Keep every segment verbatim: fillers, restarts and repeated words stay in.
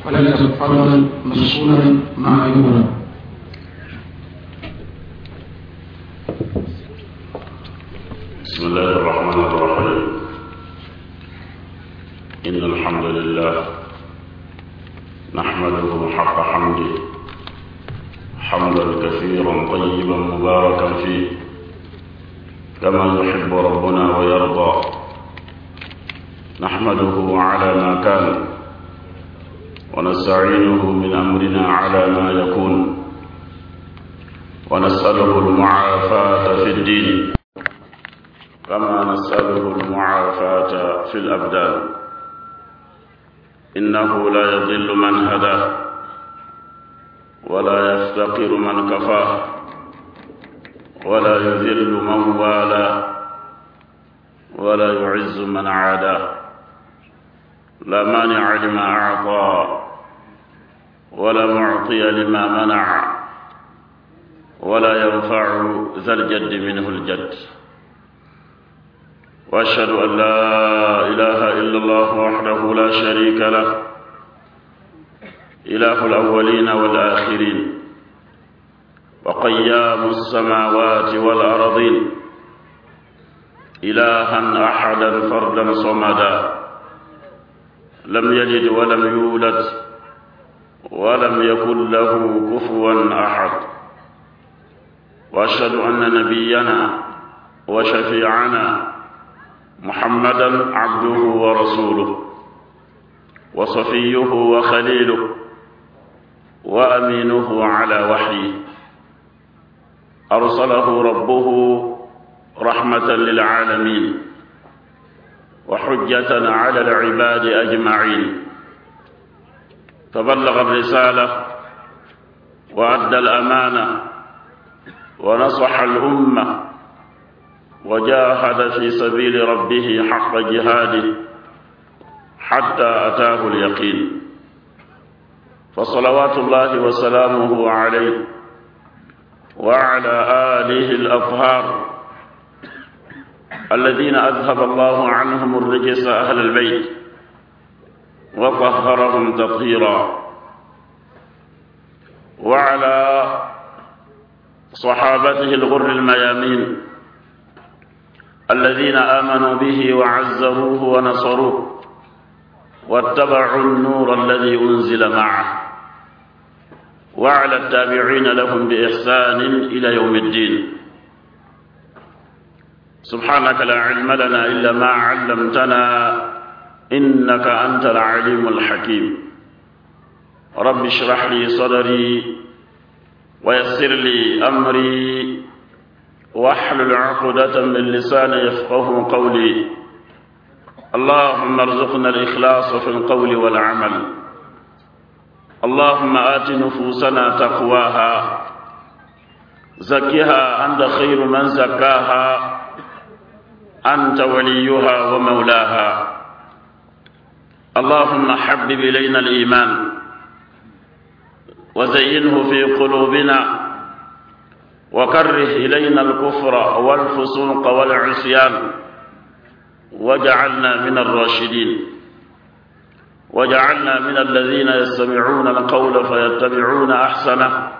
فليتفضل مشكورا مأجورا. بسم الله الرحمن الرحيم. إن الحمد لله نحمده حق حمده حمدا كثيرا طيبا مباركا فيه كما يحب ربنا ويرضى. نحمده على ما كان ونستعينه من أمرنا على ما يكون، ونسأله المعافاة في الدين كما نسأله المعافاة في الأبدان، إنه لا يضل من هداه ولا يفتقر من كفاه ولا يذل من والاه ولا يعز من عاداه. لا مانع لما أعطى ولا معطي لما منع ولا ينفع ذا الجد منه الجد. وأشهد أن لا إله إلا الله وحده لا شريك له، إله الأولين والآخرين، وقيام السماوات والأرضين، إلها أحدا فردا صمدا، لم يلد ولم يولد ولم يكن له كفوا أحد. وأشهد أن نبينا وشفيعنا محمدا عبده ورسوله وصفيه وخليله وأمينه على وحيه، أرسله ربه رحمة للعالمين وحجة على العباد أجمعين، فبلغ الرسالة وأدى الأمانة ونصح الأمة وجاهد في سبيل ربه حق جهاده حتى أتاه اليقين. فصلوات الله وسلامه عليه وعلى آله الأطهار الذين أذهب الله عنهم الرجس أهل البيت وطهرهم تطهيرا، وعلى صحابته الغر الميامين الذين آمنوا به وعزروه ونصروه واتبعوا النور الذي أنزل معه، وعلى التابعين لهم بإحسان إلى يوم الدين. سبحانك لا علم لنا إلا ما علمتنا إنك أنت العليم الحكيم. رب اشرح لي صدري ويسر لي أمري واحلل عقدة من لساني يفقه قولي. اللهم ارزقنا الإخلاص في القول والعمل. اللهم آت نفوسنا تقواها، زكها أنت خير من زكاها، أنت وليها ومولاها. اللهم حبب إلينا الإيمان وزينه في قلوبنا، وكره إلينا الكفر والفسوق والعصيان، وجعلنا من الراشدين، وجعلنا من الذين يستمعون القول فيتبعون أحسنه،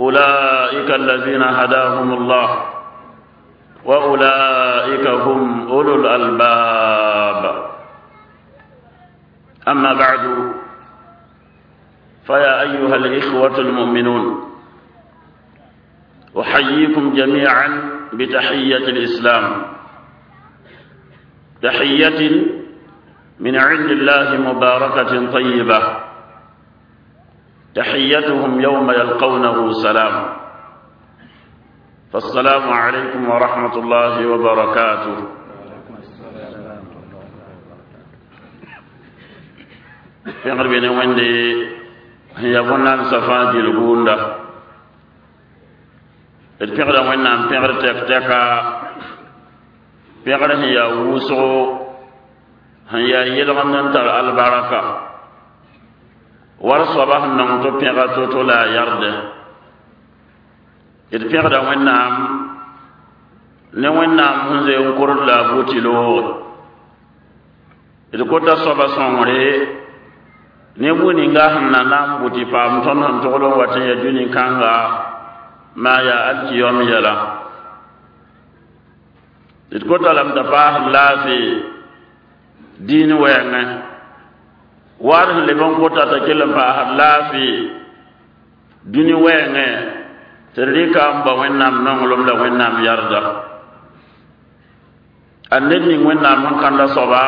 أولئك الذين هداهم الله وأولئك هم أولو الألباب. أما بعد، فيا أيها الإخوة المؤمنون، أحييكم جميعا بتحية الإسلام، تحية من عند الله مباركة طيبة، تحيتهم يوم يلقونه سلام. فالسلام عليكم ورحمة الله وبركاته. Pẽgr bene wẽnde sẽn yaa bõn-naamsã fãa gilgunda. D pẽgda Wẽnnaam pẽgr tɛk-tɛka, pẽgr sẽn yaa wʋsgo, sẽn yaa yelgemd n tar albaraka. War soaba sẽn nong tɩ pẽga to-to la a yarde d pẽgda Wẽnnaam ne Wẽnnaam sẽn zoe n kord la a bʋ tɩ looge d kota soaba sõngre ne bũ ninga sẽn na na n bʋ tɩ paam tõnd sẽn togl n wat n ya dũni kãnga maa yaa alkiyom yɛla d kota lame t'a paasd laafɩ diin wɛɛngẽ waad sẽn leb n kota t'a kell n paasd laafɩ dũni wɛɛngẽ tɩ d rɩka n bao Wẽnnaam nonglem la Wẽnnaam yarda a ned ning Wẽnnaam sẽn kãnda soaba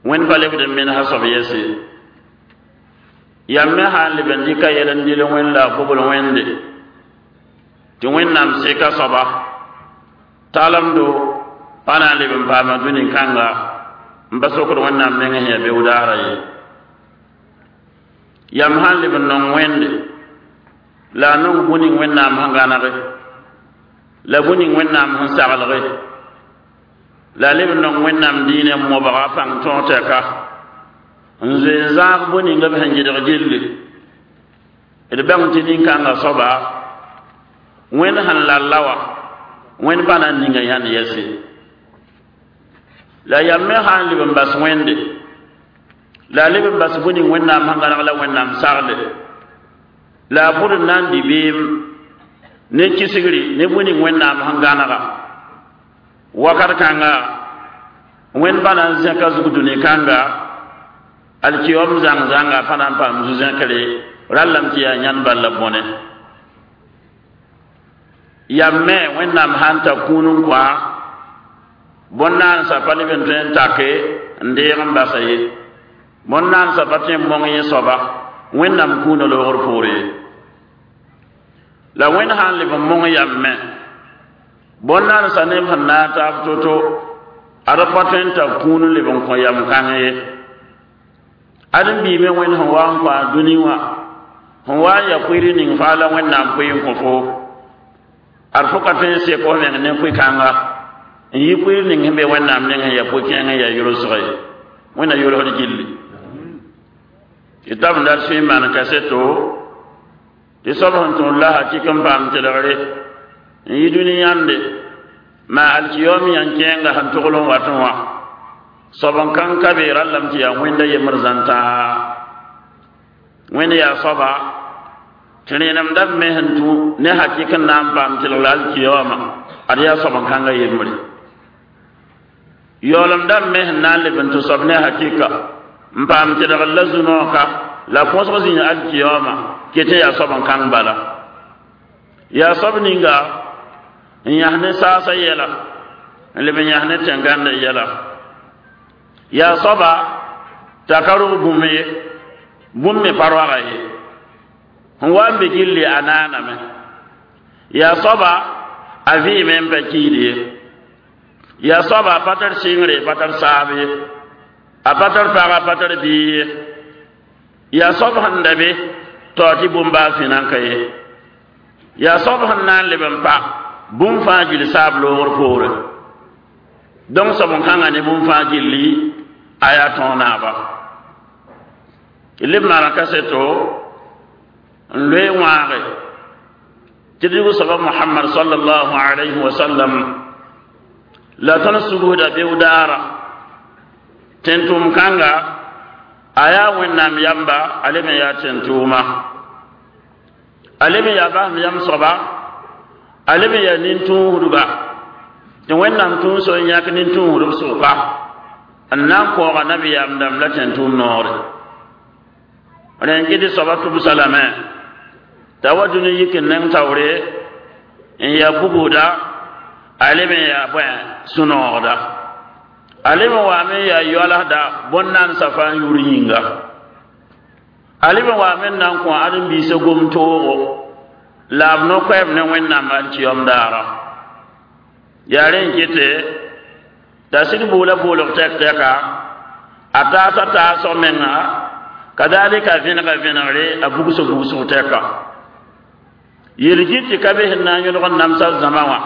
Wẽnd pa lebd n menesã soab yɛse yam me sã n leb n dɩka yɛl n dɩl Wẽnd la a gobl Wẽnde tɩ Wẽnnaam seka soaba talemdo pa na n leb n paama dũni kãnga n pa sokd Wẽnnaam meng sẽn yaa beoog-daara ye yam sã n leb n nong Wẽnde la a nong bũ ning Wẽnnaam sẽn gãnege la bũ ning Wẽnnaam sẽn saglge la a leb n nong Wẽnnaam diinɛ n mobga pãng tõog tɛka n zoe n zãag bũ ning b sẽn gɩdg gilli d bãng tɩ nin-kãngã soaba Wẽnd sẽn lalla wã Wẽnd pa na n ninga yãnd yɛse la yam me sã n leb n bas Wẽnde la a leb n bas bũ ning Wẽnnaam sẽn gãneg la Wẽnnaam sagle la a bʋd n na n dɩ beem ne kisgri ne bũ ning Wẽnnaam sẽn gãnega wakat kãnga Wẽnd pa na n zẽka zug dũni kãnga alkiyom zãng zãnga pa na n paam zu-zẽkre rallame tɩ yaa yãnd bal la bõne yam me Wẽnnaam sã n ta kũun n kõ bõn-naansã pa leb n tõe n take n deeg n basa ye bõn-naansã pa tõe n mong yẽ soaba Wẽnnaam kũunã loogr poore ye la Wẽnd sã n leb n mong yam me bõn-naansã neb sẽn na n taab to-to ad pa tõe n tar kũun n leb n kõ yam kãng ye ad n biime Wẽnd sẽn wa n kõ a dũni wã sẽn wa n ya koeer ning faa la Wẽnnaam koe n kõ fo ad fo ka tõe n sek f meng ne koe-kãnga n yɩ koeer ning sẽn be Wẽnnaam neng sẽn ya po-kẽeng n yaa yolsg ye Wẽnna yolsd gilli tɩ tab n dat sũy maan kaseto tɩ soab sẽn tõod la hakɩk n paam tɩlgre n yɩ dũni yãnde maa alkiyom yãn kẽenga sẽn togl n watẽ wã soab n kãng ka be rallame tɩ yaa Wẽnda yembr zãn-tãa Wẽnd yaa soaba tɩ rẽnemda b me sẽn tũ ne hakɩk n na n paam tɩlg la alkiyoma ad yaa soab n kãnga yembre yaoolem dãmb me sẽn na n leb n tɩ soab ne hakɩka n paam tɩlgr la zu-noogka la põsg zĩig alkiyoma ket n yaa soab n kãng bala yaa soab ninga n yãs ne saasã yɛla n leb n yãs ne tẽn-gãndã yɛla yaa soaba t'a ka rog bũmb ye bũmb me pa roaga ye sẽn wa n be gilli a naaname yaa soaba a vɩɩme n pa kiid ye yaa soaba a pa tar sɩngre pa tar saab ye a pa tar pag a pa tar biig ye yaa soab sẽn da be tao tɩ bũmb baa fẽna n ka ye yaa soab sẽn na n leb n pa bũmb fãa gill saab loogr poore donc soab n kãnga ne bũmb fãa gilli a yaa tõog naaba leb maana kaseto n loe wãage tɩ d soaba Mohamad sallallahu alayhi wa sallam la tõnd sugusda beoog-daara tẽn-tʋʋm kãnga a yaa Wẽnnaam yamba a leb n yaa tẽn-tʋʋma a leb n yaa basem yam soaba a leb n yaa nin-tũusdba tɩ Wẽnnaam tũus n yãk nin-tũusdb sʋka n na n kõoga nabiyaam dãmb la tẽn-tʋʋm noore rẽ n kɩ tɩ soaba tʋbsa lame t'a wa dũni yik n neng taoore n yaa bugusda a leb n yaa bõe sũ-noogda a leb n waame n yaa yoalsda bõn-naandsã fãa n yʋʋr yĩnga a leb n waame n na n kõ ãdem-biisã gom-toogo la b no-koɛɛm ne Wẽnnaam alkiyom daara yaa rẽ n kɩte t'a sig boola boolg tɛk-tɛka a taasa taasg menga kadalika vẽnega vẽnegre a bugsg bugsg tɛka yel-git tɩ ka be sẽn na n yõlg n namsa zãma wã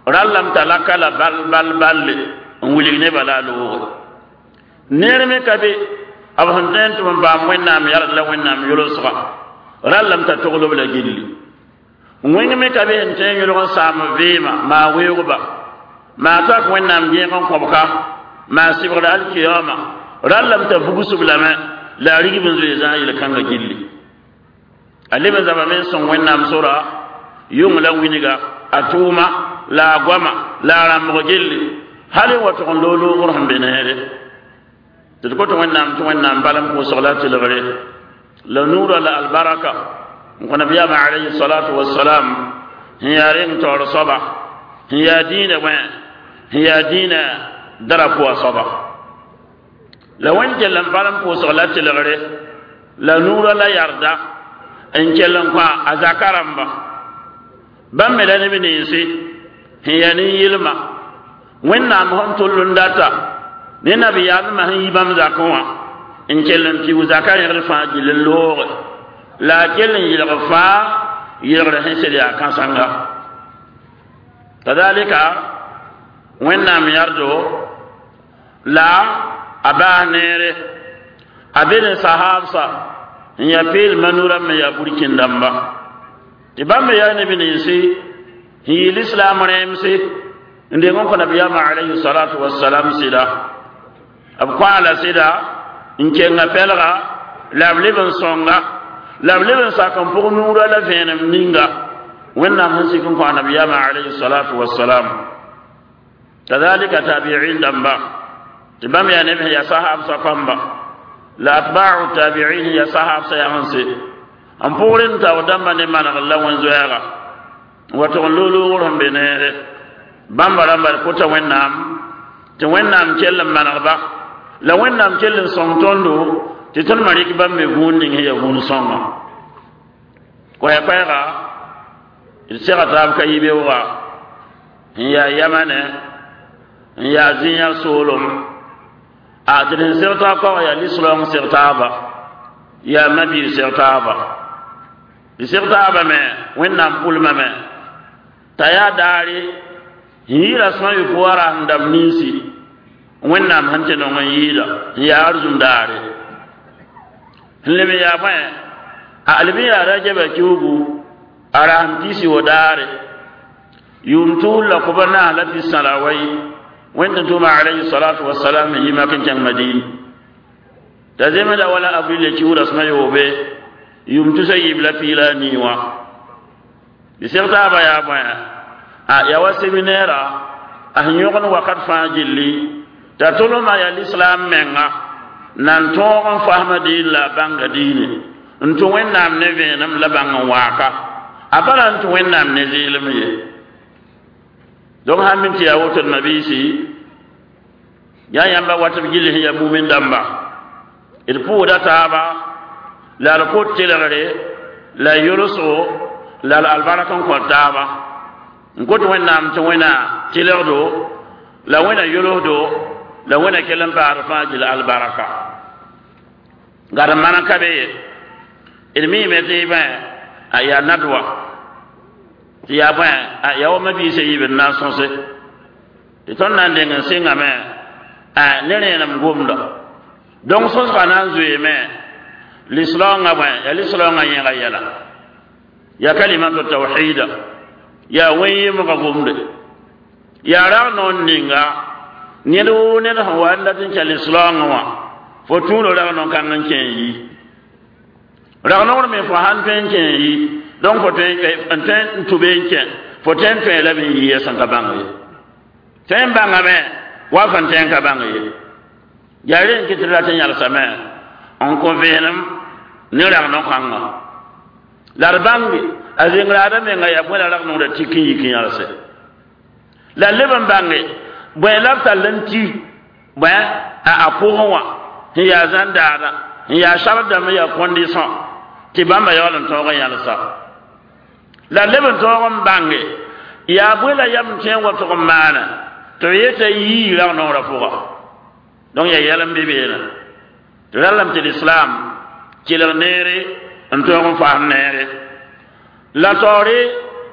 rallame t'a laka la bal bal balle n wilg nebã la a looge neer me ka be b sẽn tõe n tʋm n paam wẽnnaam yard la wẽnnaam yolsga rallame t'a togl b la gilli wẽng me ka be sẽn tõe n yõlg n saam vɩɩmã maa weoogba maa tak wẽnnaam gẽeg n kõbka maa sɩbgd alkiyama rallame t'a vugsb lame la a rigb n zoe zãag yel-kãngã gilli a leb n zabame n sõng wẽnnaam sora yʋng la wĩnga a tʋʋma la a goama la a rãmbg gilli hal n wa tʋg n loog loogr sẽn be neere tɩ d kot wẽnnaam tɩ wẽnnaam bal n pʋʋsg la tɩlgre la nuurã la albaraka n kõ nabiyaamã alayhi salatu wasalam sẽn yaa reng taoor soaba sẽn yaa dĩinã wẽ sẽn yaa dĩinã darapoa soaba la wẽnd kell n bal n pʋʋsg la tɩlgre la nuurã la yarda n kell n kõ a zaka rãmba bãmb me la neb ninsi sẽn yaa nin-yɩlma wẽnnaam sẽn tʋll n data ne nabiyaamã sẽn yi bãmb zakẽ wã n kell n piug zaka rẽgd fãa gill n looge la a kell n yɩlg fãa yɩlgr sẽn sed yaa kãsenga kadalika wẽnnaam yardo la a baas neere a be ne sahabsa n yaa peelmã nurã me yaa burkĩn-dãmba tɩ bãmb me yaa neb ninsi sẽn yɩ lislaam rẽemse n deng n kõ nabiyaamã alayhi salatu wasalam sɩda b kõ la sɩda n kenga pɛlga la b leb n sõnga la b leb n sak n pʋg nuurã la vẽenem ninga wẽnnaam sẽn sik n kõ a nabiyaamã alayhi salatu wasalam kadalika tabiin dãmba tɩ bãmb yaa neb sẽn yaa sahabsã kãmba la atba'u tabi'in yaa sahabsã yagense n pʋgr n tao dãmba ne manegr la wẽn-zoɛɛga n wa tʋg n loog loogr sẽn be neere bãmba rãmba d kota wẽnnaam tɩ wẽnnaam kell n manegba la wẽnnaam kell n sõng tõndo tɩ tõnd me rɩk bãmb me vũun ning sẽn yaa vũun sõnga koɛɛ-koɛɛga d sega taab ka yi-beooga n yaa yamane n yaa zĩ-yã soolem a tɩ d sẽn seg taab kaoog yaa lislaoong seg taaba yaa mabiir seg taaba d seg taaba me wẽnnaam pʋlmame t'a yaa daare sẽn yɩɩra sõa yopoa rasem dãmb ninsi wẽnnaam sẽn tɩ nong n yɩɩda n yaa arzũm daare n leb n yaa bõe a leb n yaa rajaba kiugu a rasem pisi wo daare yʋʋm tʋʋl la koba naas la pis sã la a wayi wẽnd tɩ tʋʋma alayhi salatu wasalam n yi mak n kẽng madin t'a zemda wala avril le kiugrã rasmã yoobe yʋʋm tusa yiib la piig la a nii wã d seg taabã yaa bõe a yaa wa seminɛɛra a sẽn yõgd wakat fãa gilli t'a tolmã yaa lislaam menga nan tõog n fasma diin la a bãnga diine n tũ wẽnnaam ne vẽenem la bãng n waaka a pa na n tũ wẽnnaam ne zɩɩlem ye donc sãn min tɩ yaa woto d mabiisi yaa yãmba wat b gill sẽn yaa mumin dãmba d pʋʋda taaba la d kot tɩlgre la yolsgo la d albark n kõ taaba n kot wẽnnaam tɩ wẽna tɩlgdo la wẽna yolsdo la wẽna kell n paasd fãa gil albarka gad man ka be ye d miime tɩ bẽ a yaa nadwa tɩ yaa bõe a yaa wa mabiisã yiib n na n sõse tɩ tõnd na n deng n sɩngame a ne rẽenem gomda donc sõsgã na n zoeeme lislaoongã bõe yaa lislaoongã yẽga yɛla yaa kalimatu tawhida yaa wẽn-yɩmgã gomde yaa rag noor ninga ned woo ned sẽn wa n dat n kẽ lislaoongã wã fo tũudo rag no-kãng n kẽ n yi rag noor me fo sãn tõe n kẽ n yi donc fo tõe n tõe n tʋ be n kẽ fo tõe n tõe la b n yi sẽn ka bãng ye tõe n bãngame wa fãn tõe n ka bãng ye yaa re n kɩ tɩ rat n yãlsame n kõ vẽenem ne rag no-kãngã la d bãnge a zẽng-raada menga yaa bõe la rag nongda tik n yik n yãlse la leb n bãnge bõe la b tall n ti bõe a a pʋgẽ wã sẽn yaa zãn-daada n yaa sard dãmb n yaa condition tɩ bãmba yaool n tõog n yãlsa la leb n tõog n bãnge yaa bõe la yam n tõe n wa tʋg n maana tɩ b yeta yii rag nongrã pʋga donc yaa yɛl n be beene tɩ rallame tɩ lislaam kelg neere n tõog n fasem neere la taoore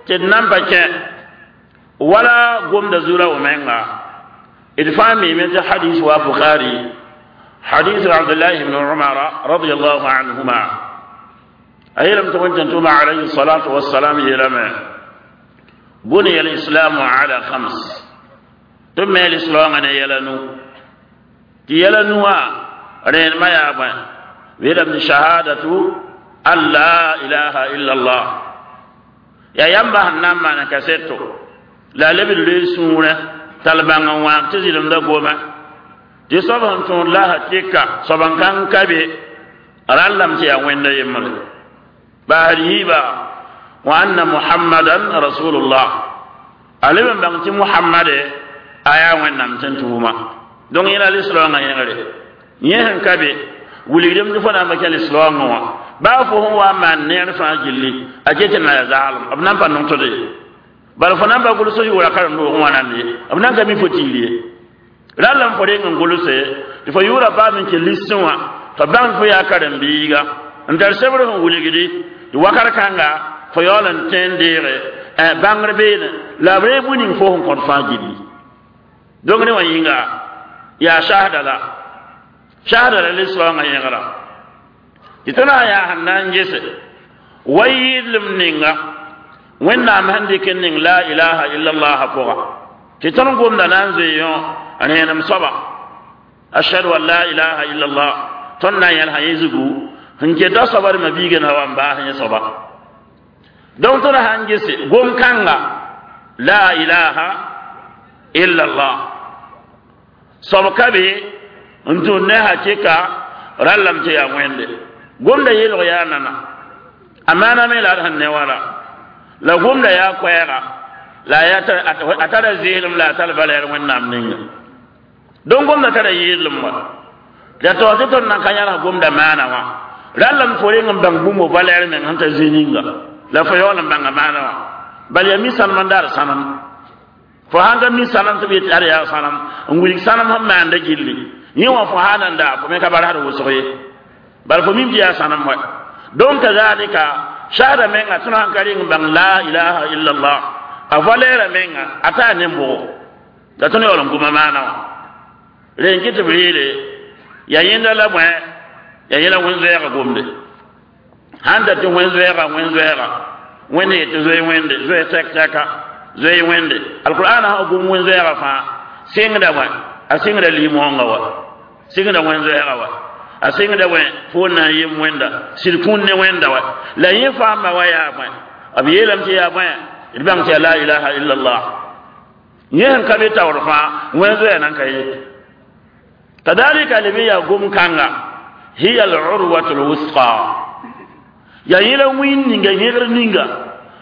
tɩ d nan pa kẽ wala gomda zura w menga d fãa miime tɩ hadis wa bukhari حديث عبد الله بن عمر رضي الله عنهما أي لم تكن عليه الصلاة والسلام يلم بني الإسلام على خمس ثم الإسلام أن يلنو يلنوا رين ما يابا ويلم شهادة أن لا إله إلا الله يا يمبا نما نكسيتو لا لبن لسورة تلبان وان تزيلم دا goma tɩ soab sẽn tõod la hakɩka soab n kãng ka be rãllame tɩ yaa wẽnda yembre baasd yiiba wa anna muhammadan rasulullah a leb n bãng tɩ muhammade a yaa wẽnnaam tɩ n tʋʋma donc yẽla lislaoongã yẽgre yẽ sẽn ka be wilgdem tɩ fo na n pa kẽ lislaoongã wã baa fo sẽn wa n maan neer fãa gilli a ket tɩ na ya zaalem b na n pa nong-tʋd ye bala fo na n pa gʋls yʋʋra karen-doogẽ wã nand ye b na n ka mi fo tiir ye rall n fo reng n gʋlse tɩ fo yʋʋra paam n kẽ listẽ wã tɩ bãng fo yaa karen-biiga n tar sebr sẽn wilgdi tɩ wakat kãnga fo yaool n tẽ n deege bãngr beene la b reeg bũmb ning fo sẽn kõt fãa gilli donc ne wã yĩnga yaa shahda la shahda la lislaoongã yẽgra tɩ tõnd sã yaa sẽn na n gese wa yɩɩdlem ninga wẽnnaam sẽn dɩk n ning la ilaha illallah pʋga tɩ tõnd gomda na n zoe yõ rẽenem soaba ashhadu an la ilaha illallah tõnd na n yẽlsa yẽ zugu sẽn keta soaba d mabiiga na wa n baas yẽ soaba donc tõnd sã n gese gom-kãnga la ilaha illallah soab ka be n tũud ne hakɩka rallame tɩ yaa wẽnde gomda yeelg yaa nana a maana me la d sẽn ne wala la gomda yaa koɛɛga la a tara zɩɩlem la a tar valɛɛr wẽnnaam ninga donc gomda tara yɩɩdlem wa la taoor tɩ tõnd nan ka yãls gomda maana wã rallame fo reng n bãng bũmb valɛɛr meng sẽn ta zĩ ninga la fo yaool n bãnga maana wã bal yaa mi sãnem n daar sãnem fo sãn ka mi sãnem tɩ b yetɩ ad yaa sãnem n wilg sãnem sẽn maanda gilli yẽ wã fo sã nan daa fo me ka barsd wʋsg ye bal fo mim tɩ yaa sãnem wa donc kazalika shahada menga tõnd sãn ka reng n bãng la ilaha illallah a valɛɛra menga a taa ne bʋgo la tõnd yaool n gʋma maana wã ren kɩ tɩ b reere yaa yẽnda la bõe yaa yẽla wẽn-zoɛɛga gomde sãn ta tɩ wẽn-zoɛɛga wẽn-zoɛɛga wẽnd yetɩ zoe wẽnde zoe tɛk-tɛka zoe wẽnde alqur'ana sã gom wẽn-zoɛɛga fãa sɩngda bõe a sɩngda lim-wãngã wa sɩngda wẽn-zoɛɛga wa a sɩngda bõe fo na n yem wẽnda sɩd kũun ne wẽnda wa la yẽ faamba wa yaa bõe b yeelame tɩ yaa bõe d bãng tɩ yaa la ilaha illallah yẽ sẽn ka be taoor fãa wẽn-zoɛɛ nan ka ye kadalika leb yaa gom-kãnga hiya al-urwatu al-wusqa yaa yẽla wĩn ninga yẽgr ninga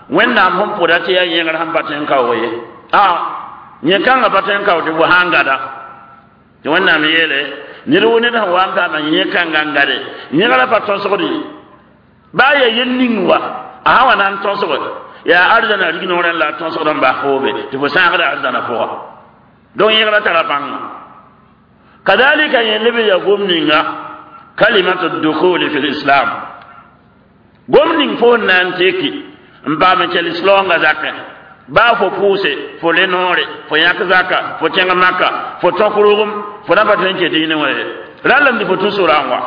wẽnnaam sẽn pʋda tɩ yaa yẽgr sẽn pa tõe n kaoog ye a yẽ kãngã pa tõe n kao tɩ bʋ sã n gada tɩ wẽnnaam yeele ned wo ned sẽn wa n paama yẽ kãngã n gade yẽgrã pa tõsgd ye baa yaa yel ning wa a sã wa na n tõsge yaa arzãna rig noorẽ la a tõsgd n bas foobe tɩ fo sãagda arzãna pʋga donc yẽgrã tara bãnga kadalika yẽ leb yaa gom ninga kalimatu dukhuli fi lislam gom ning fo n na n teki n paam n kell islaongã zakẽ baa fo pʋʋse fo le noore fo yãk zaka fo kẽng maka fo tõk rogem fo na pa tõe n ket yĩne wã ye rallame tɩ fo tũ sorã n wa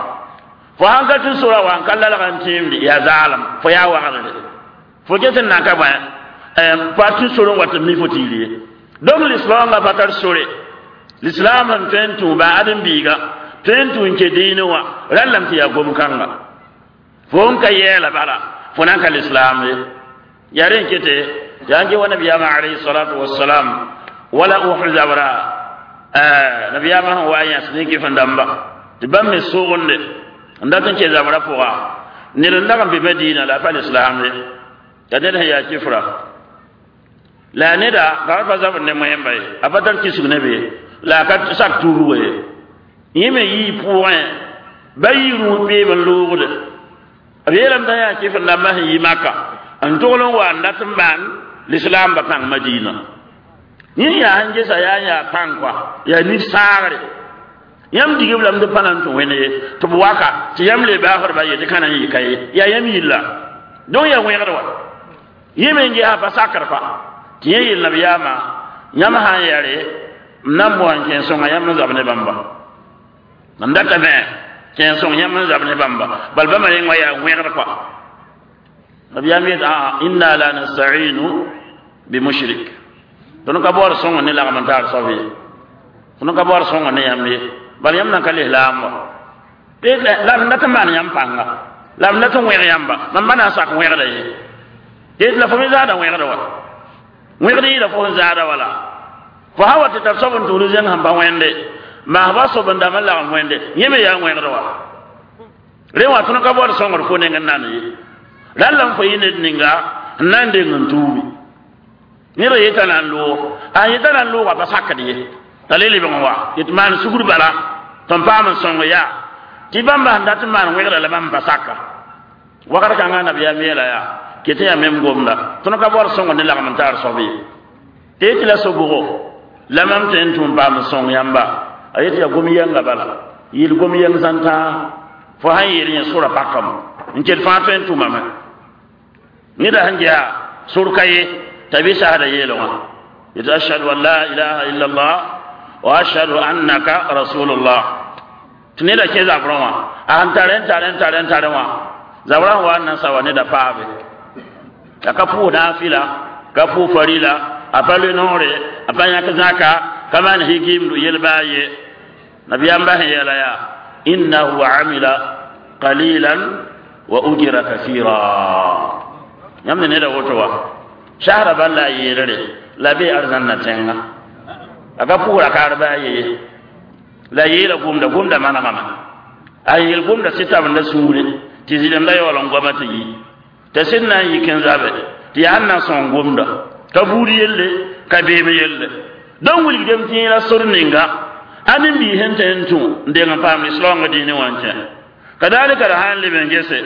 fo sãn ka tũ sorã wa n ka lalg n tẽemde yaa zaalem fo yaa wagdre fo ket n na ka bõe pa tũ sor n wa tɩ mi fo tiir ye donc lislaongã pa tar sore l'islam sẽn tõe n tũ ba ãdem-biiga tõe n tũ n ke diinẽ wã rallame tɩ yaa gom-kãnga fo n ka yɛɛla bala fo na n ka lislaam ye yaa rẽ n kete tɩ sãn ke wa nabiyaamã alayhi salatu wassalam wala uhud zabra nabiyaamã sẽn wa n yãs ne kɩf n dãmba tɩ bãmb me sʋgende n dat n ke zabra pʋga ned n dag n be madina la a pa lislaam ye la ned sẽn yaa kɩfra la a neda ka pa zabr ne moẽmba ye a pa tar kisg ne be la a ka sak tuubgo ye yẽ me yii pʋgẽ ba yii rũus peeb n loogde b yeelame t'a yaa kɩf n dãmbã sẽn yi maka n togl n wa n dat n maan lislaam ba pãng madina yẽ yaa sẽn gesa yaa n yaa pãng kɔa yaa nif-sãagre yãmb digb lame tɩ pa na n tũ wẽnd ye tɩ b waka tɩ yãmb le baasdba ye tɩ ka na n yɩ ka ye yaa yãmb yilla donc yaa wẽgd wa yẽ me n gesa pa sakr pa tɩ yẽ yel nabiyaamã yãmb sã n yɛre m na n moa n kẽ sõnga yãmb n zab ne bãmba Mam datame kẽen sõng yãmb n zab ne bãmba bal bãmba reng wã yaa wẽgd kɔa nabiyaam yet aa inna la nastainu bimushrik tõnd ka baood sõng ne lagm n taar soab ye tõnd ka baood sõng ne yãmb ye bal yãmb nan ka lislaam wa la m dat n maan yãmb pãnga la m dat n wẽg yãmba mam ba na n sak wẽgda ye tɩ la fo me zaada wẽgda wa wẽgd yɩɩda fo sẽn zaada wala fo sã wa tɩ tar soab n tʋʋd zẽng sẽn pa wẽnde maasba soab n dãmb n lagem wẽnde yẽ me yaa wẽgd wa rẽ wã tõnd ka baood sõngd fo neng n nan ye rãlla n fo yɩ ned ninga n na n deng n tuubi ned yeta na n loog a yeta na n loogã pa sakd ye t'a le lebg n wa yet maan sugr bala tɩ n paam n sõng yaa tɩ bãmba sẽn dat n maan wẽgda la bãmb pa saka wakat kãngã nabiyaam yeela yaa ket yaa mem gomda tõnd ka baood sõngd ne lagm n taar soab ye tɩ yetɩ la sobgo la mam tõe n tʋm paam n sõng yãmba a yetɩ yaa gom yɛnga bala yɩl gom yɛng zãn-tãa fo sãn yeel yẽ sora pakame n ket fãa tõe n tʋmame neda sẽn ges sor ka ye t'a bɩ sasda yeelgã yetɩ ashhadu an la ilaha illa allah wa ashhadu annaka rasulullah tɩ neda kẽ zabrẽ wã a sẽn tare n tare n tare n tare wã zabrã sẽn wa n na n sa wa neda paabe la ka pʋʋs naafɩla ka pʋʋs farila a pa loe noore a pa yãk zãka ka maan higimdu yel-baa ye nabiyaam sẽn yeela yaa innahu amila qalilan wa ujira kasira yãmb ne neda woto wa sasra bal la a yeelre la bee arzãnna tẽnga a ka pʋʋra kaar baa ye la yeela gomda gomda manegame a yeel gomda sɩ-tabenda sũure tɩ zɩlemda yaool n goama tɩ yi t'a sẽn na n yik n zabe tɩ yaa n na n sõng gomda ka buud yelle ka beem yelle donc wilgdame tɩ yẽla sor ninga a nin-biis sẽn tõe n tũ n deng n paam lislaoongã dĩinẽ wã n kẽ kadalika la sã n leb n gese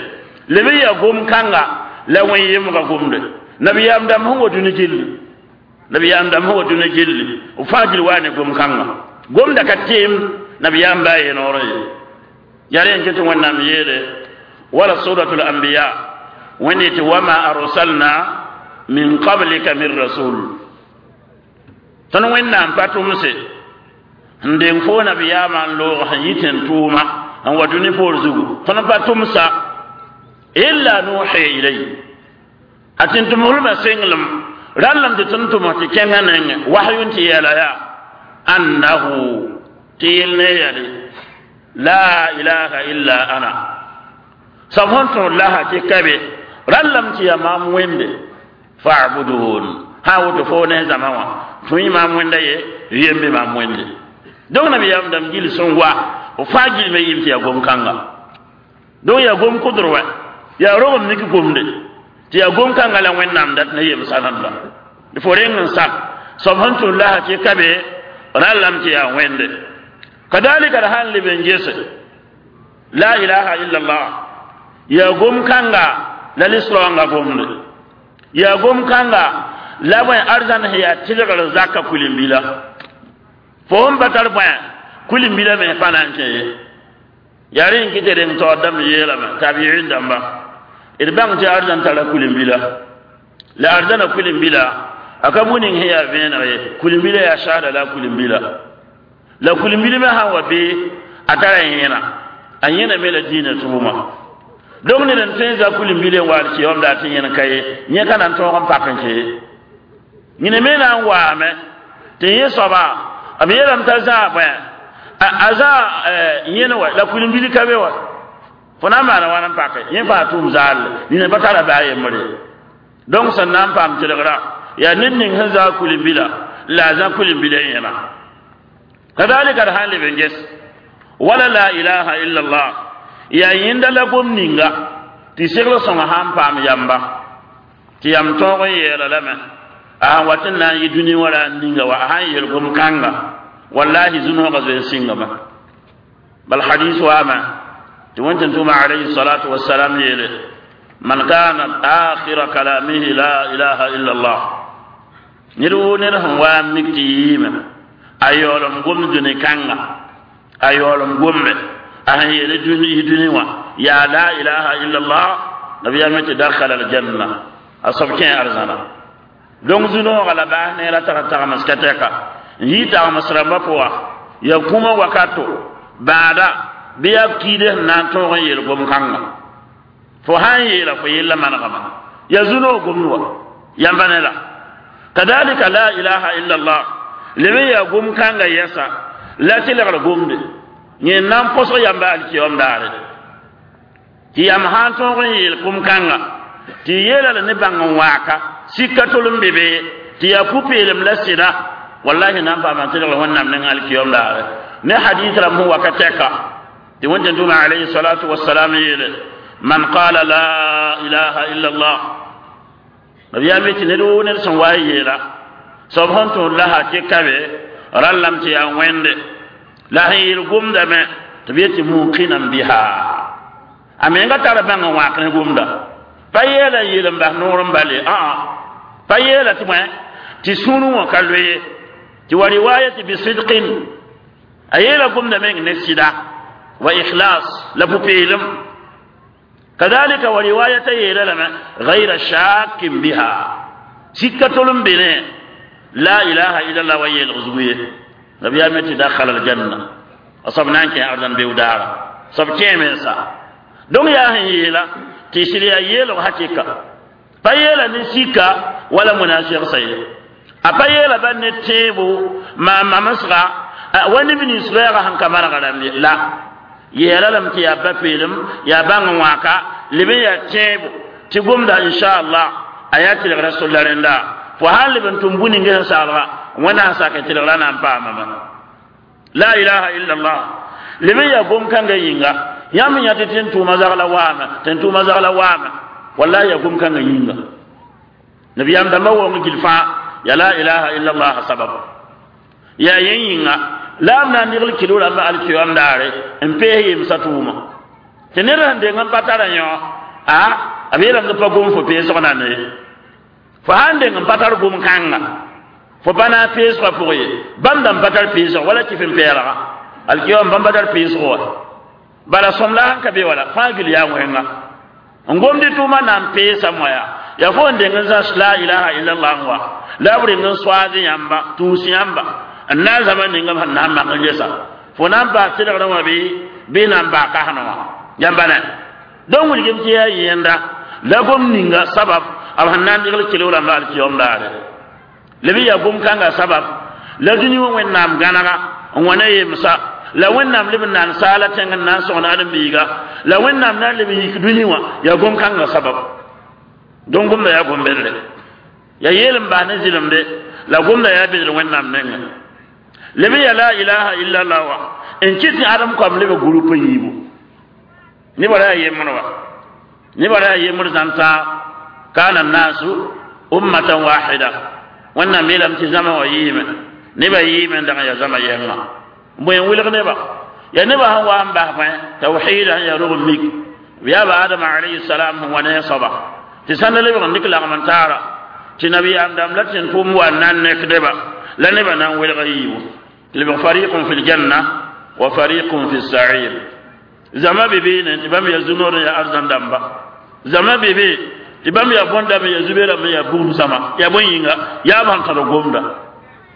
leb n yaa gom-kãnga la wẽn yemga gomde nabiyaam dãmb sẽn wa dũni gilli nabiyaam dãmb sẽn wa dũni gilli b fãa gil waa ne gom-kãnga gomda ka teem nabiyaam baa ye noorẽ ye yaa rẽ n ket wẽnnaam yeele wala suratul anbiya wẽnd yetɩ wama arsalna min qablika min rasul tõnd wẽnnaam pa tʋmse n deng fo nabiyaamã n loog sẽn yɩ tẽn tʋʋma n wa dũni poor zugu tõnd pa tʋmsa illa nuhi ilay a tɩ n tʋmslmã senglem rãllem tɩ tõnd tʋms tɩ kẽngã nengẽ wahyun tɩ yeela yaa annahu tɩ yel ne yale la ilaha illa ana sab sẽn tõod laha tɩ ka be rãllem tɩ yaa maam wẽnde fa'budun sã woto fo ne zãma wã tõe maam wẽnda ye yembe maam wẽnde donc nabiyaam dãmb gil sẽn wa b fãa gilme yɩm tɩ yaa gom-kãnga donc yaa gom kʋdr wɛ yaa rogem nik gomde tɩ yaa gom-kãnga la wẽnnaam dat ne yemsa nanda fo reng n sak soab sẽn tʋn lasã tɩ ka be rãllame tɩ yaa wẽnde kadalika la sãn leb n gese la ilaha illa allah yaa gom-kãnga la lislaoongã gomde yaa gom-kãnga la bõe arzãn sẽn yaa tɩlgr zaka kulim-bila fo sẽn pa tar bõe kulim-bila me pa na n kẽ ye yaa rẽ n kɩ tɩ reng taoor dãmb yeelame tabiin dãmba d bãng tɩ arzãn tara kulim-bila la arzãna kulim-bila a ka bu ning sẽn yaa vẽeneg ye kulim-bila yaa saada la a kulim-bila la kulim-bil me sãn wa bee a tara yẽna a yẽna me la dĩinã tʋʋma donc ned n tõe n za kulim-bil n waal kɩ wam la tɩ yẽn ka ye yẽ ka na n tõog n pak n kẽ ye yẽne me na n waame tɩ yẽ soaba b yeelame t'a zãa bõe a zãa yẽne wa la kulim-bil ka be wa fo na n maana wãn n pake yẽ fãa tʋʋm zaalle nina pa tara baa yembre donc sẽn na n paam tɩlgra yaa ned ning sẽn zaa kulim-bila la a zã kulim-bila yẽna kadalika d sãn leb n ges wala la ilaha illa allah yaa yẽnda la gom ninga tɩ segl sõnga sã n paam yamba tɩ yam tõog n yeela lame a sãn wat n na n yɩ dũni wã ra n ninga wa a sãn yeel gom-kãnga wallahi zũnoogã zoe n sɩngame bal hadis waame tɩ wẽn tʋma alayhi salatu wasalam yeele man kana akhira kalamihi la ilaha illa allah ned woo ned sẽn wa n mik tɩ yɩɩme a yaoolem gomd dũni kãnga a yaoolem gombe a sẽn yeele dũni wã yaa la ilaha illa allah nabiyaam tɩ dakhala aljanna a soab kẽ arzãna donc zũnoogã la baas neera tag tagms ka tɛka n yɩ tagms rãmbã pʋga yaa kũmã wakato Bãada bɩ yaa kiide sẽn na n tõog n yeel gom-kãnga fo sã n yeela fo yella manegame ya zu-noog gomd wa yãmba ne la kadalika la ilaha illa allah leb n yaa gom-kãnga yɛsa la tɩlgr gomde yẽ na n põsg yãmba alkiyom daare tɩ yãmb sã n tõog n yeel gom-kãnga tɩ yeela la ne bãng n waaka sika tol n be be tɩ yaa pu-peelem la sɩda wallahi na n paama tɩlgr wẽnnaam neng alkiyom daare ne hadis rãmb sẽn waka tɛka tɩ wẽn-tẽn-tʋma alayhi salatu wasalam yeele man qala la ilaha illa allah nabiyaam tɩ ned woo ned sẽn wa n yeela soab sẽn tõod la hakɩka be rallame tɩ yaa wẽnde la sẽn yeel gomdame tɩ b yet tɩ muqinan biha a menga tara bãng n wãak ne gomda pa yeela n yeel n bas noor n bale aa pa yeela tɩ bõe tɩ sũurẽ wã ka loe tɩ wa riwayati bisidqin a yeela gomda meng ne sɩda wa ikhlas la pʋ-peelem kadalika wa riwayata yeela lame gayra shakin biha sika tol n be ne la ilaha illallah wa yeelg zugu ye nabiyaam tɩ dakhala aljanna a soab na n kẽ arzãn beoog-daara soab kẽe mensa donc yaa sẽn yeela tɩ sɩd yaa yeelg hakɩka pa yeela ne sika wala munafɩgsa ye a pa yeela ba ne tẽebo maan mamsga wa neb nins loɛɛga sẽn ka manega rãmb ye la yeela lame tɩ yaa ba peelem yaa bãng n wãaka leb n yaa tẽebo tɩ gomda inchallah a yaa tɩlgra solla rẽnda fo sã n leb n tʋm bũ-ninge sẽn saglga wẽnnaam sak tɩlgra na n paamame la ilaha illallah leb n yaa gom-kãngã yĩnga yãmb yã tɩ tẽn-tʋʋma zagla waame tẽn-tʋʋma zagla waame wallahi yaa gom-kãngã yĩnga nabiyaam dãmbã waoong gil fãa ya la ilaha illallah sabab yaa yẽ yĩnga la b na n degl kɩlo rãmba alkiyom daare n pees yemsã tʋʋma tɩ ned sẽn deng n pa tara yõ a b yeelame tɩ pa gom fo peesg na ne fo sãn deng n pa tar gom-kãnga fo pa na n peesgã pʋg ye bãmb dãmb pa tar peesg wala kɩf n pɛɛlga alkiyom bãmb pa tar peesg wa bala sõm la sẽn ka be wala fãa gil yaa wẽnga n gomd tʋʋma na n peesa moya ya fo n deng n zãs la ilaha illallah wa la b reng n soaad yãmba tũus yãmba n na n zãma ninga sẽn na n mak n gesa fo na n paas tɩlgrã wã bɩ bɩ na n baa kasnẽ wã yãmba ne donc wilgem tɩ yaa yẽnda la gom ninga sabab b sẽn na n degl kelg rãmba alkiyom daare leb n yaa gom-kãngã sabab la dũni wã wẽnnaam gãnega n wa ne yemsa la wẽnnaam leb n na n saala tẽng n na n sõgn ãdem-biiga la wẽnnaam na n leb n yik dũni wã yaa gom-kãngã sabab donc gomda yaa gom-bedre yaa yeel n bas ne zɩlemde la gomda yaa bedr wẽnnaam nengẽ leb n yaa la ilaha illallah wa n kɩt tɩ ãdem koam leb groupe yiibu nebã ra yaa yembr wa nebã ra yaa yembr zãn-tãa kana nasu ummatan wahida wẽnnaam yeelame tɩ zãma wã yɩɩme nebã yɩɩme n dag n yaa zãma yɛngã bõe n wilg nebã yaa nebã sẽn wa n bas bõe tawhida sẽn yaa rog n mik b yaa ba adama alayhi salam sẽn wa ne a soaba tɩ sãnda lebg n dɩk lagm n taara tɩ nabiyaam dãmb la tẽn tʋʋm wa n na n nekdeba la nebã na n welga yiibu lebg fariqun fi ljanna wa fariqun fi sair zama be beene tɩ bãmb yaa zu-noor n yaa arzãn dãmba zama be be tɩ bãmb yaa bõn-dãmb yaa zu-be-rãmb yaa bugum zãma yaa bõe yĩnga yaa b sẽn tãd gomda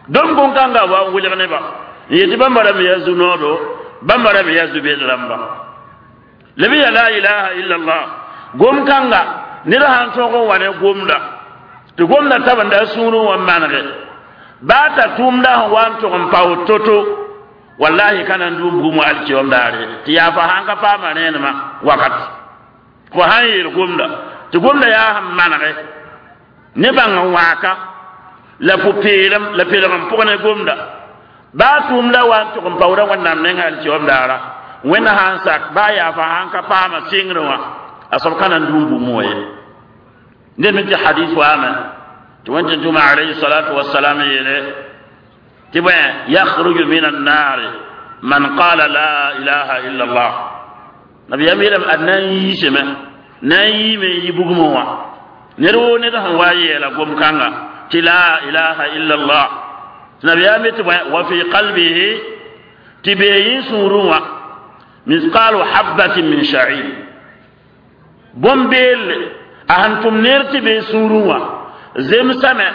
dõm gom-kãnga wa n welg nebã n yetɩ bãmba rãmb yaa zu-noodo bãmba rãmb yaa zu-bed rãmba leb n yaa la ilaha illallah gom-kãnga ned sã n tõog n wa ne gomda tɩ gomda tab n da sũurẽ wã manege baa t'a tʋʋmda sẽn wa n tʋg n pao to-to wallahi ka na n dʋʋm bugum wa alkiyom daare tɩ yaa fa sãn ka paama rẽenemã wakat fo sãn yeel gomda tɩ gomda yaa sẽn manege ne bãng n wãaka la pʋ-peelem la pelg n pʋg ne gomda baa tʋʋmda wa n tʋg n paoodã wẽnnaam nengã alkiyom daara wẽnna sã n sak baa yaa fa sãn ka paama sɩngrẽ wã a soab ka na n dũum bugum wã ye ned me tɩ hadis waame tɩ wẽn-tẽn-tʋma alayhi salatu wasalam yeele tɩ bõe yakhruju min annaari man qala la ilaha illa allah nabiyam yeelame ad na n yiisame na n yiime n yi bugmẽ wã ned woo ned sẽn wa yeela gom-kãnga tɩ la ilaha illa allah tɩ nabiyaam tɩ bõe wa fi qalbihi tɩ bee yẽ sũurẽ wã misqalu habatin min sha'ir bõn-beelle a sẽn tʋm neer tɩ bee sũurẽ wã zemsame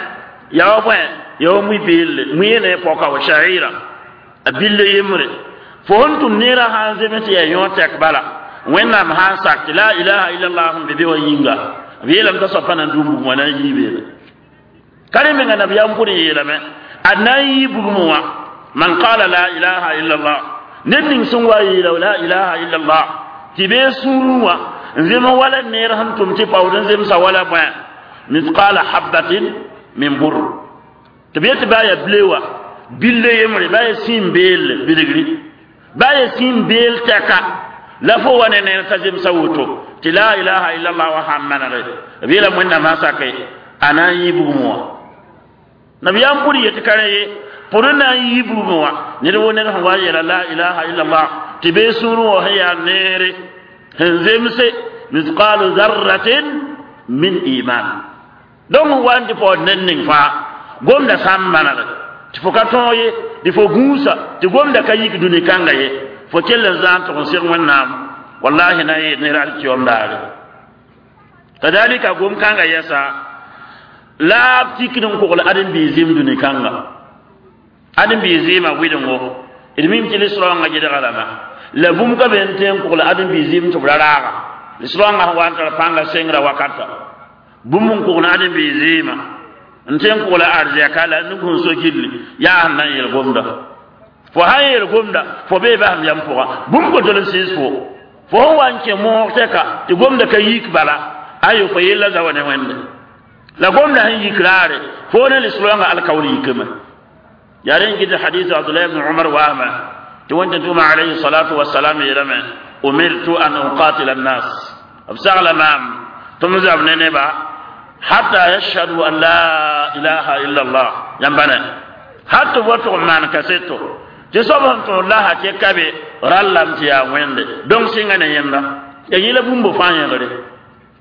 yaa wa bõe yaa wa mui-beelle mui ne pɔka wa sha'ira a bille yembre Fo sẽn tʋm neerã sã n zems tɩ yaa yõ tɛk bala wẽnnaam sã n sak tɩ la ilaha illallah sẽn be be wã yĩnga b yeelame t'a soab pa na n dũm bugum wã na n yii beene ka rẽ menga nabiyaam pʋd n yeelame ad na n yii bugum wã man qala la ilaha illallah ned ning sẽn wa yeela la ilaha illallah tɩ bee sũurẽ wã n zem wala neer sẽn tʋm tɩ paood n zemsa wala bõe mithqala habatin min bur tɩ b yetɩ baa yaa ble wã bille yembre baa yaa sĩim beelle bilgri baa yaa sĩim beel tɛka la fo wa ne neer t'a zemsa woto tɩ la ilaha illallah wã sãn manege b yeelame wẽnnaam sã sake a na n yɩ bugum wã nabiyaam pʋd yetɩ ka rẽ ye pʋd n na n yɩ bugum wã ned wo ned sẽn wa yeela la ilaha illallah tɩ bee sũurẽ wã sẽn yaa neere sẽn zemse mithqalu zarratin min iman donc n wa n tɩ paood ned ning fãa gomda sã n manege tɩ fo ka tõog ye tɩ fo gũusa tɩ gomda ka yik dũni kãnga ye fo kell n zãag n tʋg n seg wẽnnaam wallahi na yeel ned alkiyom daare kadalika gom kãnga yɛsa la b tikd n kogl ãdem-biis zɩɩm dũni kãnga ãdem-biis zɩɩmã wɩdengo d mim tɩ lisrãongã gedga lama la bũmb ka be n tõe n kogl ãdem-biis zɩɩm tɩ b ra raaga lisrãongã sẽn wa n tar pãnga sengrã wakata bũmb n kogl ãdem-biis zɩɩmã n tõe n kogl arzɛka la nug sẽn so gilli yaa sẽn na n yel gomda fo sã n yel gomda fo bee basem yam pʋga bũmb kotol n sɩɩs fo fo sẽn wa n kẽ moog tɛka tɩ gomda ka yik bala ayo fo yella zawa ne wẽnde la gomda sẽn yik raare fo ne lisrãongã alkaoor yikame yaa rẽ n gɩd hadis abdullah ibn umar waama tɩ wẽn tʋma alayhi salatu wasalam yeelame umirtu an uqatila annas b sagla maam tɩ m zab ne neba hatta yashhadu an la ilaha illa allah yãmba ne hat tɩ b wa tʋg n maan kaseto tɩ soab sẽn tõod la tɩ ka be rallame tɩ yaa wẽnde donc sɩnga ne yẽnda ya yẽla bũmb fãa yẽgre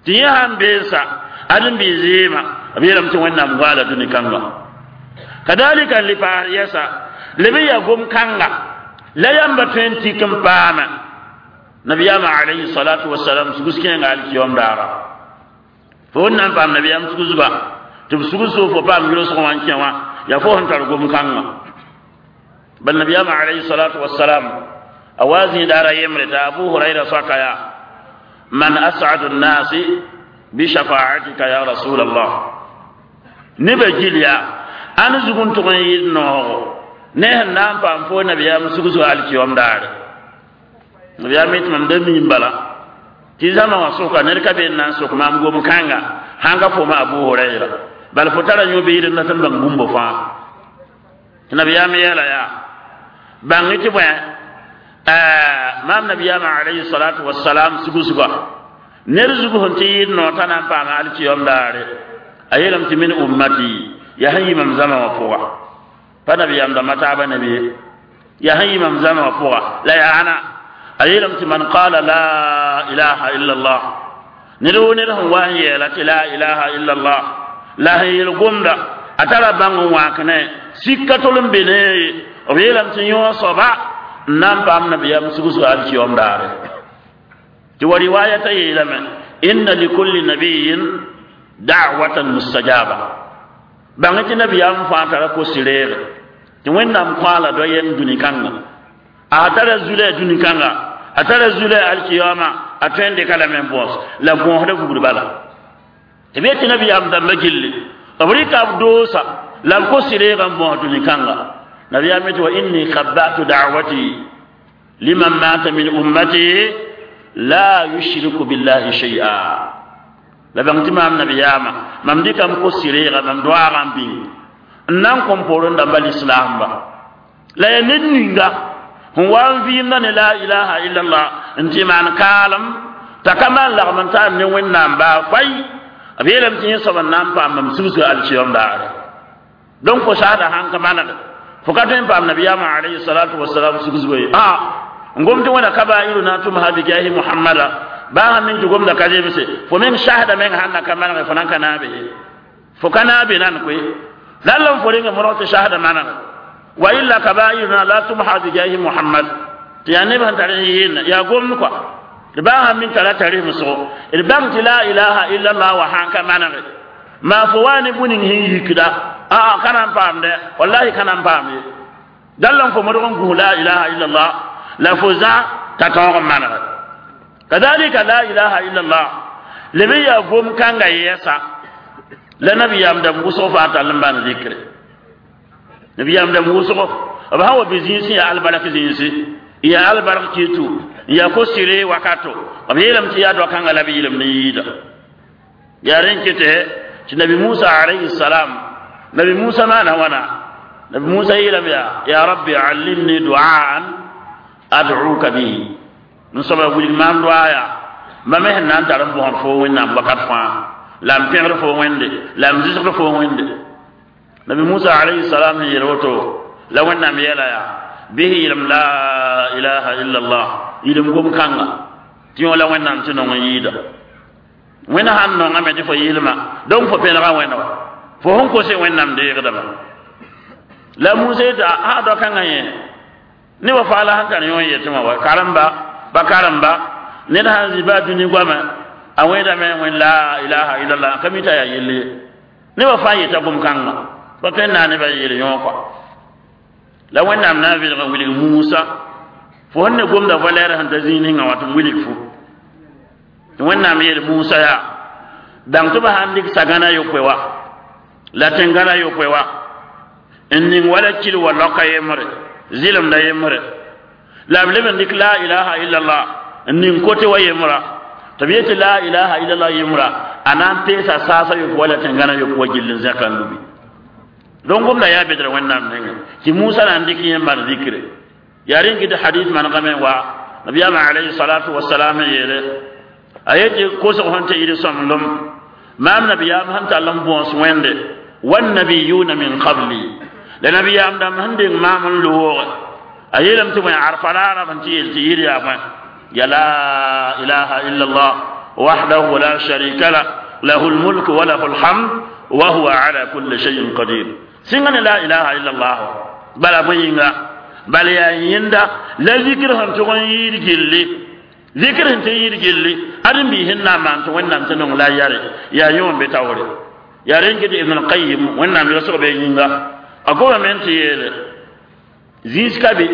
tɩ yẽ sãn beensa ãdem-biis zɩɩmã b yeelame tɩ wẽnnaam goaala dũni kãnga kadalika n le paas yɛsa leb n yaa gom-kãnga la yãmba tõe n tik n paama nabiyaamã alayhi salatu wasalam sugs kẽenga alkiyom daara fo wẽn na n paam nabiyaam sugusba tɩ b sugs fo paam yʋlsg wã n kẽ wã yaa fo sẽn tar gom-kãngã bal nabiyaamã alayhi salatu wasalam a wa zĩidaara yembre t'a abu hurayra soaka yaa man asadu nnasi bishafaatika ya rasul allah nebã gil yaa ãn zug n tʋg n yɩɩd noogo ne sẽn na n paam fo nabiyaam sugsg alkiyom daare nabiyaam yetɩ mam da miim bala tɩ zãma wã sʋka ned ka be n na n sok maam gom-kãnga sãn ka foma abu hurayra bala fo tara yõ beed n dat n bãng bũmb fãa tɩ nabiyaam yeela yaa bãng tɩ bõe maam nabiyaamã alayhi salatu wasalam sugusga ned zug sẽn tɩ yɩɩd noor t'a na n paama alkiyom daare a yeelame tɩ min ummati yaa sẽn yɩ mam zãma wã pʋga pa nabiyaam dãmba taaba nabi ye yaa sẽn yɩ mam zãma wã pʋga la yaa ãna a yeelame tɩ man qala la ilaha illa allah ned wo ned sẽn wa n yeela tɩ la ilaha illa allah la sẽn yel gomda a tara bãng n wãkne sika tol n be ne ye b yeelame tɩ yõ soaba n na n paam nabiyaam sugsg alkiyom daare tɩ wa riwayata yeelame inna likulli nabiyin da'watan mustajaba bãng tɩ nabiyaam fãa tara ko-sɩreege tɩ wẽnnaam kõala do yɛng dũni kãnga a tara zulɛ dũni kãnga a tara zulɛ alkiyama a tõe n dɩka lame n bõos la bõosda vugr bala tɩ b yetɩ nabiyaam dãmbã gilli b rɩka b doosa la b ko-sɩreegã n bõos dũni kãnga nabiyaam yetɩ wa inni khabbatu da'wati liman mata min ummati la yushriku billahi shay'a la bãng tɩ maam nabiyaamã mam dɩkame ko-sɩreega mam doaagã n bĩng n na n kõm poorẽ dãmba lislaamba la yaa ned ninga sẽn wa n vɩɩmda ne la ilaha illallah n tɩ maan kaalem t'a ka maan lagm n taam ne wẽnnaam baa fay b yeelame tɩ yẽ soab n na n paam mam sugusga alkiyom daare donc fo saada sãn ka manege fo ka tõe n paam nabiyaamã alayhi salatu wasalam sugsgo ye a n gom tɩ wẽna kabairu na tumha bijahi muhammada baa sãn ning tɩ gomda ka zemse fo meng sasda meng sãn na ka manege fo nan ka naabe ye fo ka naabe nan koe lalla n fo rẽnga modg tɩ sasda manege wa illa kabairuna la tumha bijahi muhammad tɩ yaa neb sẽn tar n yɩɩnna yaa gomd kɔa d baa sãn min tara tarimsgo d bãng tɩ la ilaha illallah wa sãn ka manege maa fo wa ne bũ-ning sẽn yikda aa ka na n paamdɛ wallahi ka na n paam ye dall n fo modg n gũs la ilaha illallah La fo zã t'a tõog n manege. Kadalika la ilaha illallah leb n yaa gom kãnga yɛɛsa la nabiyaam dãmb wʋsg fãa tall n bãn zikre. Nabiyaam dãmb wʋsgo b sã wa bɩ zĩisẽ yaa albark zĩisi, yaa albark kitu, yaa ko-sɩre wakato, b yeelame tɩ yaa doa-kãnga la b yɩlem ne yɩɩda. Yaa rẽn kɩtɛ tɩ nabi Musa alayhi salam, nabi Musa maana wãna? Nabi Musa yeelame yaa: ya rabbi allimni duaan ad'uka bihi, n soaba wilg maam doa yaa ma me sẽn na n tar n bõsd fo Wẽnnaam wakat fãa, la m pẽgd fo Wẽnde, la m zɩsgd fo Wẽnde. Nabi Musa alayhi salam sẽn yeel woto la Wẽnnaam yeela yaa: bɩs yɩlem la ilaha illa allah, yɩlem gom-kãnga tɩ yõ la Wẽnnaam tɩ nong n yɩɩda. Wẽnd sãn nongame tɩ fo yɩlma, donc fo pẽnega Wẽnd wa fo sẽn kose Wẽnnaam deegdame. La Musa yeta a doa-kãngã yẽ ne wa faala sẽn tar yõ n yetɩ wã wa karemba ba karemba ned sãn zĩ baa dũni goamã a wẽedame wẽn la ilaha illallah ka mi t'a yaa yelle ye. Nebã fãa yeta gom-kãngã pa tõe n naag nebã yeel yõ kɔa. La Wẽnnaam na n vɩlg n wilg Musa fo sẽn ne gomda valɛɛr sẽn ta zĩig ninga wã tɩ m wilg fo. Tɩ Wẽnnaam yeel Musa yaa bãng tɩ b sãn dɩk sagãna yopoe wa la tẽngãna yopoe wa n ning wala kil wa laoka yembre zɩlemda yembre la b leb n dɩk la ilaha illallah n ning kote wa yembra tɩ b yetɩ la ilaha illallah yembra a na n peesa saasa yopoe wala tẽngãna yopoe wa gill n zẽka n lubi. Donc gomda yaa bedra Wẽnnaam nengẽ tɩ Musa na n dɩk yẽ n maan zikre. Yaa rẽn kɩ tɩ hadith manegame wa nabiyaamã alayhi salatu wasalam n yeele a yetɩ kosg sẽn tɩ yɩl sõmblem maam nabiyaam sẽn tall n bõos Wẽnde wannabiyuna min qabli la nabiyaam dãmb sẽn deng maam n looge a yeelame tɩ bõe arfa raara sẽn tɩ yeel tɩ yɩr yaa bõe ya la ilaha illa allah wahdahu la sharika lah lahu lmulk wa lahu lhamd wa huwa ala kulli shay'in qadir. Sɩnga ne la ilaha illa allah bala bõe yĩnga bala yaa yẽnda la zikr sẽn tʋg n yɩɩd gilli, zikr sẽn tɩ yɩɩd gilli ãdem-biis sẽn na n maan tɩ Wẽnnaam tɩ nong la a yare yaa yõ n be taoore. Yaa rẽn kɩ tɩ Ibn al-Qayyim Wẽnnaam yosg be yĩnga a gomame n tɩ yeele zĩis ka be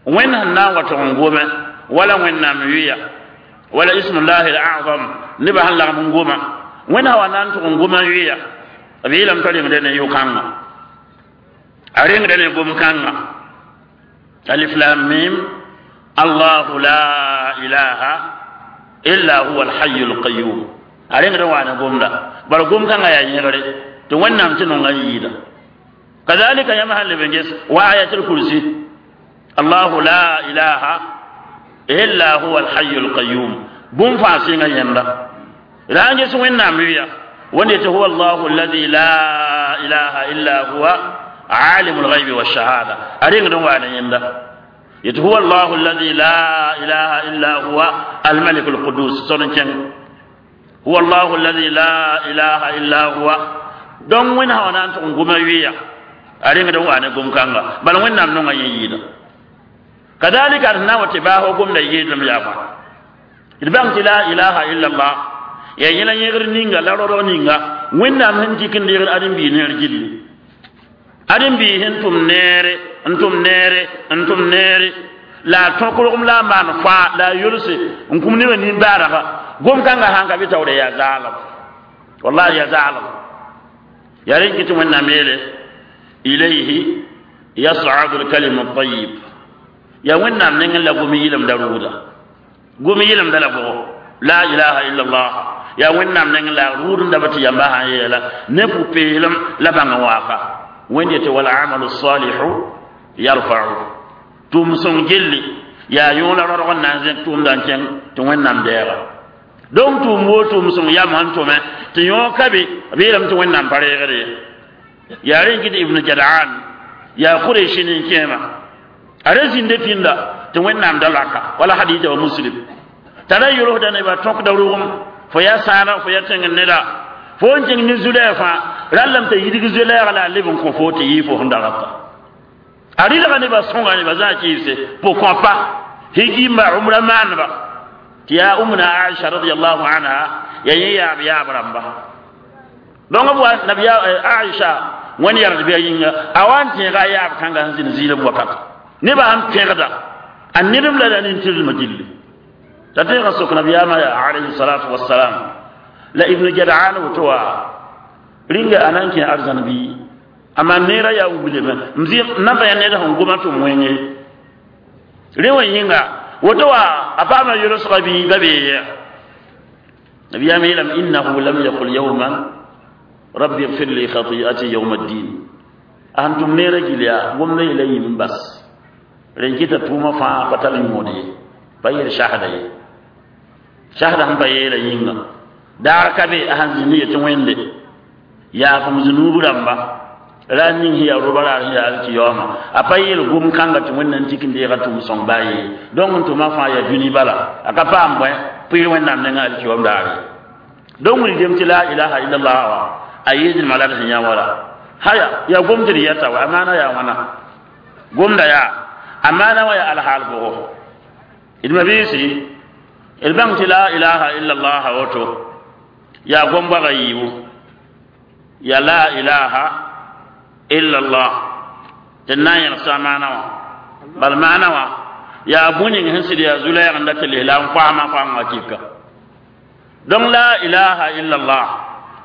Wẽnd sẽn na n wa tʋg n gome wala Wẽnnaam yʋya wala ismullahi al-azam nebã sẽn lagm n goma Wẽnd sã wa na n tʋg n goma yʋya b yeelame t'a rengda ne yʋ-kãngã, a rengda ne gom-kãngã alif lam mim allahu la ilaha illa huwa alhayu alqayum a rengda wa ne gomda bara gom-kãngã yaa yẽgre tɩ Wẽnnaam tɩ nonga n yɩɩda. Kadalika yãmb sãn leb n ges wa ayatul kursi allahu la ilaha illa huwa alhayu alqayum bũmb fãa sɩnga yẽnda la n ges Wẽnnaam yʋya wẽnd tɩ huwa allahu alladi la ilaha illa huwa alimu lghaybi walshahada a rengd n waa ne yẽnda yetɩ huwa allahu alladi la ilaha illa huwa almalik alqudus sor n kẽng huwa allahu alladi la ilaha illa huwa. Donc Wẽnd sã wa na n tʋg n goma yʋya a rengd n waa ne gom-kãnga bala Wẽnnaam nonga yẽ yɩɩda. Kadalika d na n wa tɩ baasg gomda yɩɩdlem yaa bõe d bãng tɩ la ilaha illa allah yaa yẽla yẽgr ninga la raoodg ninga Wẽnnaam sẽn dɩk n deegd ãdem-biis neer gilli, ãdem-biis sẽn tʋm neere n tʋm neere n tʋm neere la a tõk rogem la a maan fãa la a yolse n kũm nebã nin-baarga gom-kãngã sãn ka bɩ taoore yaa zaalem wallahi yaa zaalem. Yaa rẽn kɩ tɩ Wẽnnaam yeele ilayhi yas'adu lkalimu tayib yaa Wẽnnaam nengẽ la gom yɩlemda rʋʋda gom yɩlemda la bʋgo la ilaha illa allah yaa Wẽnnaam nengẽ la rʋʋd n daba tɩ yamba sãn yeela ne pʋ-peelem la bãng n waaka Wẽnd yetɩ walamalu salihu yarfa'u tʋʋm sõng gilli yaa yõola raoodg n na n zẽk tʋʋmda n kẽng tɩ Wẽnnaam deega. Donc tʋʋm woo tʋʋm sõng yam sẽn tʋme tɩ yõ ka be b yeelame tɩ Wẽnnaam pa reegd ye. Yaa rẽn kɩ tɩ Ibn Jadaan yaa Kureshi nin-kẽema a ra zĩnda pĩnda tɩ Wẽnnaam da laka wala hadita wa Muslim t'a ra yolsda nebã tõkda rʋgem fo yaa sãana fo yaa tẽng neda fo n kẽng ne zu-lɛɛg fãa rallame t'a yidg zu-lɛɛg la a leb n kõ fo tɩ yɩɩ fo sẽn dagata a rɩlga nebã sõnga nebã zã kɩɩse pourquoi pas higimba umra maaneba tɩ yaa Umna Aisha radiallahu anha yaa yẽ yaab yaab rãmba. Donc b wa nabiya Aisha wẽnd yard bɩa yĩnga a wa n tẽega a yaab kãnga sẽn zĩnd ziilem wakat nebã sẽn pẽgda A ned la la nin-tɩrlmã gilli t'a teega sok nabiyaamã yaa alayhi salatu wassalam la ibnu jadaan woto wa rĩnga a na n kẽ arzãn bɩ a maan neerã yaa wilame m na n pa yaa ned sẽn goma tɩ m wẽnge rẽ wã yĩnga woto wa a paama yolsga bɩ ba bee ye nabiyaamã yeelame innahu lam yaqul yawman rabbi ighfir li khati'ati yawma ddin a sẽn tʋm neerã gill yaa gomda yeela yĩm n bas rẽn kɩta tʋʋmã fãa pa tar yõod ye pa yeel sasda ye sasda sẽn pa yeela yĩnga daar ka be a sãn zĩnd yetɩ wẽnde yaafem zunuub rãmba ra ning sẽn yaa roba raar sẽn yaa alkiyaooma a pa yeel gom kãnga tɩ wẽnnaam tik n deega tʋʋm sõng baa ye donc n tʋma fãa yaa dũni bala a ka paam bõe pɩɩr wẽnnaam nengã alkiyaoom daare donc wilgem tɩ la ilaha illallah wa a yeesdmã la d sẽn yã wala haya yaa gom tɩ d yɛta wa a maana yaa wãna gomda yaa a maana wã yaa alhaal bʋgo d mabiisi d bãng tɩ la ilaha illallah woto yaa gom bʋaga yiibu ya la ilaha illallah tɩ na n yẽgsa maana wã bal maana wã yaa bũ-ning sẽn sɩd yaa zu-lɛɛg n dat tɩ lesla n koasmã koamgã kɩka donc la ilaha illallah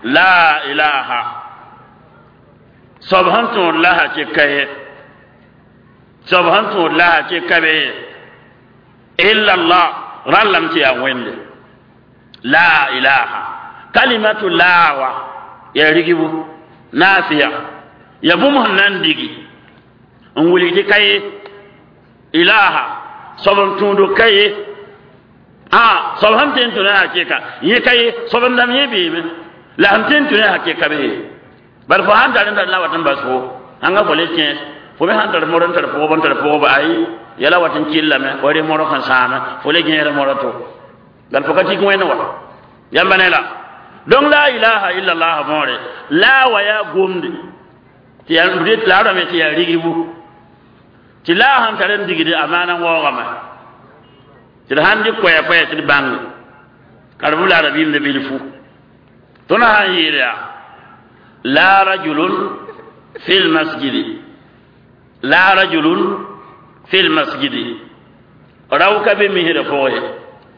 la ilaha soab sẽn tõod laha tɩ ka ye soab sẽn tõod laha tɩ ka be ye illallah rãllame tɩ yaa wẽnde la ilaha kalimatu la wa ya rigibu nafiya ya bũmb sẽn na n digi n wilg tɩ ka ye ilaha soab n tũudo ka ye a soab sẽn tõe n tũ ne hakɩka yẽ ka ye soab n dãmb yẽ beeme la sẽn tõe n tũ ne hakɩka be ye bari fo sãn tar n tar na wat n bas fo ãnga fo le kẽes fo me sãn tar mor n tar pʋgb n tar pʋgb ayi yala wat n killame wa re morg sẽn sãame fo le gẽesd mora to bal fo ka tik wẽnd wa yãmba ne la donc la ilaha illallah võore la wa yaa gomde tɩ yaa la rame tɩ yaa rigbu tɩ la sãn tar n digde a maana n waoogame tɩ d sãn dɩ koɛɛ-koɛɛ tɩ d bãnge ka d b la rabiimd bilfu tõnd sãn yeel yaa la rajulun fi lmasjidi la rajulun fi lmasjidi rao ka be misrã pʋgẽ ye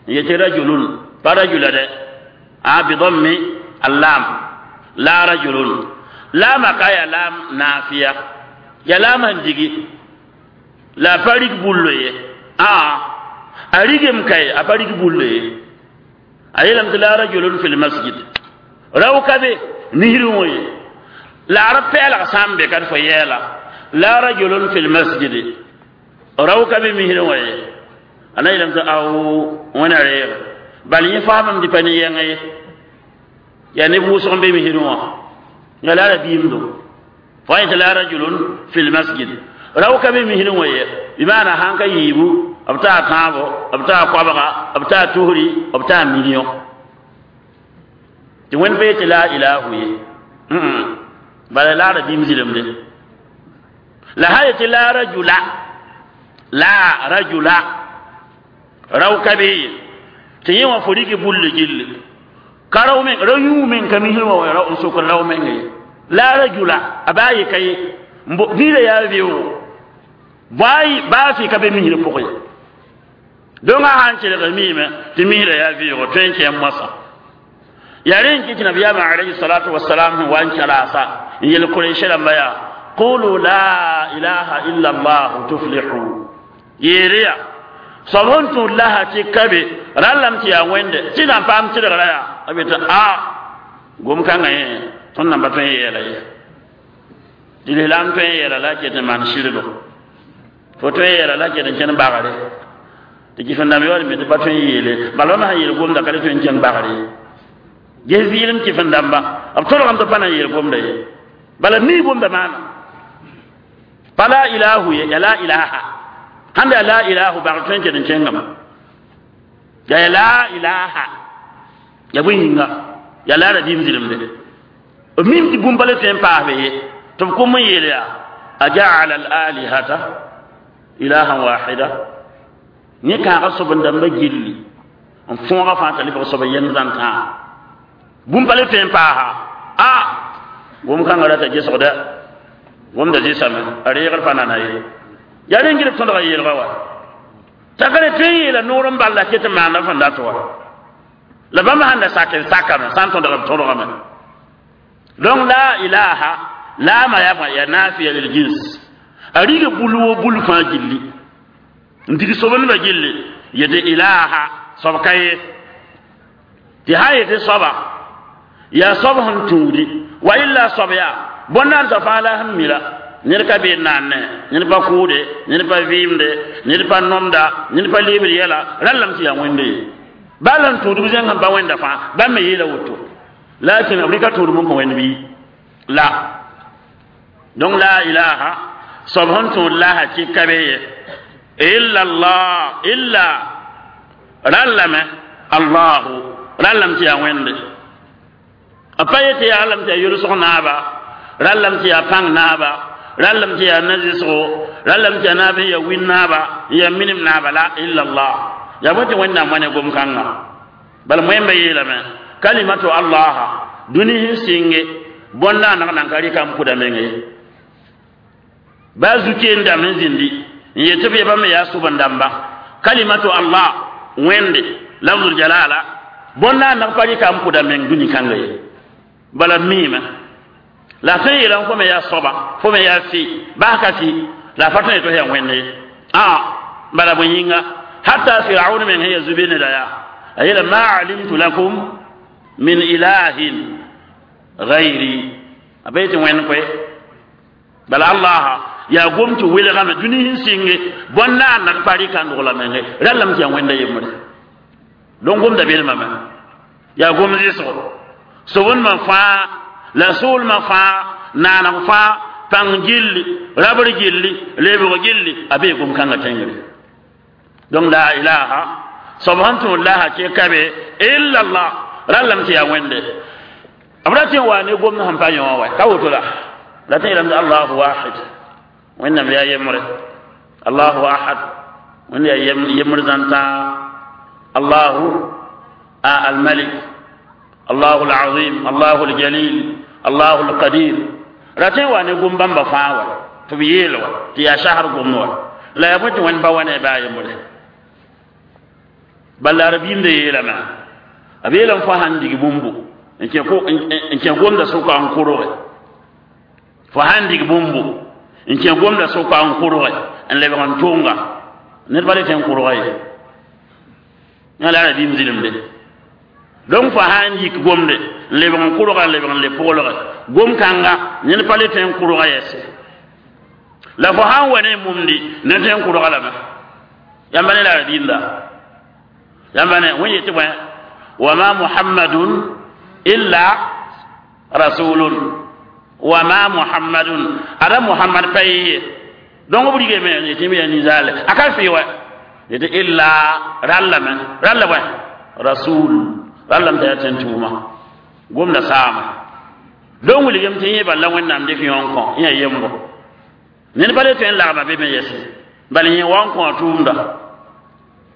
n yetɩ rajulun pa rajula dɛ a bidammi allam la rajulun laama ka ya laam naafiya ya laam sẽn digi la a pa rig bullo ye a a rigem kay a pa rig bullo ye a yeelame tɩ la rajulun fi lmasjid rao ka be misrẽ wã ye la a ra pɛɛlg sã n be ka d fo yɛɛla la rajulun fi lmasjid rao ka be misrẽ wã ye a na yeelame tɩ ao wẽna reeg bal yẽ faamame tɩ pa ne yɛngã ye yaa neb wʋsg n be misrẽ wã ya la rabiimdo fo yẽ tɩ la rajulun fi lmasjid rao ka be misrẽ wã ye bɩ maana sãn ka yiibu b taa tãabo b taa koabga b taa tusri b taa million tɩ wẽnd pa yetɩ la ilahu ye bala la rabiim zɩlemde la sã yetɩ la rajula la rajula rao ka be ye tɩ yẽ wã fo rɩk bulle gilli ka rao meng rao yũu meng ka misrẽ wã n sokd rao meng ye la rajula a baa ye ka ye niirã yaa beoogo baa fɩ ka be misrã pʋgẽ ye donc a sãn kelg miime tɩ misrã yaa vɩɩgo tõe n kẽ moasã yaa rẽ n kɩ tɩ nabiyaamã alayhi salatu wasalam sẽn wa n kẽlaasa n yel kurɛɩsã rãmba yaa qulu la ilaha illa allah tuflihu yeere yaa soab sẽn tũud laha tɩ ka be rãllame tɩ yaa wẽnde tɩ na n paam tɩlgra yaa a be tɩ a gom-kãngã yẽ tõnd nan pa tõe n yeela ye tɩ lislaam tõe n yeela la a ket n maan sɩrgo fo tõe n yeela la a ket n kẽn bagre tɩ kɩf-n-dãmb yaool me tɩ pa tõe n yeele bala bãmb sãn yeel gomda ka le tõe n kẽng bagre ye ges vɩɩlem kɩf-n-dãmba b tõdgame tɩ pa na n yeel gomda ye bala mii gomda maana pa la ilahu ye ya la ilaha sãn yaa la ilahu bagr tõe n ket n kẽngame ya la ilaha ya bõe yĩnga ya la rabiim zɩlemde b mim tɩ bũmb pa le tõe n paasbe ye tɩ b kom n yeel yaa ajaala al alihata ilahan wahida yẽ kãaga sob n dãmba gilli n fõoga fãa t'a lebg soab yɛm zãntã bũmb pa le tõe n paasa a gom-kãngã rata gesgda gomda zɩsame a reegr pa nana ye yaa rẽ n gɩd b tõdga yeelga wa T'a ka tõe n yeela noor n bal la ket n maanda fõn dat wa la bãmb sãn da sak n sakame sã n tõdg b tõdgame. Donc la ilaha laama yaa bõe yaa nafiya lil jins a rig bul wo bul fãa gilli n dig sob-nebã gilli yetɩ ilaha soab ka ye tɩ sã n yetɩ soaba yaa soab sẽn tũudi wa illa soab yaa bõn-naandsã fãa la sẽn mi la ned ka be n naanne ned pa kʋʋde ned pa vɩɩmde ned pa nomda ned pa lebd yɛla rãllame tɩ yaa wẽnde ye baa la n tũudb zẽng sẽn pa wẽnda fãa bãmb me yeela woto lakin b rɩka tũudb n kõ wẽnd bɩ la. Donc la ilaha soab sẽn tũud laha kɩ ka be ye illa allah illa rãllame allahu rãllame tɩ yaa wẽnde a pa yetɩ yaa rãllame tɩ yaa yʋlsg naaba rãllame tɩ yaa pãng naaba rãllame tɩ yaa na-zɩsgo rãllame tɩ yaa naab sẽn yaa win naaba n yaa minim naaba la illa allah yaa bõe tɩ wẽnnaam wa ne gom-kãnga bala moẽmba yeelame kalimatu allaha dũni sẽn sɩnge bõn-naaneg nan ka rɩka n pʋda meng ye baa zu-keen dãmb sẽn zĩndi n yetɩ b yebã me yaa sʋb-n-dãmba kalimatu allah wẽnde lafzul jalala bõn-naaneg pa rɩka n pʋda meng dũni kãnga ye bala miime la tõe n yeelame fo me yaa soaba fo me yaa fɩ bas ka fɩ la a pa tõe tɩ yaa wẽnde ye a bala bõe yĩnga hatta firaun meng sẽn yaa zu-be neda yaa a yeela ma alimtu lakum min ilahin gayri a pa yetɩ wẽnd koe bala allah yaa gom tɩ welgame dũni sẽn sɩnge bõn-naaneg pa rɩka n dogla menge rãllame tɩ yaa wẽnda yembre donc gomda belmame yaa gom zɩsgo sobndmã fãa la soolmã fãa naaneg fãa pãng gilli rabr gilli lebg gilli a bee gom-kãngã tẽngre. Donc la ilaha soab sẽn tũud laha kɩ ka be illa allah rãllame tɩ yaa wẽnde b ra tɩ n wa ne gomd sẽn pa yõ wã ka woto la la tɩ yeelame tɩ allahu wahid wẽnnaam yaa yembre allahu ahad wẽnd yaa yembre zãn-tãa allahu almalik allahu alazim allahu aljalil allahu alqadir ra tɩ n wa ne gom bãmba fãa wa tɩ b yeel wa tɩ yaa sasr gomd wa la yaa bõe tɩ wẽnd pa wa ne baa yembre bala la rabiim de yeelame a beelame fo sãn dig bũmbu n kẽ gomda sʋka n kʋrge fo sãn dig bũmbu n kẽ gomda sʋka n kʋrge n lebg n tʋnga ned pa le tẽ n kʋrga ye yã la rabiim zĩlemde donc fo sãn yik gomde n lebg n kʋrga n lebg n le pʋglge gom-kãnga ned pa le tẽ n kʋrga yɛse la fo sãn wa ne mumdi ned tẽ n kʋrga lame yãmba ne la rabiimda yãmba ne wẽn yetɩ bõe wa ma muhammadun illa rasulun wa ma muhammadun ada muhammad pa ye donc b rigame yetɩ b yaa ninsaale a ka fɩ wa yetɩ illa rallame ralla bõe rasul rallame t'a yaa tẽn tʋʋma gomda saama donc wilgame tɩ yẽ bal la wẽnnaam dɩk yõ n kõ yẽ yembo ned pa le tõe n lagma be me yɛse bal yẽ wa n kõ a tʋʋmda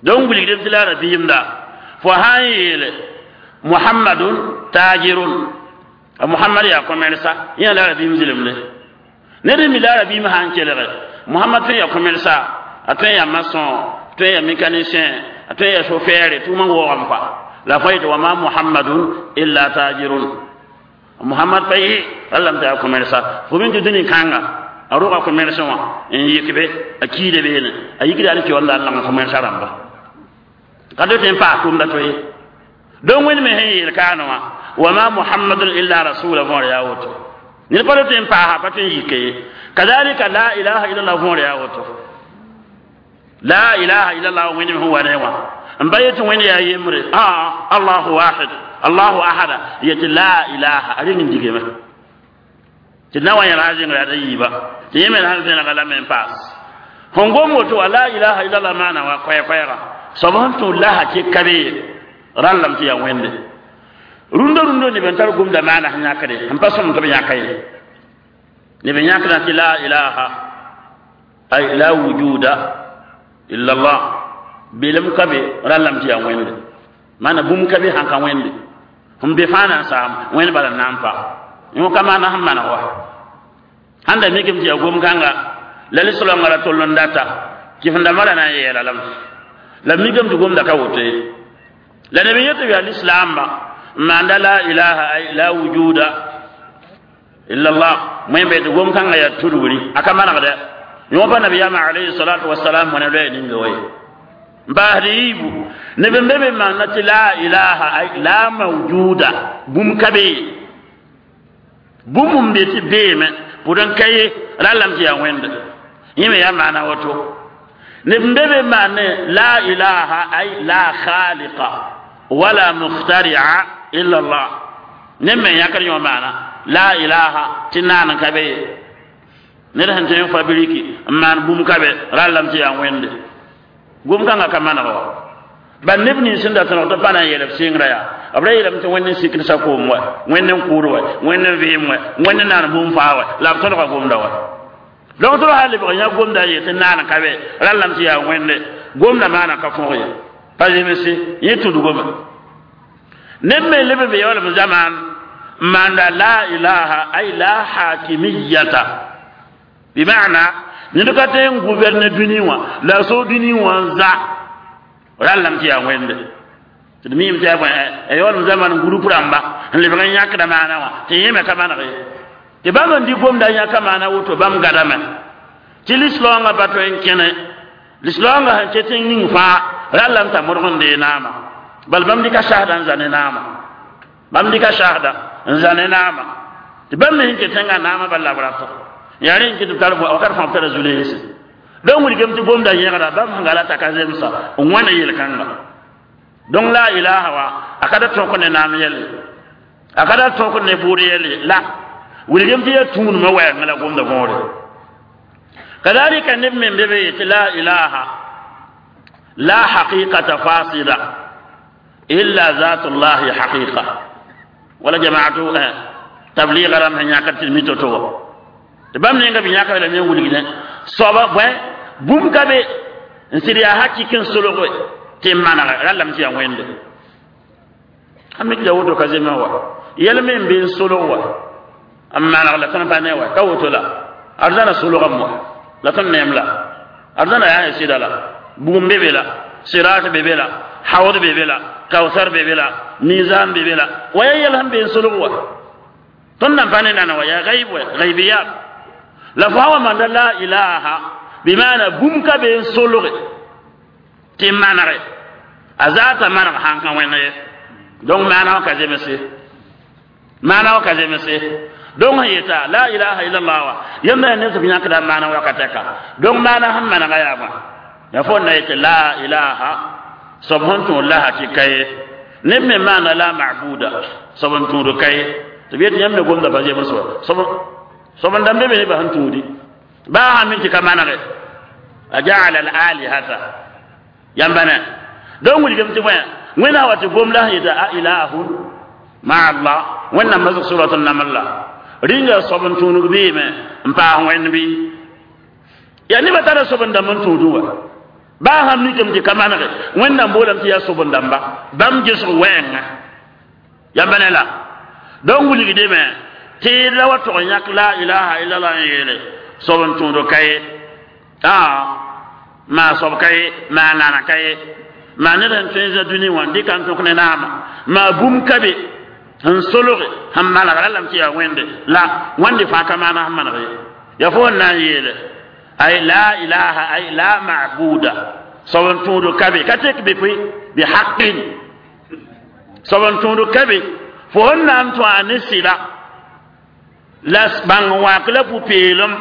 donc wilgdem tɩ la rabiimda fo sã n yeele muhammadun tajirun a muhammad yaa commerça yẽ la rabiim zɩlemde ned n mi la rabiim sã n kelge muhammad tõe n yaa commerça a tõe n yaa maçon a tõe n yaa mécanicien a tõe n yaa chauffeur tʋʋmã waoogame kɔa la fo yetɩ wa ma muhammadun illa tajirun muhammad pa yɩ rallame t'a yaa commerça fo min tɩ dũni kãnga a rʋga commerce wã n yik be a kiida beene a yikda al kiwanda n lang commerça rãmba ka do tɩ n paas tʋʋmda to ye donc wẽnd me sẽn yeel kaane wã wa ma muhammadun illa rasula võor yaa woto ned pa tɩ n paasa pa tɩ n yike ye kadalika la ilaha illallah võor yaa woto la ilaha illallah wẽnd me sẽn wa ne wã n ba yetɩ wẽnd yaa yembre a allahu wahid allahu ahada yetɩ la ilaha a reng n digame tɩ na wa yẽl sã zẽngr yaa da yiiba tɩ yẽ me sãn vẽnega lame n paas sẽn gom woto wa la ilaha illallah maana wa koɛɛ-koɛɛga soab sẽn tũud laha kɩ ka be ye rãllame tɩ yaa wẽnde rũndã rũndã neb n tar gomda maana sẽn yãkde sẽn pa sõm tɩ b yãka ye neb n yãkdã tɩ la ilaha ay la wujuda illa allah belem ka be rãllame tɩ yaa wẽnde maana bũmb ka be sãn ka wẽnde sẽn be fãa na n saam wẽnd bala n na n pa yõ ka maana sẽn maneg wa sãn da mikame tɩ yaa gom-kãnga la lislãngã ra tol n data kɩf-dãmbã ra na n yeela lame La mikame tɩ gomda ka woto ye la neb n yet tɩ yaa lislaamba n maanda la ilaha ay la wujuda illa allah wẽn be tɩ gom kãngã yaa tudgri a ka manegdɛ yõ pa nabiyaamã alayhi salatu wasalam wẽna loɛɛ ninga wa ye n paasd yiibu neb n be be maanda tɩ la ilaha ay la mawjuda bũmb ka be ye bũmb n be tɩ beeme pʋd n ka ye rallame tɩ yaa wẽnde yẽ me yaa maana woto neb n be be maan ne la ilaha ay la khaliqa wala mukhtaria illa allah neb me yãkd yõ maana la ilaha tɩ naan n ka be ye ned sẽn tõe n fabriki n maan bũmb ka be rallame tɩ yaa wẽnde gom kãngã ka maneg wa bal neb nins sẽn da tõneg tɩ pa na n yeel b sɩngrã yaa b ra yeelame tɩ wẽnd n sikd sakoom wa wẽnd n kʋʋd wa wẽnd n vɩɩm wa wẽnd n naan bũmb faa wa la b tõdga gomda wa donc tɩ b sã lebg yã gomda a yeel tɩ naan ka be rallame tɩ yaa wẽnde gomda maana ka fõg ye pa zemse yẽ tudgome neb me leb b yaoolem zamaan n maanda la ilaha ay la hakimiyata bimana ned ka tõe n gouverne dũni wã la a so dũni wã n za rallame tɩ yaa wẽnde tɩ d miime tɩ yaa bõe a yaoolem zaman groupe rãmba n lebg n yãkda maana wã tɩ yẽ me ka maneg ye tɩ bãmb n dɩ gomda yãka maana woto bãmb gadame tɩ lislaoongã pa tõe n kẽne lislaoongã sẽn ket n ning fãa rallame t'a modg n dee naama bal bãmb dɩka sasda n za ne naama bãmb dɩka sasda n za ne naama tɩ bãmb me sẽn ket n naamã bal la b rata yaa rẽ n ket b tar wakat fãa b tara zu-leense donc wilgame tɩ gomda yẽgda bãmb sẽn gala t'a ka zemsa n wãna yel-kãnga donc la ilaha wa a ka da tõk ne naam yɛlle a ka da tõk ne bʋʋd yɛlle la wilgame tɩ yaa tũudmã wɛɛngã la gomda võore kadalika neb me be be yetɩ la ilaha la haqiqata fasida illa zatullahi haqiqa wala jamaatu tabliga ram sẽn yãkd tɩ mi to-to wa tɩ bãmb nenga b yãka lame n wilgdẽ soaba bõe bũmb ka be n sɩd yaa hakik n solge tɩ n manege rallame tɩ yaa wẽnde a mik la woto ka zemẽ wa yɛl me n be n solg wa n maneg la tõnd pa ne wa ka woto la arzãna solgame wa la tõnd neem la arzãna yaa sɩda la bugum be be la sirat be be la hawd be be la kawsar be be la mizan be be la wa yaa yɛl sẽn be n solg wa tõnd nan pa ne nana wa yaa gaib wa gaibiyat la fo wa manda la ilaha bimana bũmb ka be n solge tɩ manege a zaata maneg sãn ka wẽnd ye donc maana wã ka zemse maana wã ka zemse donc sẽn yeta la ilaha illallah wa yãmb yaa ned tɩ b yãkda maana wakatɛka donc maana sẽn manega yaa bõe ya fo na yetɩ la ilaha soab sẽn tũud la hakika ye neb me maana la mabuda soab n tũud ka ye tɩ b yetɩ yãmb me gomda pa zems wa soab n dãmb be be nebã sẽn tũudi baa sã min tɩ ka manege a jaala al alihata yãmba ne donc wilgame tɩ bõe wẽnnaam wa tɩ gom la sẽn yeta a ilahun ma allah wẽnnaam masg surat naml la rĩnga soab n tũudg beeme n paas wẽnd bɩ yaa nebã tara soab n dãmb n tũudẽ wa baa sãn mikame tɩ ka manege wẽnnaam boolame tɩ yaa soab n dãmba bãmb gesg wɛɛngã yãmba ne la donc wilgdeme tɩ la wa tog yãk la ilaha illallah n yeele soab n tũud ka ye aa maa soab ka ye maa nana ka ye maa ned sẽn tõe n zã dũni wã n dɩka n tõk ne naama maa bũmb ka be sẽn solge sẽn maneg rallame tɩ yaa wẽnde la wãnde fãa ka maana sẽn maneg ye yaa fo n na n yeele ay la ilaha ay la mabuda soab n tũud ka be ka tek be koe bi haqin soab n tũud ka be fo sẽn na n tũ a ne sɩda la bãng wãk la pʋ-peelem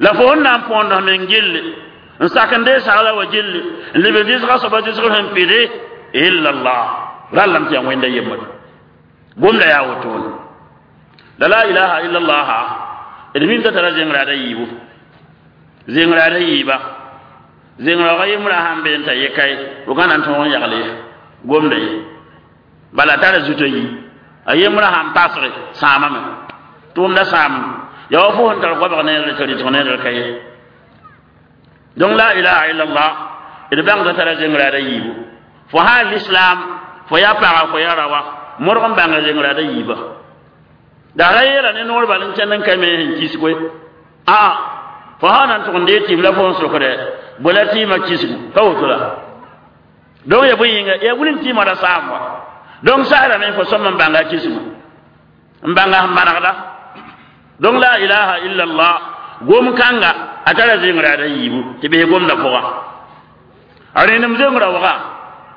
la fo sẽn na n põond men gilli n sak n dee sagla wa gilli n leb n dɩsga soaba dɩsg sẽn pɩde illa allah rallame tɩ yaa wẽnda yembre gomda yaa wotone la la ilaha illa allah d mim t'a tara zẽngraada yiibu zẽngraada yiiba zẽngraoogã yembrã sãn be n t'a ye kae b ka na n tõog n yagle gomda ye bala tara zutã yi a yembrã sãn pasge sãamame tʋʋmda sãam yaa wa fo sẽn tar goabg neere tɩ rɩtg neere ka ye donc la ilaha illallah d bãngda tara zẽngraada yiibu fo sã l'islam fo yaa paga fo yaa rawa modg n bãnga zẽngraada yiiba la ra yeela ne noor bal n kẽnd n ka me sẽn kisg koe aa fo sã na n tʋg n dee tɩɩm la fo n sokdɛ bõe la tɩɩmã kisgu ka woto la Donc ya bõe yĩnga yaa wilg tɩ mara saam wa donc sasdame fo sõm n bãnga kisgu n bãnga sẽn manegda donc la ilaha illa allah gom kãnga a tara zẽngra da yiibu tɩ bɩs gomda pʋga a rẽnem zengra waga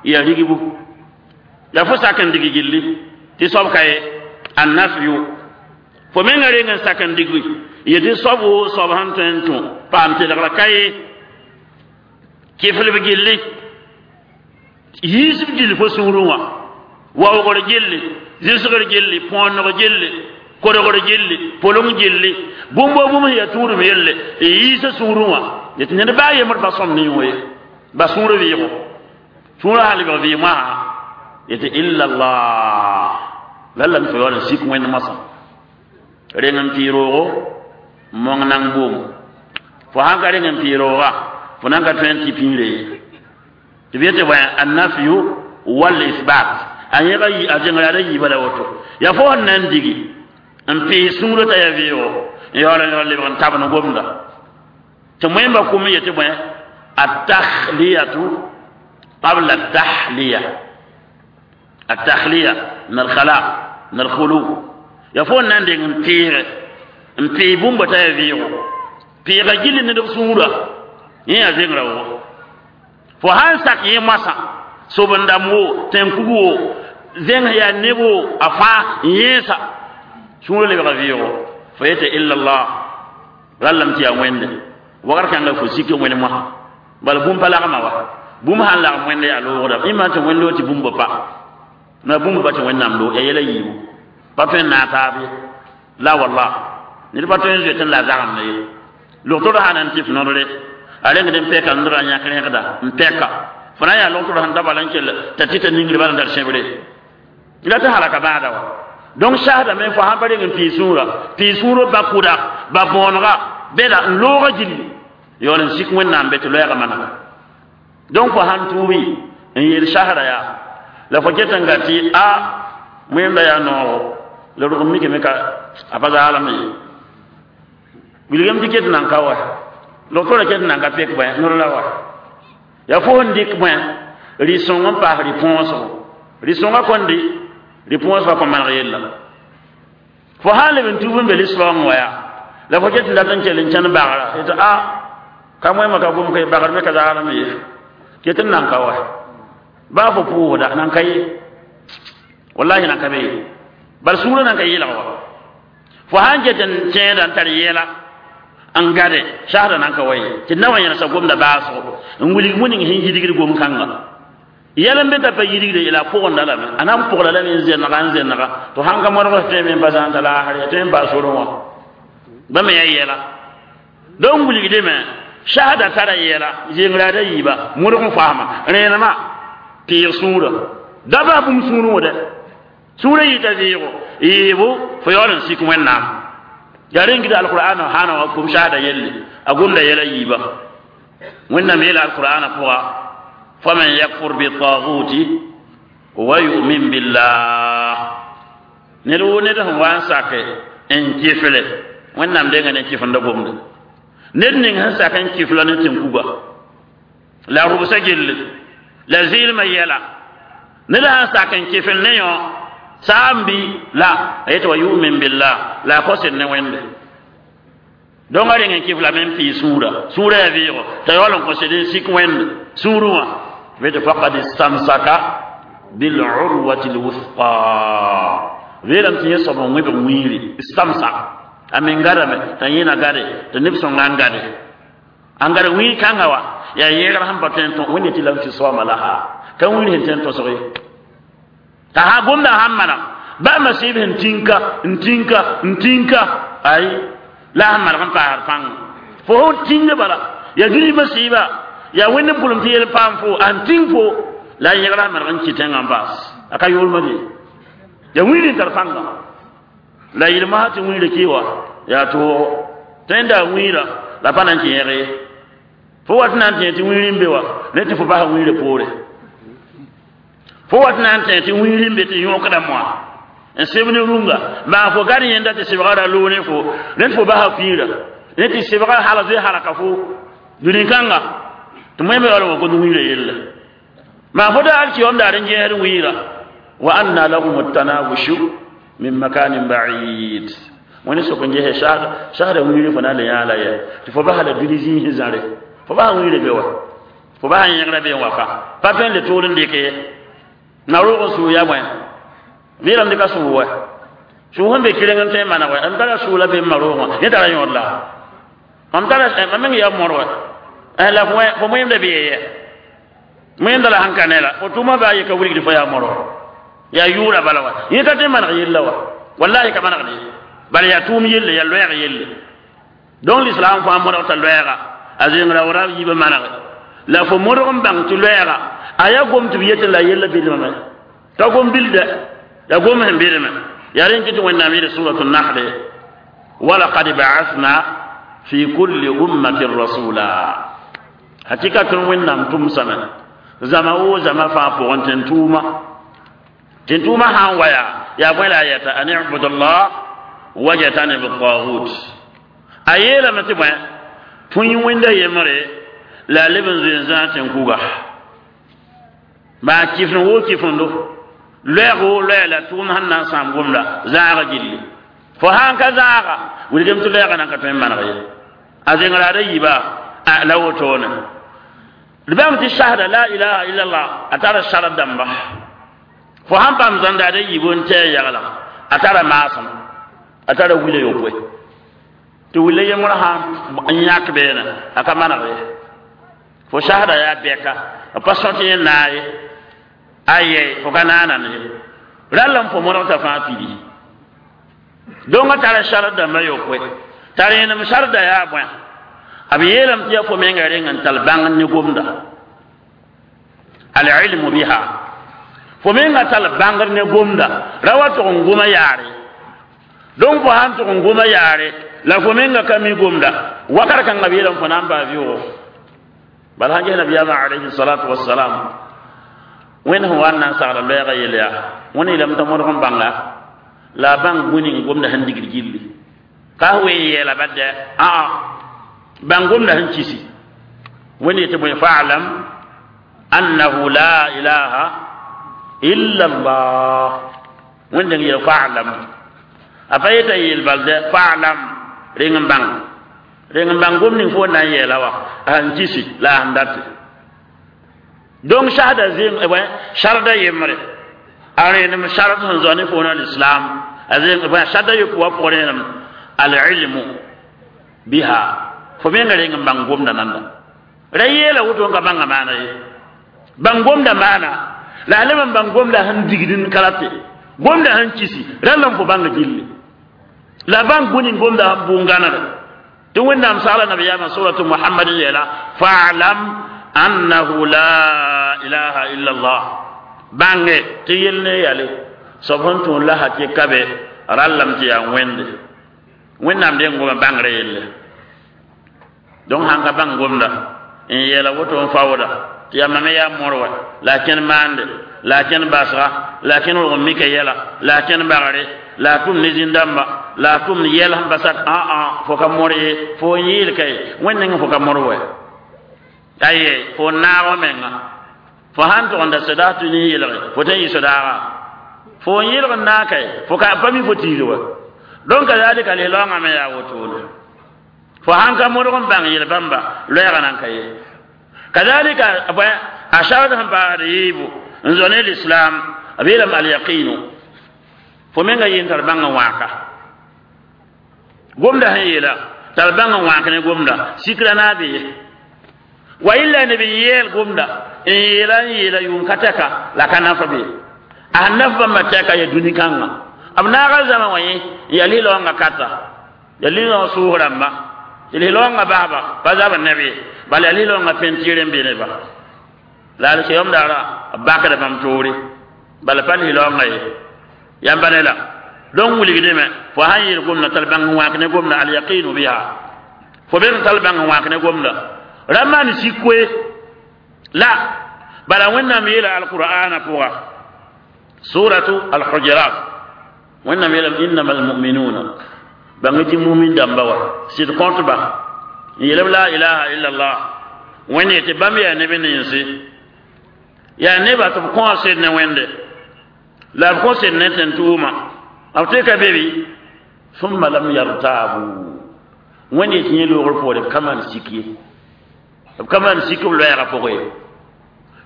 ya rigbu la fo sak n dig gilli tɩ soab ka ye annafyu fo menga reng n sak n digi ye tɩ soab woo soab sẽn tõe n tũ paam telgra ka ye kɩflb gilli yiisb gill fo sũurẽ wã waoogr gilli zɩsgr gilli põoneg gilli kodgr gilli pʋleng gilli bũmb bũmb sẽn yaa tũudem yelle n yiisa sũurẽ wã tɩ ned baa yembr pa sõm ne yõ ye ba sũur vɩɩgo sũurã sã lebg vɩɩ moasã yetɩ illa allah la lame fo yaool n sik wẽnd moasã reng n pɩ roogo mong nang boom fo sãn ka reng n pɩ rooga fo nan ka tõe n tɩ pĩire ye tɩ b yetɩ bõe annafyu wal isbat a yẽga a zẽngra da yiiba la woto yaa fo sẽn na n digi n pɩɩs sũurã t'a yaa vɩɩgo n yaool n yaool lebg n tabn gomda tɩ moẽmba kʋm n yetɩ bõe التخلية قبل التحلية التخلية من الخلاء من الخلو يفون ناندي نتيغ نتي بومبا تا فيغو بيغا جيل ندب سورة يا زينغرا wo fo han sak yẽ moasã sob-n-dãmb wo tẽn-kug wo zẽng yaa neb wo a fãa n yẽesa sũurã lebga vɩɩgo fo yetɩ illallah rallame tɩ yaa wẽnde wagr kãnga fo sik n wẽnd moasã bala bũmb pa lagma wa bũmb sãn lagm wẽnde yaa loogda ĩmã tɩ wẽnd loog tɩ bũmb pa na bũmb pa tɩ wẽnnaam loog yaa yɛla yiibu pa tõe n naag taab ye la wallah ned pa tõe n zoet n la zagemd ye logtr sã na n tɩ f nodre a rengd n pɛka ndra yãk rẽgda n pɛka fo na n yaa logtr sẽn da bala n kell t'a tɩ t'a ningr bala n tar sẽbre la tɩ halaka baada wa donc sasdame fo sãn pa reng n pii sũurã pii sũurã ba kʋda ba bõonega bɛda n looga gilli yaool n sik wẽnnaam be tɩ loɛɛgã manega donc fo sãn tuubi n yeel sasda yaa la fo ket n ga tɩ a wẽnda yaa noogo la rog n mikame ka a pa zaalame ye wilgame tɩ ket n nan ka wa logtora ket n nan ka pek bõe nor la wa yaa fo sẽn dɩk bõe rɩ-sõng n paas rɩ-põosgo rɩ-sõngã kõn dɩ rɩ-põosgã kõ maneg yella fo sãn leb n tuub n be lislaoongẽ wa yaa la fo ket n dat n kell n kẽnd bagra yetɩ a ka moẽmã ka gom ka bagr me ka zaalame ye ket n nan ka wa baa fo pʋʋsda nan ka ye wallahi nan ka be ye bal sũurã nan ka yɩlg wa fo sãn ket n tẽeda n tar yɛla n gade sasda nan ka wa ye tɩ na wa yẽlsa gomda baasgo n wilg wẽning sẽn yidgd gom-kãnga yɛl n be t'a pa yidgde la a pʋgenda lame a na n pʋgla lame n zẽnega n zẽnega tɩ sãn ka modg tõe me n pa zãn t'a laasr ya tõe n baas sorẽ wã ba me yaa yɛla donc wilgdme sasda tara yɛla zengra da yiiba modg n faasma rẽenema pɩɩg sũurã da bas bũmb sũurẽ wã dɛ sũurã yita vɩɩgo yɩɩbo fo yaool n sik wẽnnaam yaa rẽn gida alqur'ana hãna wã gom sasda yelle a gomda yɛla yiiba wẽnnaam yeela alqur'ana pʋga faman yakfur bitaguti wa yu'min billah ned woo ned sẽn wa n sake n kɩfle wẽnnaam denga ne kɩfenda gomde ned ning sẽn sak n kɩfla ne tẽn-kuga la rʋbsa gilli la zɩɩlmã yɛla ned sãn sak n kɩfl ne yõ saam bɩ la a yetɩ wa yu'min billah la a kosd ne wẽnde donc a reng n kɩflame n pɩɩ sũurã sũurã yaa vɩɩgo t'a yaool n kõsd n sik wẽnde sũurẽ wã bɩ faqad istamsaka bilurwati lwusqa weelame tɩ yẽ soab n wẽbg wiiri istamsak a men gadame t'a yẽna gade tɩ neb sõnga n gade n gad wiir kãnga wa yaa yẽegr sẽn pa tõe n tõ wẽnde tɩ lam fisama laha ka wiir sẽn tõe n tosg ye t'a sã gomdã sãn maneg ba masɩɩb sẽn tĩnka n tĩnka n tĩnka ay la sẽn maneg n paasd pãnga fo sẽn tĩnga bala yaa dũni masɩɩba yaa wẽnd n pʋlem tɩ yel paam fo an tĩng fo la a yẽgra sẽn maneg n kɩ tẽngã n baas a ka yoolmã de yaa wiir n tar pãnga la yɩlma tɩ wiirã kɩ wa yaa toogo tõe n daa wiirã la pa na n kẽ yẽg ye fo wat na n tẽ tɩ wiir n be wa ne tɩ fo basa wiirã poore fo wat na n tẽ tɩ wiir n be tɩ yõkda moa n seb ne rũnga maa fo gad yẽnda tɩ sebga ra loog ne fo ne tɩ fo basa pĩirã ne tɩ sebga halg zoe halka fo dũni-kãnga tɩ moẽmbe yaool n wa gomd wiirã yella Ma fo da alkiyom daar n gẽesd wiira wa anna lahum at-tanawushu min makanin ba'id wani sok n gese sasda wiir fo na le yãa la yɛ tɩ fo basa la dũni zĩis zãre fo basa wiire be wa fo basa yẽgra be n wa ka pa tõe n le toor n dɩk ye na roog n sʋʋ ya bõe vɩɩlame dɩka sʋʋ wɛ sʋʋ sẽn be kɩreng n tõe n maneg wɛ m tara sʋʋ la be n ma roog wã yẽ tara yõod la mam tara mam meng yaa mõr wɛ la fo fo moẽmda bee yɛ moẽmda la sẽn ka ne la fo tʋʋmã baa ye ka wilgd fo yaa mõr wa yaa yʋʋra bala wa yẽ ka tõe n maneg yella wa wallahi ka manegd ye bala yaa tʋʋm yelle yaa loɛɛg yelle donc l'islam fãa modg t'a loɛɛga a zẽngra wora yiibã manege la fo modg n bãng tɩ loɛɛga a yaa gom tɩ b yetɩ la yella bɩdmame ka gom bilda ya gom sẽn bɩdme yaa rẽn kɩ tɩ wẽnnaam yeele suratu nahle walaqad ba'athna fi kulli ummatin rasula hakika tõnd wẽnnaam tʋmsame zama woo zama fãa pʋgẽ tɩ n tʋʋma tɩ n tʋʋma sã n wa yaa yaa bõe la a yɛta an ibudullah wajtanib tagut a yeelame tɩ bõe tõe wẽnda yembre la a leb n zoe n zãag tɩ n kuga maa kifẽ woo kifẽndo loɛɛg woo loɛɛ la tʋʋm sẽn na n sãam gomda zãaga gilli fo sãn ka zãaga wilgem tɩ loɛɛga nan ka tõe n maneg ye a zẽngraada yiiba la wotone d bãmb tɩ sasda la ilaha illallah a tara sar dãmba fo sãn paam zãndaada yiib n tɛɛ yagla a tara maasem a tara wila yopoe tɩ wila yembrã sãn n yãk beene a ka maneg ye fo sasda yaa bɛka b pa sõt yẽ naaye aye fo ka naanan ye rall n fo modg t'a fãa pidi dõngã tara sar dãmba yopoe t'a rẽenem sarda yaa bõe b yeelame tɩ yaa fo menga reng n tall bãng ne gomda alilmu biha fo menga tall bãngr ne gomda ra wa tʋg n goma yaare donc fo sãn tʋg n goma yaare la fo menga ka mi gomda wakat kãngã b yeelame fo na n baa vɩʋgo bala sãn ges nabiyaamã alayhi salatu wassalam wẽnd sẽn wa n na n sagla loɛɛgã yel yaa wẽnd yeelame t'a modg n bãnga la a bãng bũni n gomda sẽn digd gilli ka f wee n yɛɛla badɛ aa bãng gomda sẽn kisi wẽnd yetɩ bõe fa'lam annahu la ilaha illa allah wẽnd n yeel fa'lam a pa yeta yeel bal dɛ fa'lam reng n bãng reng n bãng gom ning fo na n yɛɛla wa a sẽn kisi la a sẽn date donc sasda zẽng sarda yembre a rẽenem sard sẽn zao ne foona l'islam a zẽng sarda yopoe wã pʋg rẽenem alilmu biha fo menga reng n bãng gomda nanda ra yeela woto n ka bãnga maana ye bãng gomda maana la a leb n bãng gomda sẽn digd n ka rate gomda sẽn kisi rãlla n fo bãnga gilli la bãng bũni gomda sẽn bʋ-gãnegre tɩ wẽnnaam sagla nabiyaamã suratu muhammadin yeela fa'lam annahu la ilaha illa allah bãnge tɩ yel ne yale soab sẽn tũud la hakɩka be rallame tɩ yaa wẽnde wẽnnaam deng goma bãngrã yelle donc sãn ka bãng gomda n yeela woto n faooda tɩ yaa mam yaa mõr wa la a kẽn maande la a kẽn basga la a kẽn rog n mika yɛla la a kẽn bagre la a tʋm ne zĩn-dãmba la a tʋm yɛl sẽn basak ã fo ka mõr ye fo n yeel ka ye wẽnd neng fo ka mõr wɛ aye fo naag menga fo sãn tʋg n da sodaas tɩ ne yelge fo tõe n yɩ sodaaga fo n yelg n naag kae fo ka pa mi fo tiir wa donc kazalika lislaamã me yaa wotone fo sãn ka modg n bãng yel bãmba loɛɛgã nan ka ye kazalika a sard sẽn paasd yiibu n zo ne l'islam b yeelame alyaqinu fo menga yeen tar bãng n wãaka gomda sẽn yeela tar bãng n wãak ne gomda sikra na be ye wa illa ne bi yeel gomda n yeela n yeela yʋʋm ka tɛka la ka nafa be a sẽn naf bãmba tɛka ya dũni kãngã b naaga zãma wã yẽ n yaa lislaoongã kata yaa lislaoong sʋʋs rãmba tɩ lislaoongã basba pa zabr neb ye bala yaa lislaoongã pẽntɩɩr n be neba la alkiyom daara b bakda bãmb toore bala pa lislaoongã ye yãmba ne la donc wilgdame fo sãn yeel gomda tall bãng n wãak ne gomda alyaqinu biha fo be n tall bãng n wãak ne gomda ra maan sik-koe la bala wẽnnaam yeela alqur'ana pʋga suratu alhujurat wẽnnaam yeelame innama almuminuna bãng tɩ mumin dãmba wa sɩd kõtba n yeelb la ilaha illallah wẽnd yetɩ bãmb yaa neb ninsi Yaa nebã tɩ b kõo sed ne Wẽnde la b kõ sed ne tẽn-tʋʋma b tɩ ka be bɩ ثم لم يرتابوا. Wẽnd yetɩ yẽ loogr poore b ka maan sik ye, b ka maan sik b loɛɛgã pʋgẽ ye,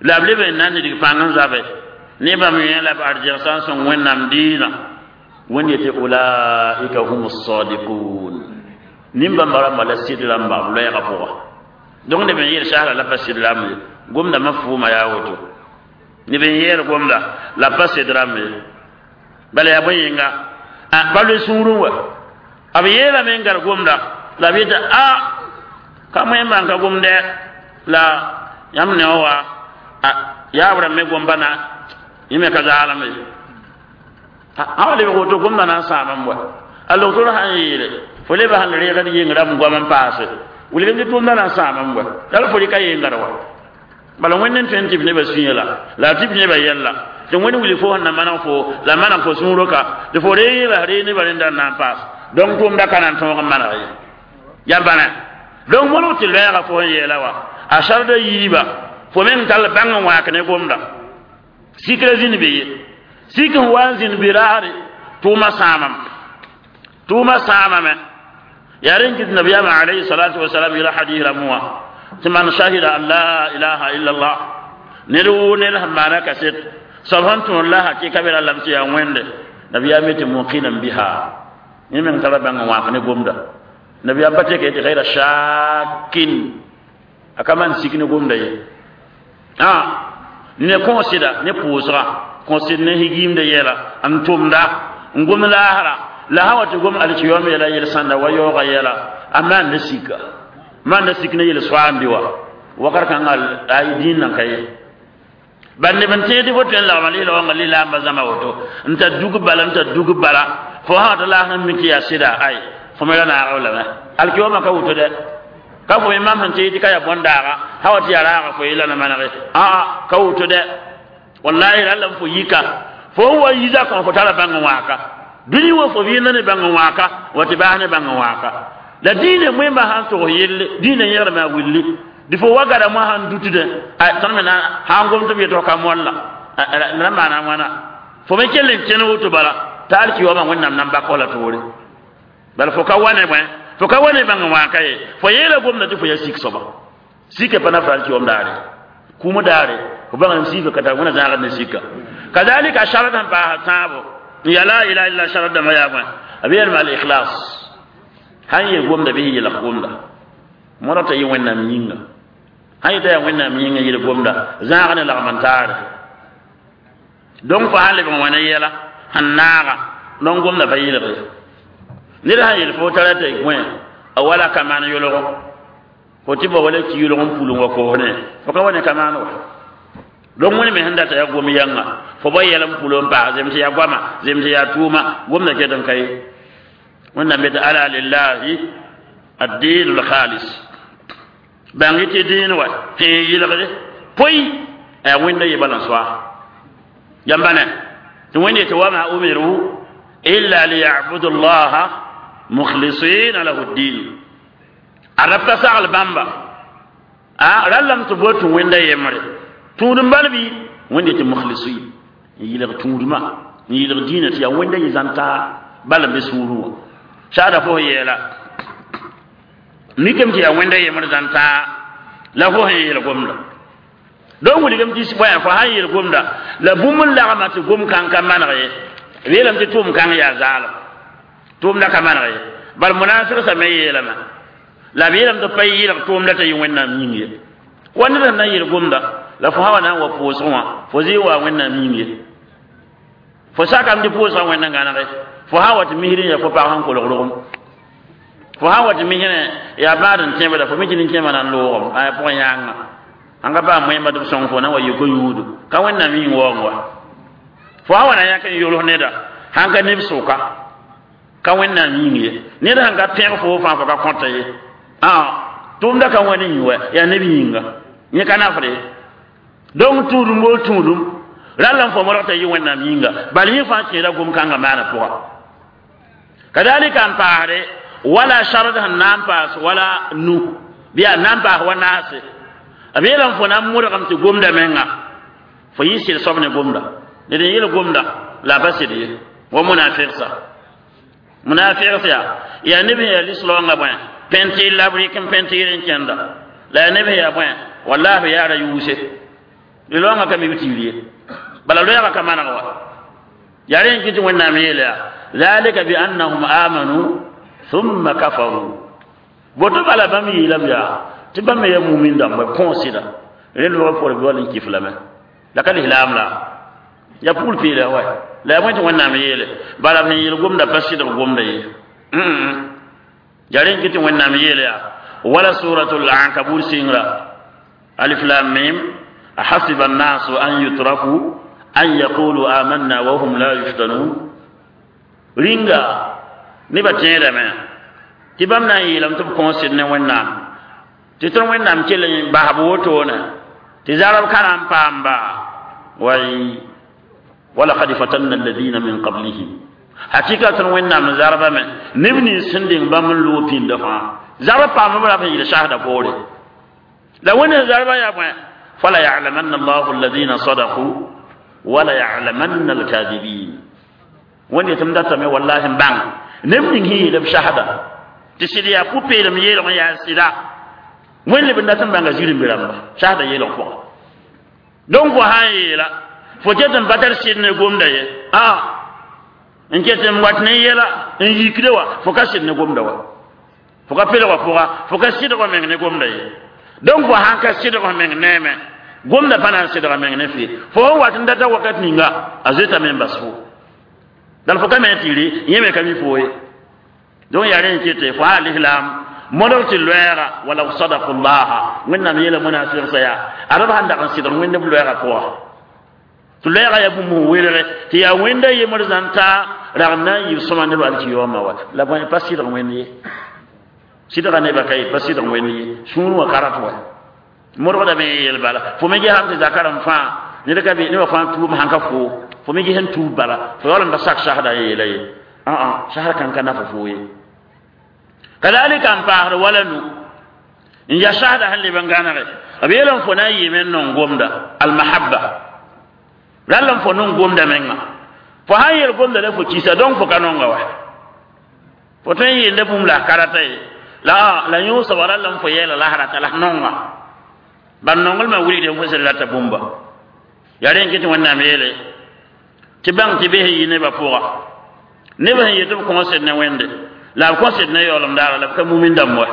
la b leb n na n nidg pãng n zabe ne bãmb yẽ la b arzegs sã n sõng Wẽnnaam dĩinã. Wẽnd yetɩ ulaika hum sadiqun, nin-bãmba rãmba la sɩd rãmba b loɛɛgã pʋga. Donc neb n yeel sasra la pa sɩd rãmb ye, gomdame fʋʋma yaa woto, neb n yeel gomda la pa sɩd rãmb ye, bala yaa bõe yĩnga pa loe sũurẽ wa. B yeelame n gar gomda la b yetɩ a ka moẽmbã n ka gomdɛ la yãmb ne wa yaab rãmb me gom-bãna yẽ me ka zaalem ye. A wa lebg woto gomda na n sãamame wa a logtr sãn yeele fo leba sẽn reegd yeng rãmb goam n paase wilg tɩ tʋʋmda na n sãamame wa la fo rɩka yengd wa. Bala Wẽnd n tõe n tɩ b nebã sũyã la la tɩ b nebã yɛlla tɩ Wẽnd wilg fo sẽn na maneg fo la maneg fo sũurã ka tɩ fo reeg la reeg nebã rẽnda n na n paas. Donc tʋʋmda ka na n tõog n maneg ye ya bãna. Donc molg tɩ loɛɛga fo sẽn yeela wa a sarda yiiba fo meng tall bãng n wãak ne gomda sikra zĩnd be ye, sik sẽn wa n zĩnd be raare tʋʋma sãamame, tʋʋma sãamame. Yaa rẽn kɩt nabiyaamã alayhi salatu wasalam yela hadis rãmbẽ wã tɩ man shahida an la ilaha illa allah, ned wʋ ned sẽn maana kaset soab sẽn tõod la hakɩka be ra lam tɩ yaa Wẽnde, nabiyaam yetɩ muqinan biha, yẽ meng tara bãng n wãak ne gomda. Nabiyaam pa tɩ tɩ gayra shakin, a ka maan sik ne gomda ye, ne kõosɩda ne pʋʋsga kõsd ne higiimda yɛla n tʋmda n gom laasra la sã wa tɩ gom alkiyom yɛla yel sãnda wa yaooga yɛla a maan ne sika maan ne sik ne yel soaambi wa wakat kãnga a dĩin nan ka ye. Bal neb n tẽed fo tõe n lagma lɩɩla wãnga lislaambã zãma woto n tar dug bala n tar dug bala fo sã tɩ laas n mik tɩ yaa sɩda ay fo me ra naag lame alkiyomã ka woto dɛ ka fo me mam sẽn tɩ tɩ ka yaa bõn-daaga sã wa tɩ yaa raaga fo yella na manege aa ka woto dɛ. Wallahi ralla fo yika fo wa yiza kõ fo tara bãng n wãaka dũni wa fo vɩɩmda ne bãng n wãaka wa tɩ baas ne bãng n wãaka la dĩinã moẽmbã sãn tog yelle dĩinã yẽgrame a willi dɩ fo wa gada moã sãn dutdẽ tõnd me na sãn gom tɩ b yetg ka molla la maana wãna fo me kell n kẽn woto bala t'a alkiyoomã Wẽnnaam nan bak la toore bala fo ka wa ne bõe fo ka wa ne bãng n wãaka ye fo yeela gomda tɩ fo ya sik soaba sika pa na fa alkiyoom daare kũumã daare fo bãng n siika ka tar wẽna zãagd ne sika kadalika sharad sẽn paasa tãabo n ya la ilaha illa sharad dãmbã yaa bõe b yeelma al ikhlas sãn yeel gomda bɩ yelg gomda modg t'a yɩ Wẽnnaam yĩnga sãn yetã yaa Wẽnnaam yĩnga yel gomda zãag ne lagm n taare. Donc fo sãn lebg n wa ne yɛla sẽn naaga donc gomda pa yelg ye. Ned sãn yel fo tara t'a gõe a wala ka maan yolgo fo tɩ ba wala ki yolg n pul n wa koosne fo ka wa ne ka maan wa. Donc wẽnd me sẽn data yaa gom yãnga fo ba yɛl n pul n paas zem tɩ yaa goama zem tɩ yaa tʋʋma gomda ket n ka ye. Wẽnnaam yetɩ ala lillahi addin lkhalis bãng tɩ dĩin wa tẽ yɩlgde poy a yaa Wẽnda ye bala n soa yãmba ne tɩ Wẽnd yetɩ wama umiru illa liyabudu llaha mukhlisina lahu ddin a rab ka sagl bãmba a rallame tɩ bo tũ Wẽnda yembre tũud n bal bɩ Wẽnd yetɩ mukhlisin n yɩlg tũudmã n yɩlg dĩinã tɩ yaa Wẽnda yɩ zãn-taa bala n be sũurẽ wã saada fo yeela mikame tɩ yaa Wẽnda yembre zãn-taa la fo sẽn yeel gomda donc wilgame tɩ bõe fo sãn yeel gomda la bũmb n lagma tɩ gom kãng ka maneg ye b yeelame tɩ tʋʋm kãng yaa zaalem tʋʋmda ka maneg ye bal munafigsã me yeelame la b yeelame tɩ pa yɩlg tʋʋmda t'a yɩ Wẽnnaam yĩng ye wa ned sẽn na n yeel gomda la fo sã wa na n wa pʋʋsg wã fo zɩ wa Wẽnnaam yĩng ye fo sakame tɩ pʋʋsgã Wẽnna gãnege fo sã wa tɩ misr n yaa fo pag sẽn kolg rogem fo sã wa tɩ misrẽ yaa bãad n tẽbda fo mi tɩ nin-kẽemã na n loogem a pʋgẽ yãnga sãn ka baa moẽmba tɩ b sõng fo na wa yiko yũudu ka Wẽnnaam yĩng waoong wa fo sã wa na yãk n yols neda sãn ka neb sʋka ka Wẽnnaam yĩng ye ned sãn ka pẽg fo fãa fo ka kõta ye a tʋʋmda ka wãn yĩ wa yaa neb yĩnga yẽ ka nafre. Donc tũudum boo tũudum ralla n fo modg t'a yɩ Wẽnnaam yĩnga bal yẽ fãa kẽeda gom-kãngã maana pʋga kadalika n paasde wala sharad sẽn na n paas wala nu bɩ yaa na n paas wa naase b yeelame fo na n modgame tɩ gomda menga Fo yɩ sɩd soab ne gomda ned n yel gomda la a pa sɩd ye wa munafiqsa munafiqs yaa yaa neb sẽn yaa lislaoongã bõe pẽntɩɩr la b rɩk n pẽntɩɩr n kẽnda la yaa neb sẽn yaa bõe wallahi yaa ra yuuse lislaoongã ka mi b tiir ye bala loɛɛgã ka maneg wa yaa rẽ n kɩ tɩ wẽnnaam yeel yaa ذلك بأنهم آمنوا ثم كفروا boto bala bãmb yeelame yaa tɩ bãmb me yaa mumin dãmba b kõo sɩda rẽ lʋg pʋgr bɩ wall n kif lame la ka lislaam la ya pugl peela wa la yaa bõe tɩ wẽnnaam yeele bala b sẽn yeel gomda pa sɩdg gomda ye yaa rẽ n kɩ tɩ wẽnnaam yeele yaa wala suratul ankabur sɩngra alif lam mim أحسب الناس أن يتركوا أن يقولوا آمنا وهم لا يفتنون ringa nebã tẽedame tɩ bãmb na n yeelame tɩ b kõo sɩd ne wẽnnaam tɩ tõnd wẽnnaam kell n basb wotone tɩ zarb ka na n paamba way walaqad fatanna alladina min qablihim hakika tõnd wẽnnaam zarbame neb nins sẽn deng bãmb n loog pĩnda fãa zarb paamba b rap n yɩl sasda poore la wẽnd zarba yaa bõe fala ya'lamanna allahu alladina sadaqu wala ya'lamanna alkadibin wẽnd yetɩ m datame wallahi n bãng neb ning sẽn yeel b sasda tɩ sɩd yaa pʋ-peelem yeelg n yaa sɩda wẽnd leb n dat n bãnga zirẽ rãmba sasda yeelg pʋga donc fo sã n yeela fo ket n pa tar sɩd ne gomda ye a n ket n wat ne yɛla n yikde wa fo ka sɩd ne gomda wa fo ka pelgã pʋga fo ka sɩdg meng ne gomda ye donc fo sãn ka sɩdg meng neeme gomda pa na n sɩdga meng ne fɩ fo sẽn wat n data wakat ninga a zoetame n bas fo dal fo ka me tɩre yẽ me ka mi fo ye donc yaa rẽ n kete fo a lislam modg tɩ loɛɛga walaw sadaku llaha wẽnnaam yeela munafiqsã yaa ad b sãn dag n sɩdg wẽnd b loɛɛga pʋga tɩ loɛɛga yaa bũmb sẽn welge tɩ yaa wẽnda yembr zãn ta rag n na n yɩ sõma neb alkiyooma wa la bõe pa sɩdg wẽnd ye sɩdga nebã ka ye pa sɩdg wẽnd ye sũur wã ka rat wa modgdame yeel bala fo me gesame tɩ zakarem fãa ned ka be nebã fãa tuub sãn ka fo fo me ges n tuub bala fo yaool n da sak sasda yeela ye aa sasd kãn ka nafa fo ye kadalika n paasd wala nu n ya sasda sẽn leb n gãnege b yeelame fo na n yɩɩme n nong gomda almahabba rall n fo nong gomda menga fo sãn yel gomda la fo kisa donc fo ka nonga wa fo tõe n yeelda bũmb la a karata ye la la yõ soaba rall n fo yɛɛla la rata la nonga ban nonglmã wilgde fo sẽn rata bũmba yaa rẽ n kɩ tɩ wẽnnaam yeele tɩ bãng tɩ bes yɩ nebã pʋga neb sẽn yet b kõo sed ne wẽnde la b kõ sed ne yaoolem daara la b ka mumin dãmb wa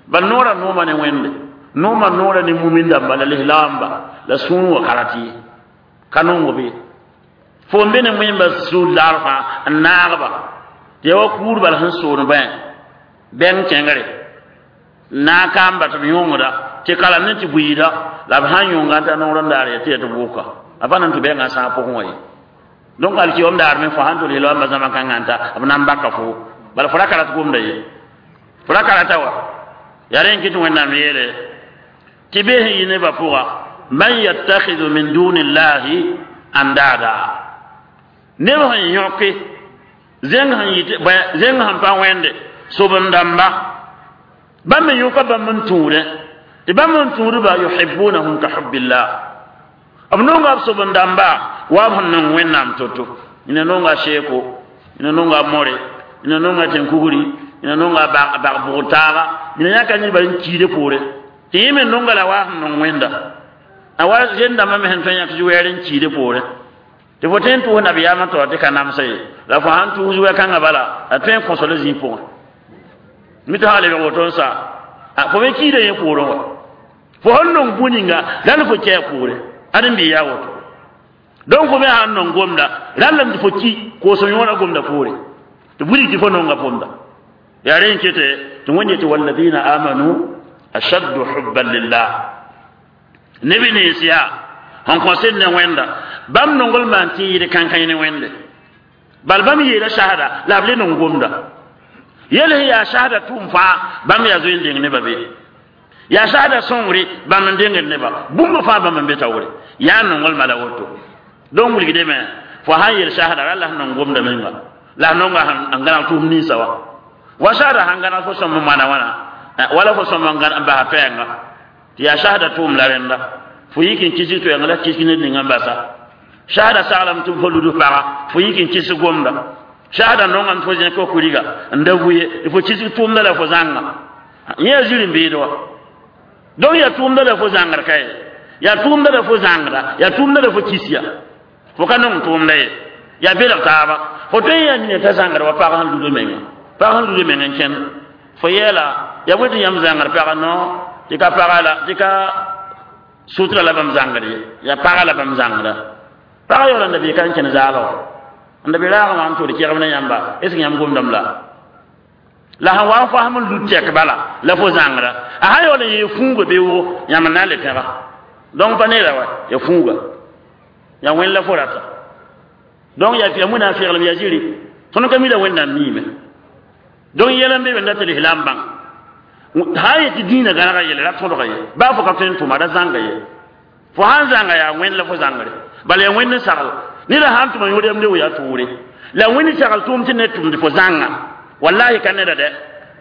bal noorã nooma ne wẽnde nooma noora ne mumin dãmba la lislaamba la sũur wã ka rat ye ka nong be fo n be ne wẽmba sũur laar fãa n naagba tɩ yaa wa kuur bal sẽn soon bãe bɛng kẽngre naag kaamba tɩ b yõngda tɩ kalam ne tɩ buiida la b sãn yõnga n ta noor n daar ya tɩ ya tɩ bʋʋka a pa na n tɩ bɛngã sãag pʋgẽ wã ye donc alkiyom daar me fo sãn tʋl yel-wãmba zãma kãngã n ta b na n baka fo bala fo ra ka rat gomda ye fo ra ka rata wa yaa rẽ n kɩ tɩ wẽnnaam yeele tɩ bes n yɩ nebã pʋga man yattakhidhu min duni llahi andada neb sẽn yõke zẽng sẽn yɩ zẽng sẽn pa wẽnde sob-n dãmba bãmb me yõka bãmb n tũudẽ tɩ bãmb n tũudba yuhibunahum ka hubbillah b nonga b sob-n dãmba wa b sẽn nong wẽnnaam to-to ina nonga seeko ina nonga more ina nonga tẽn-kugri ina nonga bag bʋgd taaga ina yãka nedba n kiide poore tɩ yẽ me nonga la wa sẽn nong wẽnda a wa zẽn-dãmbã me sẽn tõe n yãk wɛɛr n kiide poore tɩ fo tõe n tʋʋs nabiyaamã taoor tɩ ka namsa ye la fo sãn tʋʋs wɛ-kãngã bala a tõe n kõsol zĩig pʋgẽ mi tɩ sã lebg woto n sa fo me kiida yẽ poorẽ wa fo sẽn nong bũ-ninga rãnd fo kɛɛ poore ad n bɩ yaa woto donc fo me sãn nong gomda rãllame tɩ fo ki koos yõoda gomda poore tɩ wilg tɩ fo nonga pʋmda yaa rẽ n kete tɩ wẽnd yetɩ walladina amanu ashaddu hubban lillah neb nins yaa sẽn kõ sed ne wẽnda bãmb nongl maan tɩ yɩɩd kãnkãy ne wẽnde bal bãmb yeela sasda la b le nong gomda yel sẽn yaa sasda tʋʋm fãa bãmb yaa zoe n deng nebã be yaa sasda sõngre bãmb n dengd neba bũmb fãa bãmb n be taoore yaa nonglmã la woto donc wilgdame fo sãn yel sasda ra la sẽn nong gomda menga la nonga n gãneg tʋʋm ninsã wa wa sasda sãn gãneg fo sõm n moana wãna wala fo sõm n basa pɛɛnga tɩ yaa sasda tʋʋm la rẽnda Fo yik n kisg toɛɛngã la kisg ned ninga n basa. Shahada saglame tɩ fo lud paga, fo yik n kisg gomda. Shahada nongame tɩ fo zẽk fo kuriga n da vu ye, fo kisg tʋʋmda la fo zãnga. Yẽ yaa ziri n beed wa. Donc yaa tʋʋmda la fo zãngd ka ye. Yaa tʋʋmda la fo zãngda, yaa tʋʋmda la fo kis ya. Fo ka nong tʋʋmda ye. Yaa belg taaba. Fo tõe n yaa nina t'a zãngd wa pag sẽn lud menga. Pag sẽn lud meng n kẽnd. Fo yeela, yaa bõe tɩ yãmb zãngd paga no, tɩ ka paga la, tɩ ka sutra la bãmb zãngd ye. Yaa paga la bãmb zãngda. Paga yaoola n da bee ka n kẽnd zaalg. N da be raagã wã n tʋʋd kegem ne yãmba, est ce que yãmb gomdame la? La sẽn wa n fasem n lud tɛk bala la fo zãngra. A sã yaool n yee fũuga beoogo, yãmb n na n le pẽga. Donc pa neera wa, ya fũuga. Ya wẽnd la fo rata. Donc ya ya wẽnnaam feeglem yaa ziri. Tõnd ka mi la wẽnnaam miime. Donc yɛl n be be n dat tɩ lislaam bãng. Sã n yet tɩ dĩinã gãnega yelle ra tõdga ye. Baa fo ka tõe n tʋma ra zãnga ye. Fo sãn zãnga yaa wẽnd la fo zãngre. Bala yaa wẽnd n sagl. Neda sãn tʋma yõod yam leo yaa toore. La wẽnd sagl tʋʋm tɩ ned tʋmd fo zãnga. Wallahi ka neda dɛ.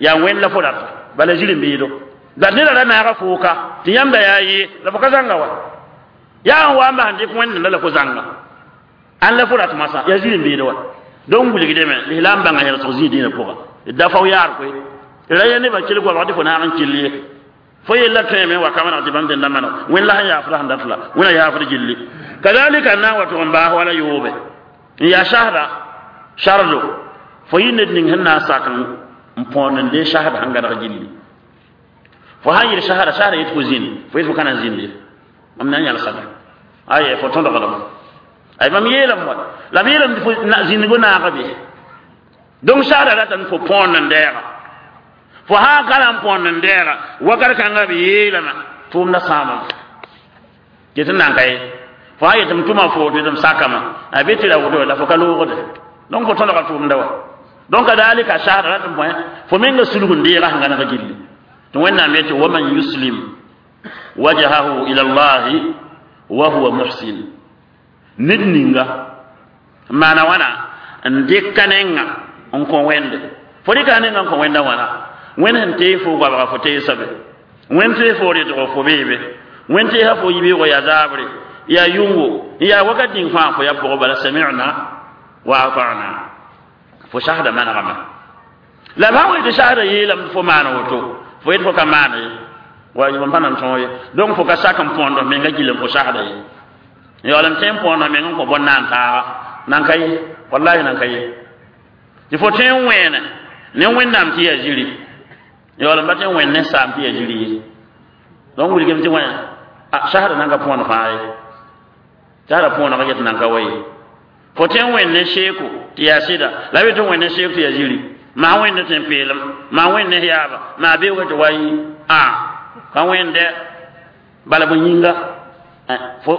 Yaa wẽnd la fo rata. Bala ziri n beedo. La neda ra naaga fooka tɩ yãmba yaa ye la fo ka zãnga wa. Yaa n wa n bas n dɩk wẽnd la fo zãnga. Ãn la fo rat masã yaa ziri n beedo wa. Donc wilgdame lislaam bãnga yẽlsg zĩig dĩinã pʋga. D da fao yaar koe. Ra ya nebã kell goabg tɩ fo naag n kell ye. Fo yella tõeme wa ka maneg tɩ bãmb dẽnda maneg. Wẽnd la sẽn yaafda sẽn dat la. Wẽna yaafd gilli. Kadalika n na n wa tʋg n baas wala yoobe. N yaa sasda sardo. Fo yɩ ned ning sẽn na n sak n põond n dee sasda sẽn gãneg gilli. Fo sãn yɩl sasda, sasda yet fo zĩnd, fo yet fo ka na n zĩnd ye. Mam na n yãlsame. Aye fo tõdgdame. Ay mam yeelame wa. La m yeelame tɩ fo zĩndgo naaga be. Donc sasda ratame fo põond n deega. Fo sã n ka na n põond n deega, wakat kãngã b yeelame tʋʋmda sãamame. Ket n nan ka ye. Fo sã yet m tʋma fo tɩ m sakame, a be tɩ ra woto la fo ka loogde. Donc fo tõdga tʋʋmda wa. Donc kadalika sasda rat n bõe fo menga sulg n deega sẽn gãneg gilli. Tɩ Wẽnnaam yetɩ waman yuslim wajhahu ila llahi wa huwa muhsin. Ned ninga n maana wãna n dɩka nenga n kõ wẽnde. Fo rɩka nenga n kõ wẽnda wãna. Wẽnd sẽn tees fo goabga fo teesa be. Wẽnd tees fo rɩtgo fo beebe. Wẽnd teesa fo yibeoogo yaa zaabre, yaa yʋngo, yaa wakat ning fãa fo yaa pʋgẽ bala sami'na wa ata'na. Fo sasda manegame. La b sã n wa tɩ sasda yeelame tɩ fo maan woto, fo yet fo ka maan ye. Wa mam pa nan tõog ye. Donc fo ka sak n põond f menga gill n fo sasda ye. Yaool n tõe n põond f meng n kõ bõn-naan taaga. Nan ka ye. Wallahi nan ka ye. Tɩ fo tõe n wẽene ne Wẽnnaam tɩ yaa ziri. Yaool n pa tõe n wẽnd ne saam tɩ yaa ziri ye. Donc wilgame tɩ wẽ sasda nan ka põond fãa ye. Sasda põoneg get nan ka wa ye. Fo tõe n wẽnd ne seeko tɩ yaa sɩda, la b tɩ wẽnd ne seek tɩ yaa ziri. Maa wẽnd ne tẽn-peelem, maa wẽnd ne yaaba, maa beoogã tɩ wa yɩ a ka wẽnde bala bõ yĩnga fo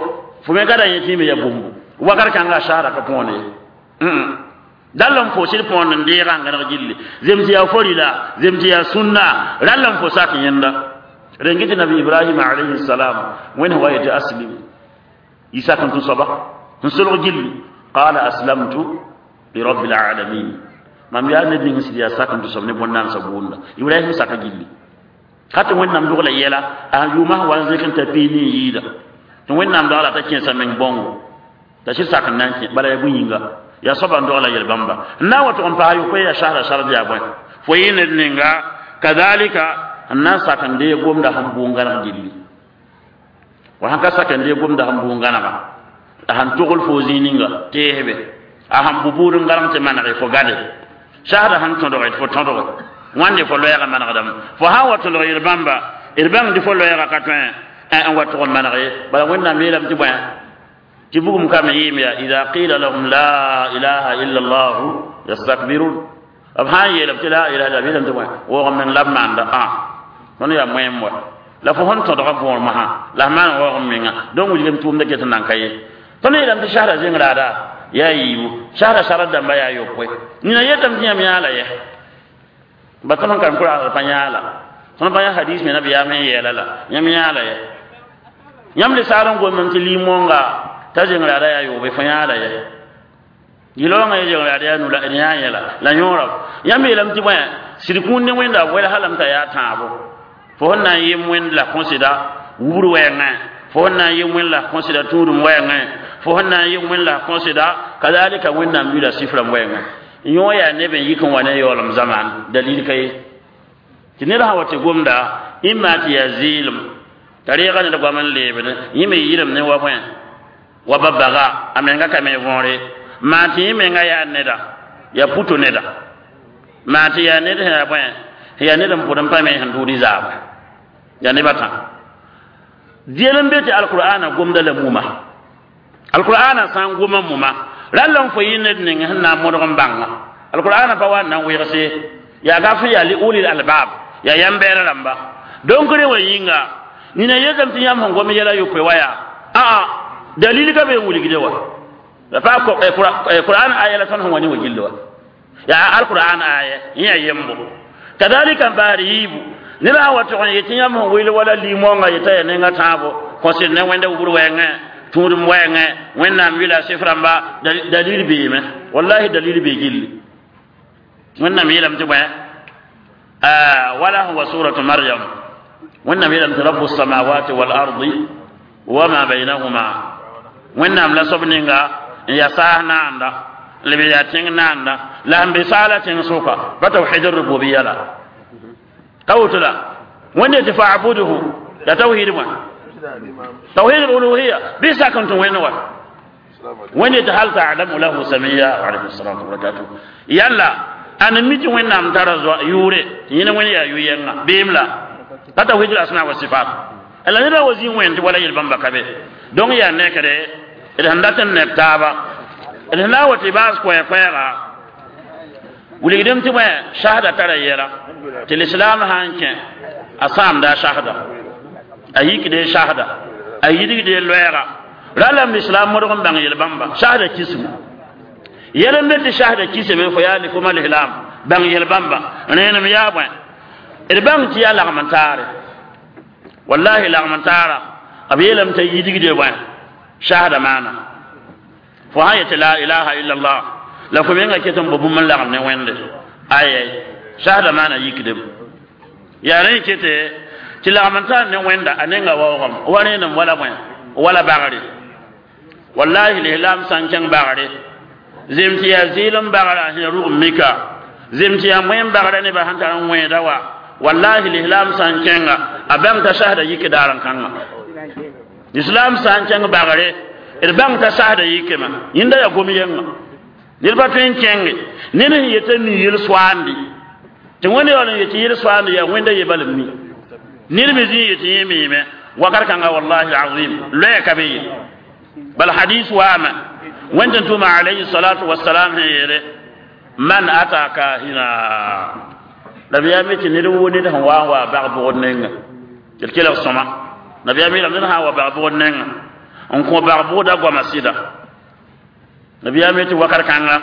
fo me ka da yẽ tɩ me yaa bũmbu. Wakat kãngã sasda ka põond ye. Dall n fo sɩd põond n deegã n gãneg gilli. Zems yaa forila, zems yaa sũnna, rall n fo sak yẽnda. Rẽn tɩ nabi Ibrahim alayhi salam wẽnd wa yetɩ aslim. Yɩ sak n tũ soaba n solg gilli. Qala aslamtu li rabbil alamin. Mam yaa ned ning sɩd yaa sak n tũ soab ne bõn-naamsã bʋʋnda. Ibrahim saka gilli. Ka tɩ Wẽnnaam dogla yɛla, a yʋʋmã sẽn wa n zẽk n ta piis ne n yɩɩda. Tɩ Wẽnnaam dogla t'a kẽesa meng bãongo. T'a sɩd sak n na n kẽ, bala yaa bõe-yĩnga. Yaa soaba n dogla yel-bãmba. N na n wa tʋg n paas yopoe yaa sasda sard yaa bõe. Fo yɩ ned ninga kadalika n na n sak n deeg gomda sẽn bʋʋn gãneg gilli. Wa sãn ka sak n deeg gomda sẽn bʋʋn gãnega, a sẽn togl fo zĩig ninga teesbe, a sẽn bʋ buud n gãneg tɩ manege fo gade. Sasda sẽn tõdge tɩ fo tõdge. Wãnde fo loɛɛgã manegdame. Fo sã n wa tõdg yel-bãmba, d bãng tɩ fo loɛɛgã ka tõe n wa tʋg n maneg ye. Bala Wẽnnaam yeelame tɩ bõe tɩ bugum kame yɩɩm yaa ida qila lahum la ilaha illa llahu yastakbirun. B sã n yeelame tɩ la ilaha illa b yeelame tɩ bõe woog n meng la b maanda ã. Tõnd yaa moẽm wa. La fo sẽn tõdga võor masã la f maan waoog n menga. Donc wilgame tʋʋmda ket n nan ka ye. Tõnd yeelame tɩ sasda zẽng raada yaa yiibu. Sasda sard dãmba yaa yopoe. Nina yetame tɩ yãmb yãala yɛ. Ba tõnd sẽn kan kʋraasd pa yãala. Tõnd pa yã hadis me nabiyaam n yeela la. Yãmb yãala yɛ. Yãmb le saar n gomame tɩ lim-wõnga t'a zẽng raada yaa yoobe fo yãala yɛ. Yɩl-wãngã ye zẽng raada yaa nu la d yã yẽla la yõora. Yãmb yeelame tɩ bõe sɩd kũun ne Wẽnda wɛlsa lame t'a yaa tãabo. Fo sẽn na n yem Wẽnd la kõsɩda wubr wɛɛngã. Fo sẽn na n yɩ wẽn la kõsɩda tũudum wɛɛngẽ, fo sẽn na n yɩ wẽn la kõsɩda kadalika wẽnnaam yʋla sifrãmb wɛɛngẽ. Yõ yaa neb n yik n wa ne yaoolem zamaan dalil ka ye tɩ ned sã wa tɩ gomda ĩmma tɩ yaa zɩɩlem t'a reega ned goam n leebd yẽ me yɩlem ne wa bõe wa ba baga a menga ka me võore maa tɩ yẽ menga yaa neda yaa puto neda maa tɩ yaa ned sẽn yaa bõe yaa ned n pʋd n pa me sẽn tʋʋd zaaba yaa neb a tã deel n be tɩ alqur'ana gomda la muma alqur'ana sã n goma muma rall n fo yɩ ned ning sẽn na n modg n bãnga alqur'ana pa wa n na n wegse yaa gaf yaa li ulil albab yaa yãmb-bɛɛr rãmba donc rẽ wa yĩnga nina yetame tɩ yãmb sẽn gom yɛla yopoe wa yaa aa dalil ka be n wilgde wa la pa qur'an aya la tõnd sẽn wa ne wa gilli wa yaa alqur'an aya yẽ yaa yembo kadalika n baar yiibu neb sã wa tʋg n yetɩ yãmb sẽn wil wala limõnga yetã yaa nenga tãabo kõsd ne wẽnda wubr wɛɛngẽ tũudum wɛɛngẽ wẽnnaam yʋla sɩf rãmba dalil beeme wallahi dalil bee gilli wẽnnaam yeelame tɩ bõe wala huwa suratu maryam wẽnnaam yeelame tɩ rabu samawati walardi wama bainahuma wẽnnaam la soab ninga n yaa saas naanda lb yaa tẽng naanda la sẽn be saala tẽng sʋka pa tawhid rububiya la ka woto la wẽnde tɩ fa'buduhu ya tawhid bõe tawhid al-uluhiyya bi sakan tɩ wẽnd wa wẽnde tɩ hal ta'lamu lahu samiya wa alayhi salatu wa barakatuh yalla ana mi tɩ wẽnnaam tara zoa yʋʋre tɩ yẽne wẽnd yaa yʋ-yɛnga beem la pa tawhid al-asma wa sifat la neda wa zĩ wẽnd tɩ wala yel-bãmba ka be donc yaa nekre d sẽn dat n neb taaba d sẽn na n wa tɩ baas koɛɛ-koɛɛga wilgdem tɩ bõe shahda tara yɛla tɩ lislaam sã n kẽ a sãamda a shahda a yikde shahda a yidgde loɛɛga ralame lislaam modg n bãng yel-bãmba shahda kismu yɛl n be tɩ shahda kisame fo yaa lifoma lislaam bãng yel-bãmba rẽenem yaa bõe d bãng tɩ yaa lagm n taare wallahi lagm n taara b yeelame t'a yidgde bõe shahda maana fo sã yetɩ la ilaha illallah la fo menga ket n bo bũmb n lagem ne wẽnde ayɛ shahda maana yikdem yaa rẽ kete tɩ lagm n taar ne wẽnda a nenga waoogame wa rẽenem wala bõe wala bagre wallahi lislaam sã n kẽng bagre zem tɩ yaa zɩɩlem bagra sẽn rug mika zem tɩ yaa moẽn bagra nebã sẽn tar n wẽeda wa wallahi lislaam sã n kẽnga a bãng t'a sasda yike daar n kãnga lislaam sã n kẽng bagre d bãng t'a sasda yikema yẽnda yaa gom yɛnga ned pa tõe n kẽnge ned sẽn yetã mi yel-soaandi tɩ wẽnd yaool n yetɩ yel-soaandi yaa wẽnda ye bal n mi ned me zĩ yetɩ yẽ miime wakat kãnga wallahi azim loɛɛ ka be ye bal hadis waame wẽnd tɩ tʋma alayhi salatu wasalam sẽn yeele man ata kahina nabiyaam tɩ ned woo ned sẽn wa n wa bag bʋgd nenga d kelg sõma nabiyaam yeelame ned sã n wa bag bʋgd nenga n kõ bag bʋgda goama sɩda nabiyaam tɩ wakat kãnga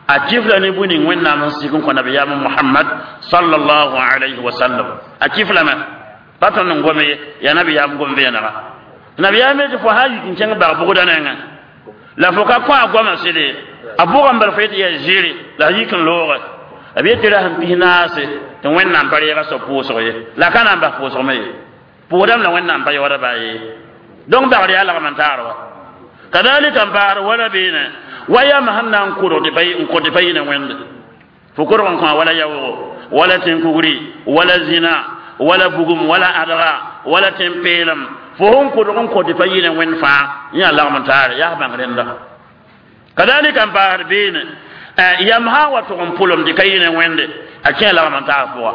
a kifla ne bũe ning wẽnnaam sẽn sik n kõ nabiyaam Muhammad sallallahu alayhi wa sallam a kiflame pa tõnd n gom ye yaa nabiyaam gom vẽenega nabiyaam tɩ fo sã n yik n kẽng bag bʋgda nengẽ la fo ka kõ a goamã sɩde a bʋgame bal fo yetɩ yaa zɩɩre la a yik n looge b yetɩ ra sẽn pis naase tɩ wẽnnaam pa reega soab pʋʋsg ye la ka na n bas pʋʋsgme ye pʋʋsdame la wẽnnaam pa yaooda baa ye donc bagr yaa lagm n taar wa kadalika n paasd wala beene wa yam sẽn na n kʋrg n kõ tɩ pa yɩ ne wẽnde fo kʋrg n kõ wala yaoogo wala tẽn-kugri wala zĩna wala bugum wala adga wala tẽn-peelem fo sẽn kʋrg n kõ tɩ pa yɩ ne wẽnd fãa yẽ yaa lagm n taare yaa bãng rẽnda kadalika n paasd beene yam sã n wa tʋg n pʋlem tɩ ka yɩ ne wẽnde a kẽ lagm n taar pʋga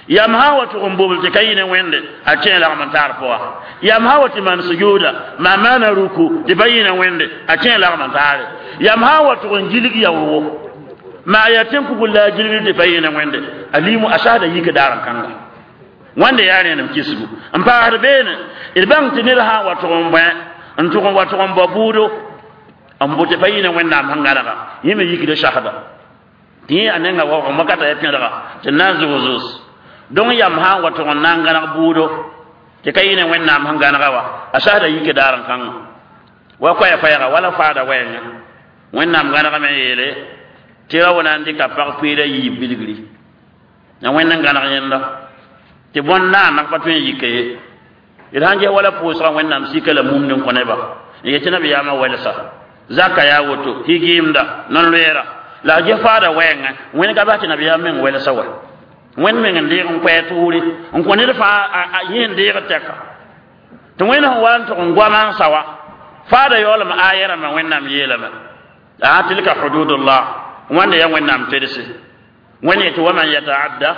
yam sã n wa tʋg n bobl tɩ ka yɩ ne wẽnde a kẽ lagm n taar pʋga yam sã n wa tɩ maan sujuuda maa maana ruku tɩ pa yɩ ne wẽnde a kẽ lagm n taare yam sã n wa tʋg n gilg yaoogo maa yaa tẽn-kugl la a gilgd tɩ pa yɩ ne wẽnde a limu a sasda yik daar n kãnga wẽnde yaa rẽenem kisgu n paasd beene d bãng tɩ ned sã n wa tʋg n bõe n tʋg n wa tʋg n bao buudo n bʋ tɩ pa yɩ ne wẽnnaam sẽn gãnega yẽ me yikda sasda tɩ yẽ a nenga waoogem wakata ya pẽdga tɩ na n zʋg-zʋs donc yam sã n wa tʋg n na n gãneg buudo tɩ ka yɩ ne wẽnnaam sẽn gãnega wa a sasda yike daar n kãnga wa koɛɛ-koɛɛga wala faada wɛɛngã wẽnnaam gãnegame n yeele tɩ ra wa na n dɩka pag peera yiib bilgri ya wẽnd n gãneg yẽnda tɩ bõn naaneg pa tõe n yike ye d sãn ges wala pʋʋsgã wẽnnaam sika la mumd n kõ neba n yetɩ nabiyaamã wɛlsa zaka yaa woto higimda non-loeera la a ges faada wɛɛngẽ wẽnd ka bas tɩ nabiyaam meng wɛlsa wa wẽnd meng n deeg n koɛɛ tʋʋre n kõ ned fãa yẽ n deegd tɛka tɩ wẽnd sẽn wa n tʋg n goama n sa wa faada yaoolem aya rãmbã wẽnnaam yeelame a tilka hududullah wãnda yaa wẽnnaam tedse wẽnd yetɩ waman yataadda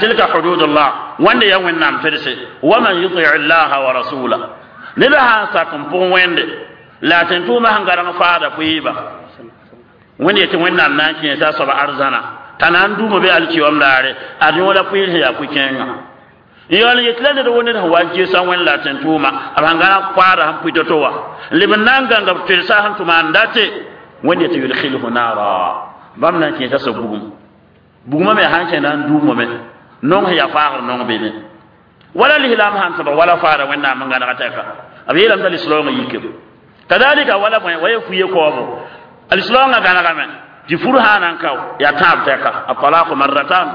tilka hududullah wãnda yaa wẽnnaam tedse waman yuti llaha wa rasula ned sã n sak n pʋg wẽnde la a tẽn-tʋʋmã sẽn gareng faada pʋɩɩba wẽnd yetɩ wẽnnaam na n kẽesa a soaba arzãna t'a na n duuma be alkiyoom daare ad yõola pʋɩɩr sẽn yaa pʋ-kẽengã n yaool n yetɩ la ned wo ned sẽn wa n gesa wẽnd la a tẽn-tʋʋma b sẽn gãneg paada sẽn pʋɩ to-to wa n leb n na n gãnga b tʋlsa sẽn tʋma n date wẽnd yetɩ yudkhilhu naara bãmb na n kẽesa soab bugum bugmã me sãn kẽ na n duumame nong sẽn yaa faagr nong bene wala lislaam sãn tõdg wala faada wẽnnaam n gãnega tɛka b yeelame t'a lislaoongã yikame kadalika wala bõe wa ya fuye kaoobo lislaoongã gãnegame tɩ fur sã na n kao yaa tãab tɛka atalaqu marratan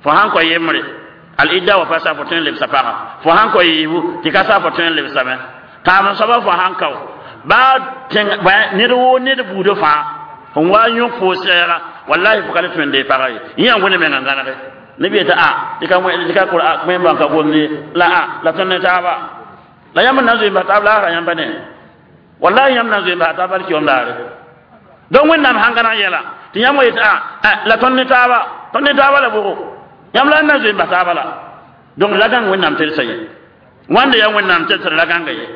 fo sãn kõ yembre al-idda wa pasa fo tõe n lebsa pagã fo sãn kõ yiibu tɩ ka sa fo tõe n lebsame tãam soaba fo sãn kao baa ned woo ned buudã fãa sẽn wa n yõk fo sɛɛga wallahi fo ka le tõe n dee pagã ye yẽ yaa wẽnd menga gãnege neb yetɩ a tɩ ka tɩ ka wẽn ka gomd ye la a la tõnd ne taaba la yãmb n na n zoe n bas taab laasra yãmba ne wallahi yãmb na n zoe n bas taab alkiyom daare donc wẽnnaam sãn gãneg yɛla tɩ yãmb wa yetɩ a la tõnd ne taaba tõnd ne taaba la bʋgo yãmb la n na zoe n bas taaba la donc la gãng wẽnnaam tedsa ye wãnda yaa wẽnnaam tedsd la gãnga ye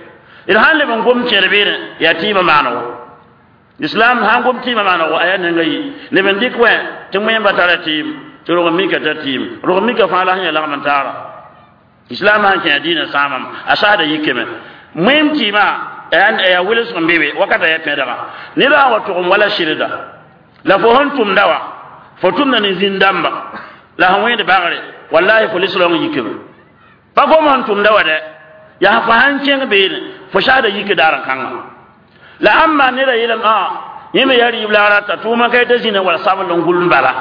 d sãn leb n gom kẽer beene yaa tɩɩmã maanego islam sãn gom tɩɩmã maanego a yaa ninga yi leb n dɩk wẽ tɩ wẽmba tara tɩɩm tɩ rog n mika tar tɩɩm rog n mika fãa la sẽn yaa lagm n taara islam sãn kẽ a diinã sãamam a saasda yikame wẽm tɩɩmã yaa welsg n be be wakata yaa pẽdga ned sã n wa tʋgem wala sɩrda la fo sẽn tʋmda wa fo tʋmda ne zĩn-dãmba la sẽn wẽed bagre wallahi fo lislaoong yikame pa gom sẽn tʋmda wa dɛ yaa fo sãn kẽng beene fo saasda yike daar n kãngã la ãmba neda yeelame a yẽ me yaa rɩɩb la a rata tʋʋma ka yetã zĩna wala sabl n gul n bala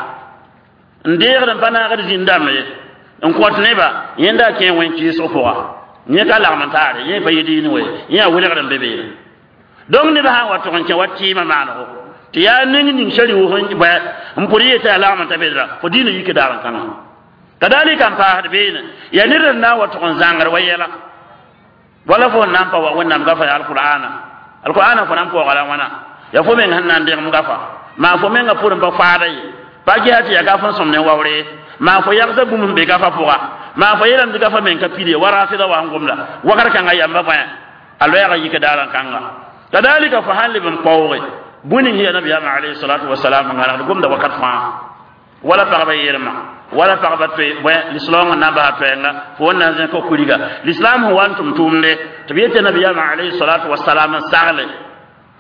n deegd n pa naagd zĩn-dãmb ye n kõt neba yẽnda a kẽ wẽn-kɩɩsg pʋga yẽ ka lagm n taare yẽ pa yɩ diin we yẽ yaa welgd n be beene donc ned sã n wa tʋg n kẽ wa tɩɩmã maanego tɩ yaa ning ning sari wʋsg bʋɛ n pʋd yetã yaa lagm n ta bedra fo diinã yike daar n kãngã kadalika n paasd beene yaa ned n na n wa tʋg n zãngr wa yɛla wala fo n na n pa wa wẽnnaam gafa ya alqur'ana alqur'ana fo na n paooga la wãna yaa fo meng sẽn na n degem gafa maa fo mengã pʋrẽ pa faada ye pa gesa tɩ yaa gaf n sõm ne waoore maa fo yagsa bũmb sẽn be gafa pʋga maa fo yeelame tɩ gafa meng ka pid ye wa rafɩda wa sẽn gomda wakr kãngã yamba bõe a loɛɛga yika daar n kãnga kadalika fo sãn leb n paooge bũe ning sẽn yaa nabiyaamã alayhi salatu wasalam n gãnegd gomda wakat fãa wala pagba yeelmã wala pagba toe bõe lislaoongã na n basa toɛɛnga fo wẽn na n zẽk kuriga lislaam sẽn wa n tʋm tʋʋmde tɩ b yetɩ nabiyaamã alayhi salatu wasalam n sagle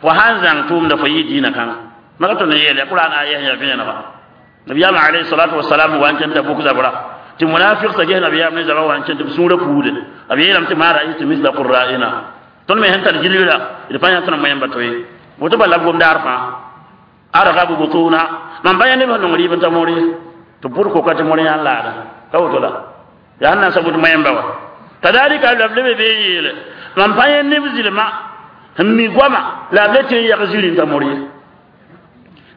fo sãn zãng tʋʋmda fo yɩ diinã kãngã maka tõnd n yeele qur'an aya sẽn yaa vẽenega nabiyaamã alayhi salatu wasalam wa n kẽn t'a bʋk zabra tɩ munafiq sa ges nabiyaam ne zabã wa n kẽn tɩ b sũurã puude b yeelame tɩ ma ra'aytu misla qurra'ina tõnd me sẽn tar gilgra d pa yã tõnd moẽmba to ye woto bala b gomda ar fãa argabu butuna mam pa yã neb sẽn nong rɩɩb n ta moor ye tɩ pʋd koka tɩ moor yã n laada ka woto la yaa sẽn na n sabʋt moẽmba wa kadalika la b lebe bee yeele mam pa yã neb zɩlma sẽn mi goama la b le tɩ n yag ziri n ta moor ye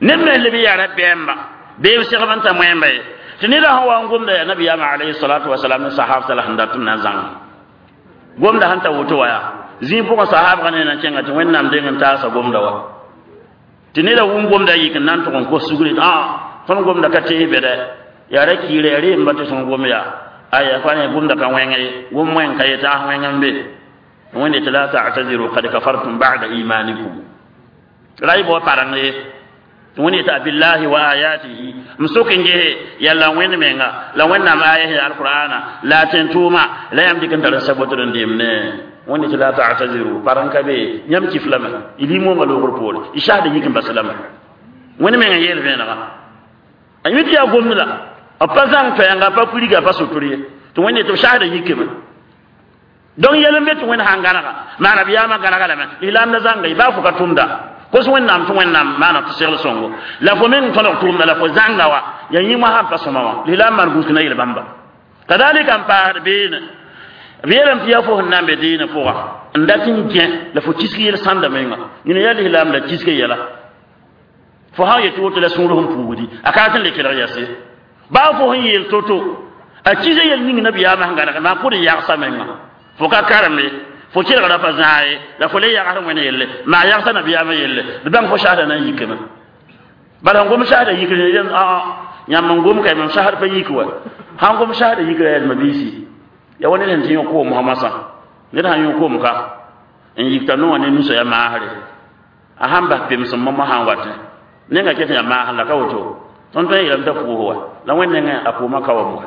neb me leb yaa ra-bɛɛmba bee b segb n ta moẽmba ye tɩ neda sẽn wa n gomda yaa nabiyaamã alayhi salatu wasalam ne sahabta la sẽn dat n na n zãnga gomda sẽn ta woto wa yaa zĩig pʋgẽ sahabgã ne na n kẽnga tɩ wẽnnaam deng n taasa gomda wa tɩ neda wʋm gomda yik n na n tʋg n kos sugri ã tõnd gomda ka tees be dɛ yaa ra kiira yaa reemba tɩ sõn gom yaa aya fa ne gomda ka wẽng ye gom wẽng ka yetã a wẽng n be wẽnde tɩ la ta'taziru qad kafartum ba'da imanikum ra y bao pareng ye tɩ wẽnd yetɩ abillahi wa ayatihi m sok n gese yaa la wẽnd menga la wẽnnaam aya sẽn alqur'ana la a tẽn-tʋʋma la yãmb dɩk n tar n sabotd n deemne wẽnde tɩ la ta'taziru pareng ka be yãmb kif lame y limoongã loogr poore y saasda yik n bas lame wẽnd meng n yeel vẽenega a yẽ tɩ yaa gomd la b pa zãng toɛɛnga pa kuriga pa sotr ye tɩ wẽnde tɩ b saasda yikame donc yɛl n be tɩ wẽnd sãn gãnega maana b yaamã gãnega lame lislaam la zãnga y baa fo ka tʋmda kos wẽnnaam tɩ wẽnnaam maana tɩ segl sõngo la fo meng tõdg tʋʋmda la fo zãnga wa yaa yĩmã sãn pa sõma wã lislaam maan gũus na yel bãmba kadalika n paasd beene B yeelame tɩ yaa fo sẽn na n be dĩinã pʋga n dat n gẽ la fo kisg yel sãnda menga nina yaa lislaam la kisga yɛla fo sã n yetɩ woto la sũur sẽn puugdi a ka rat n le kelg yɛse baa fo sẽn yeel to-to a kisa yel ning nabiyaamã sẽn gãneg maa pʋd n yagsa menga fo ka karem ye fo kelgra pa zãa ye la fo le yagsd wẽnd yelle maa yagsa nabiyaamã yelle d bãng fo sasda na n yikame bala sẽn gom sasda yikr yãmb n gom ka mam sasd pa yik wa sãn gom sasda yikra yɛlma biisi ya wa ned sẽn tɩ yõ koom mosã ned sãn yõ koom ka n yikta noowã ne nusa ya maasre a sãn bas pemsem momo sãn watẽ nenga ket ya maasr la ka woto tõnd tõe n yeelame t'a pʋʋs wa la wẽnd nengẽ a pʋʋmã ka wam wa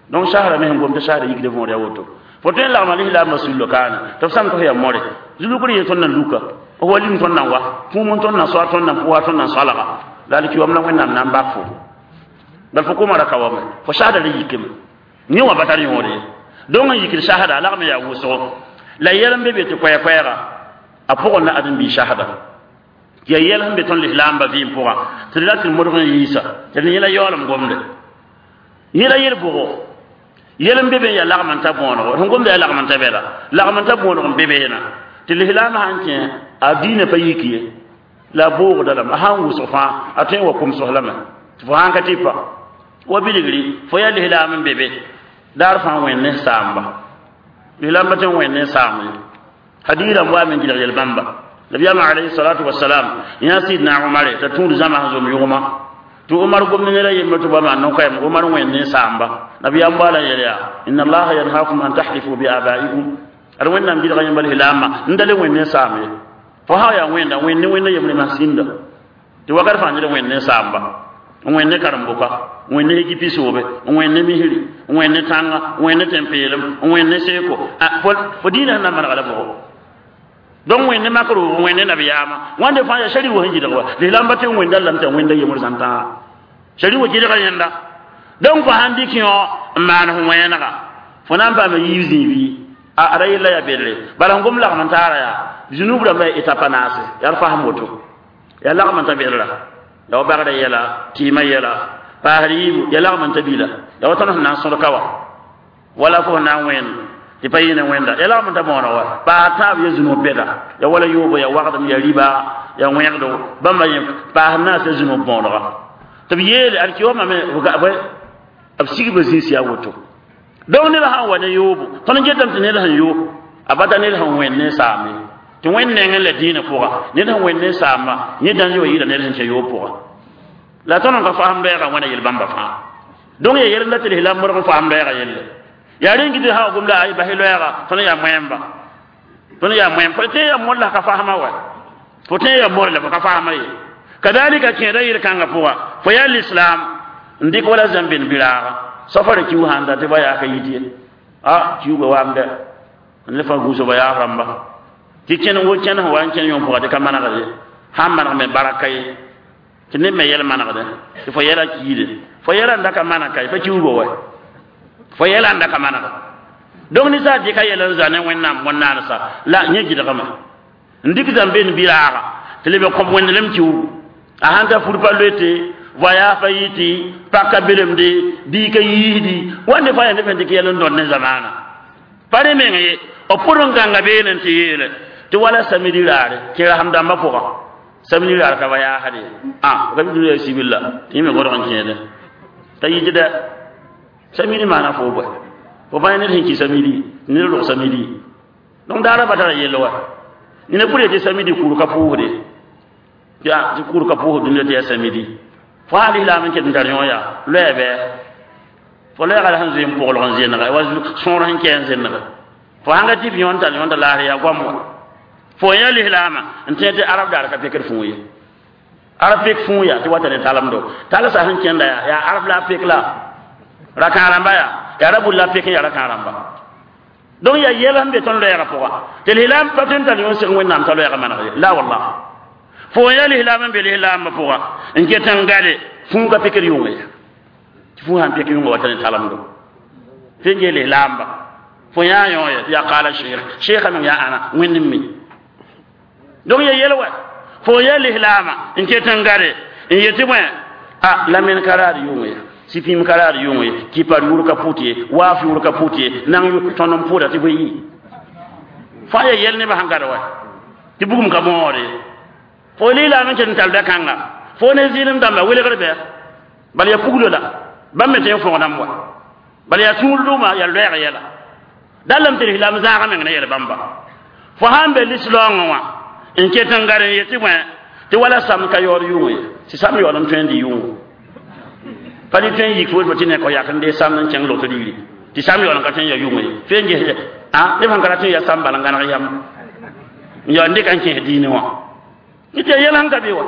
donc sasra me sẽn gom tɩ sasda yikd võor ya woto fo tõe n lagma lislaambã sullo kaana tɩ b sãm tɩ f ya more zulugr yee tõnd na luka f wa lim tõnd na wa kũum n tõnd na soa tõnd na pʋʋsa tõnd na soalga la alkiwam la wẽnnaam na n bak fo bal fo kooma ra ka wame fo sasda ra yikame yẽ wã pa tar yõod ye donc n yikd sasda a lagm yaa wʋsgo la yɛl n be be tɩ koɛɛ-koɛɛga a pʋgẽ la ãdem-biig sasda tɩ yaa yɛl sẽn be tõnd lislaambã vɩɩm pʋga tɩ d la tɩ modg n yiisa tɩ d yẽla yaoolem gomde yẽla yel-bʋgo yɛl n be be n yaa lagm n ta bõonego sẽn gomda yaa lagm n ta bɛla lagm n ta bõonego n be beena tɩ lislaamã sãn kẽ a diinã pa yik ye la a boogda lame a sãn wʋsg fãa a tõe n wa komsg lame tɩ fo sãn ka tɩ pa wa bilgri fo yaa lislaam n be be daar fãa wẽnd ne saamba lislaamba tɩ n wẽnd ne saam ye hadiirã n waame n gilg yel-bãmba nabiyaamã alayhi salatu wasalam yã sidna umare t'a tũud zãma sẽn zom yʋgma tɩ umar gomd ned a yembre tɩ ba maan no-koɛɛm umar wẽnd ne saamba nabiyaam baala yel yaa inna allaha yanhakum an tahlifu bi abaikum ad wẽnnaam gilga yẽmba lislaambã n da le wẽnd ne saam ye fo sã yaa wẽnda wẽnd ne wẽnda yembre masã sĩnda tɩ wakat fãa ned wẽnd ne saamba n wẽnd ne karen-bʋka n wẽnd ne ekipi soobe n wẽnd ne misri n wẽnd ne tãnga n wẽnd ne tẽn-peelem n wẽnd ne seeko fo diinã sẽn na n manega la bʋgo donc wẽnd ne makr wʋg wẽnd ne nabiyaamã wãnde fãa yaa shari wa sẽn gɩdg wa lislaamba tɩ n wẽnda lame tɩ wẽnda yembr zãn tãa shari wa gɩdga yẽnda donc fo sãn dɩk yõ n maan f wẽnega fo na n paama yiib zĩibi a ra yella yaa bedre bala sẽn gom lagm n taara yaa zunub rãmbã yaa etapa naase yaa d fasem woto yaa lagm n ta bedra la wa bagda yɛla tɩɩmã yɛla paasd yiibu yaa lagm n ta bila ya wa tõnd sẽn na n sõd ka wa wala fo sẽn na n wẽnd tɩ pa yɩ ne wẽnda ya lagm n ta bõoneg wa paas tãab ya zunub bɛda ya wala yoobo ya wagdem ya riba ya wẽgdo bãmba yẽ paas naas ya zunub bõonega tɩ b yeele alkiyoomã me b sigba zĩis yaa woto donc ned sãn wa ne yoobo tõnd n getame tɩ ned sẽn yo a bata ned sẽn wẽnd ne saame tɩ wẽnd nengẽ la dĩinã pʋga ned sẽn wẽnd ne saamba yẽ dãn wa yɩɩda ned sẽn kẽ yoob pʋga la tõnd n ka fasem lɔɛɛga wẽna yel-bãmba fãa donc ya yɛl n la tɩ lislaam modg n fasem lɔɛɛga yelle yaa rẽn gɩ tɩ sã wa gom la ay bas lɔɛɛga tõnd yaa moẽmba tõnd yaa moẽm fo tõe yaa mod la ka fasma wa fo tõe yaa mod la fo ka fasma ye kadalika kẽeda yel-kãngã pʋga fo yaa lislaam n dɩk wala zãmben bɩraaga safara kiu sãn da tɩ ba yaa ka yit ye a kiuga waam dɛ n le fã gũusg ba yaas rãmba tɩ kẽn wo kẽn sẽn wa n kẽn yõ pʋga tɩ ka manegd ye sãn maneg me baraka ye tɩ ned me yɛl manegdẽ tɩ fo yɛla kiide fo yɛla n da ka maneg ka ye pa kiuga wa fo yɛla n da ka manega donc ninsaal dɩka yɛl n za ne wẽnnaam bõn-naansa la yẽ gɩdgame n dɩk zãmben bɩraaga tɩ leb n kõb wẽndelem kiugu a sãn ta fur pa loete voyage pa yɩtɩ pak ka belemde bii ka yiisdi wãnde fãa yaa neb sẽn dɩk yɛl n dõd ne zamaana pa rẽ meng ye b pʋd n gãnga beene tɩ yeele tɩ wala samedi raare kẽ rasem dãmbã pʋgã samedi raar ka ba yaasd ye a ka bɩ ya sibilla tɩ yẽ me godg n kẽede t'a yitdɛ samedi maana fo bɔe fo bãe ned sẽn kɩ samedi ned rog samedi donc daara ba tara yell wa nina pʋd tɩ samedi kur ka pʋʋsde ya tɩ kur ka pʋʋsd dũniyã tɩ yaa samedi fo sã lislaam n ket n tar yõ yaa loɛɛ bɩ fo loɛɛga la sẽn zoe n pʋglg n zẽnega wa sõor sẽn kɛ n zẽnega fo sãn ka tɩ b yõn tar yõnda laasr yaa goam wa fo yã lislaamã n tẽ tɩ arab daar ka pekd fũu ye arab pek fũu yaa tɩ wata ne talemdo talsã sẽn kẽnda yaa yaa arab la a pek la rakã rãmba yaa yaa ra bul la pek n yaa rakã rãmba donc yaa yɛl sẽn be tõnd loɛɛgã pʋga tɩ lislaam pa tõe n tar yõ seg wẽnnaam t'a loɛɛgã maneg ye la wallah fo yã lislaam n be lislaambã pʋga n ket n gade fũu ka pekd yʋng ye tɩ fũu sãn pek yʋnga wata ne talemdo tɩ n gee lislaamba fo yã yõ ye tɩ yaa qaala sheekh sheekha meng yaa ãna wẽnd n mi donc ya yɛl wa fo yã lislaamã n ket n gade n yetɩ bõe a la men ka raad yʋng ye Sɩ pĩim ka raad yʋng ye, kɩpar yʋʋr ka pʋt ye, waaf yʋʋr ka pʋt ye, nang tõnd n pʋʋda tɩ bõe yɩ fãa ya yɛl nebã sẽn gad wa tɩ bugum ka bõode. Fo lislaam n ket n tar da-kãnga fo ne zɩɩlem dãmba welgr bɩ bala ya puglo la bãmb me tõe n fõgdãmb wa bala yaa tũud rʋʋma yaa loɛɛg yɛla dallame tɩ lislaam zãaga meng ne yɛl bãmba. Fo sãn be lislaoongẽ wã n ket n gad n yetɩ bõe tɩ wala sam ka yaood yʋng ye, tɩ sam yaood n tõe n dɩ yʋngo pa dɩ tõe n yik fo tɩ ne kõ yak n dee sam n kẽng lot ligri tɩ sam yaood n ka tõe n ya yʋng ye fo n ges a neb sẽn ka ra tõe n ya sam bal n gãneg yam n yaood n dɩka n kẽes diinẽ wã tɩ ya yɛl sẽn ka be wa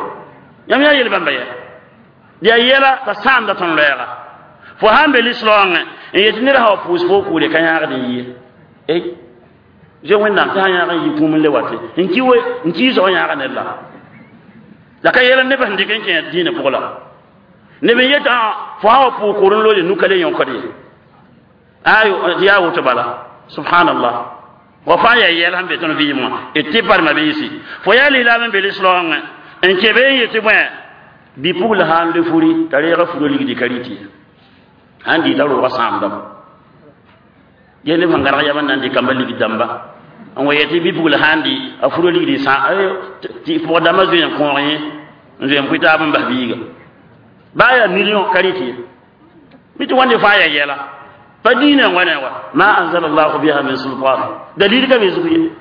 yãmb yaa yel bãmba yɛ yaa yɛla t'a sãamda tõnd loɛɛga. Fo sãn be lislaoongẽ n yetɩ ned sã wa pʋʋs fo kʋʋre ka yãagd n yɩ ey zoe Wẽnnaam tɩ sã yãag n yɩ kũum n le wate n ki we n kiisg yãaga ned la la ka yɛl neb sẽn dɩk n kẽ dĩinã pʋg la neb n yetã fo sã wa pʋʋg kʋʋr n loode nuka le yõkd ye ayo tɩ yaa woto bala subhanallah wa fãa yaa yɛl sẽn be tõnd vɩɩm wã d tɩ parma biisi fo yaa lislaam n be lislaoongẽ n kẽ be n yetɩ bõe bɩ-pugl sã n le furi t'a reega furo ligdi ka rɩt ye sãn dɩɩta roogã sãamdame ye neb sẽn gãrg yam n na n dɩ kambã ligd dãmba n wa yetɩ bɩ-pugl sã n dɩ a furo ligdi sã tɩ pʋg dãmbã zoe n kõog yẽ n zoe n pʋɩ taab n bas biiga baa yaa million ka rɩt ye mi tɩ wãnde fãa yaa yɛla pa diinã n wa ne wa ma anzala llahu biha min sultan dalil ka be zug ye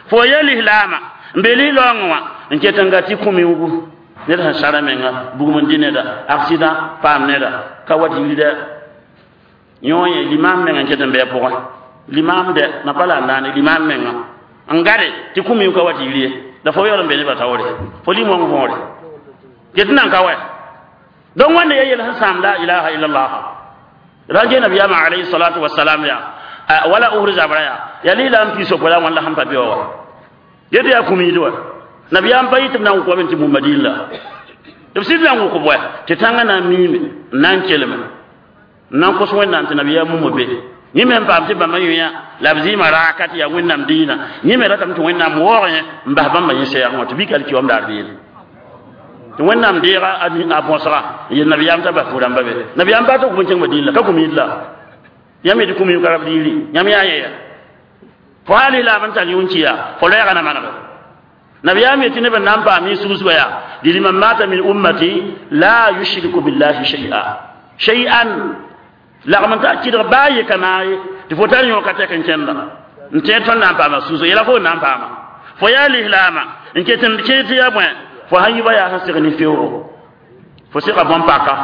fo ya lislaama n be lislaoongẽ wã n ket n ga tɩ kũ-miugu ned sẽn sara menga bugum n dɩ neda accident paam neda ka wat yirda yõ yẽ limam meng n ket n bɩ a pʋgẽ limam dɛ na pa la n naane limam menga n gade tɩ kũ-miug ka wat yir ye la fo yaool n be nebã taoore fo lim-wãng võore get n nan ka wɛ donc wãnda ya yel sẽn sãam la ilaha illallah ra ge nabiyama alayhi salatu wassalam ya wala uhur zabra ya ya lislaam piis la wãn la sẽn pa be wa wa get yaa kũmiid wa nabiyam pa yɩ tɩ b na n wʋk wa tɩ mumma dĩin la tɩ b sɩd na n wʋk bʋɛ tɩ tãngã na n miime n na n kelme n na n kos Wẽnnaam tɩ nabiyaam mumma be yẽ me n paam tɩ bãmba yõ la b zɩɩmã raaka tɩ yaa Wẽnnaam dĩinã yẽ me ratame tɩ Wẽnnaam waoog yẽ n bas bãmba yẽ sɛɛgẽ wã tɩ bɩ ka kiwam daar beene tɩ Wẽnnaam deega a bõsga n yel nabiyaam t'a bas pʋ-rãmba be nabiyaam baa tɩ kʋm n kẽng madĩin la ka kũmiid la yãmb yetɩ kũmiim ka rab liiri yãmb yaa yẽ ya fo sã lislaam n tar yũn kiya fo loɛɛga na manege nabiyaam yetɩ neb n na n paam yẽ sugusga yaa dɩ liman mata min ummati la yushriku billahi shay'a shay'an lagm n ta kɩdg baa ye ka naag ye tɩ fo tar yõ ka tɛk n kẽnda n tẽed tõnd na n paama susg yɛla fo n na n paama fo yaa lislaama n ket n kẽ tɩ yaa bõe fo sãn yiba yaa sẽn seg ne feoogo fo sega bõn-paka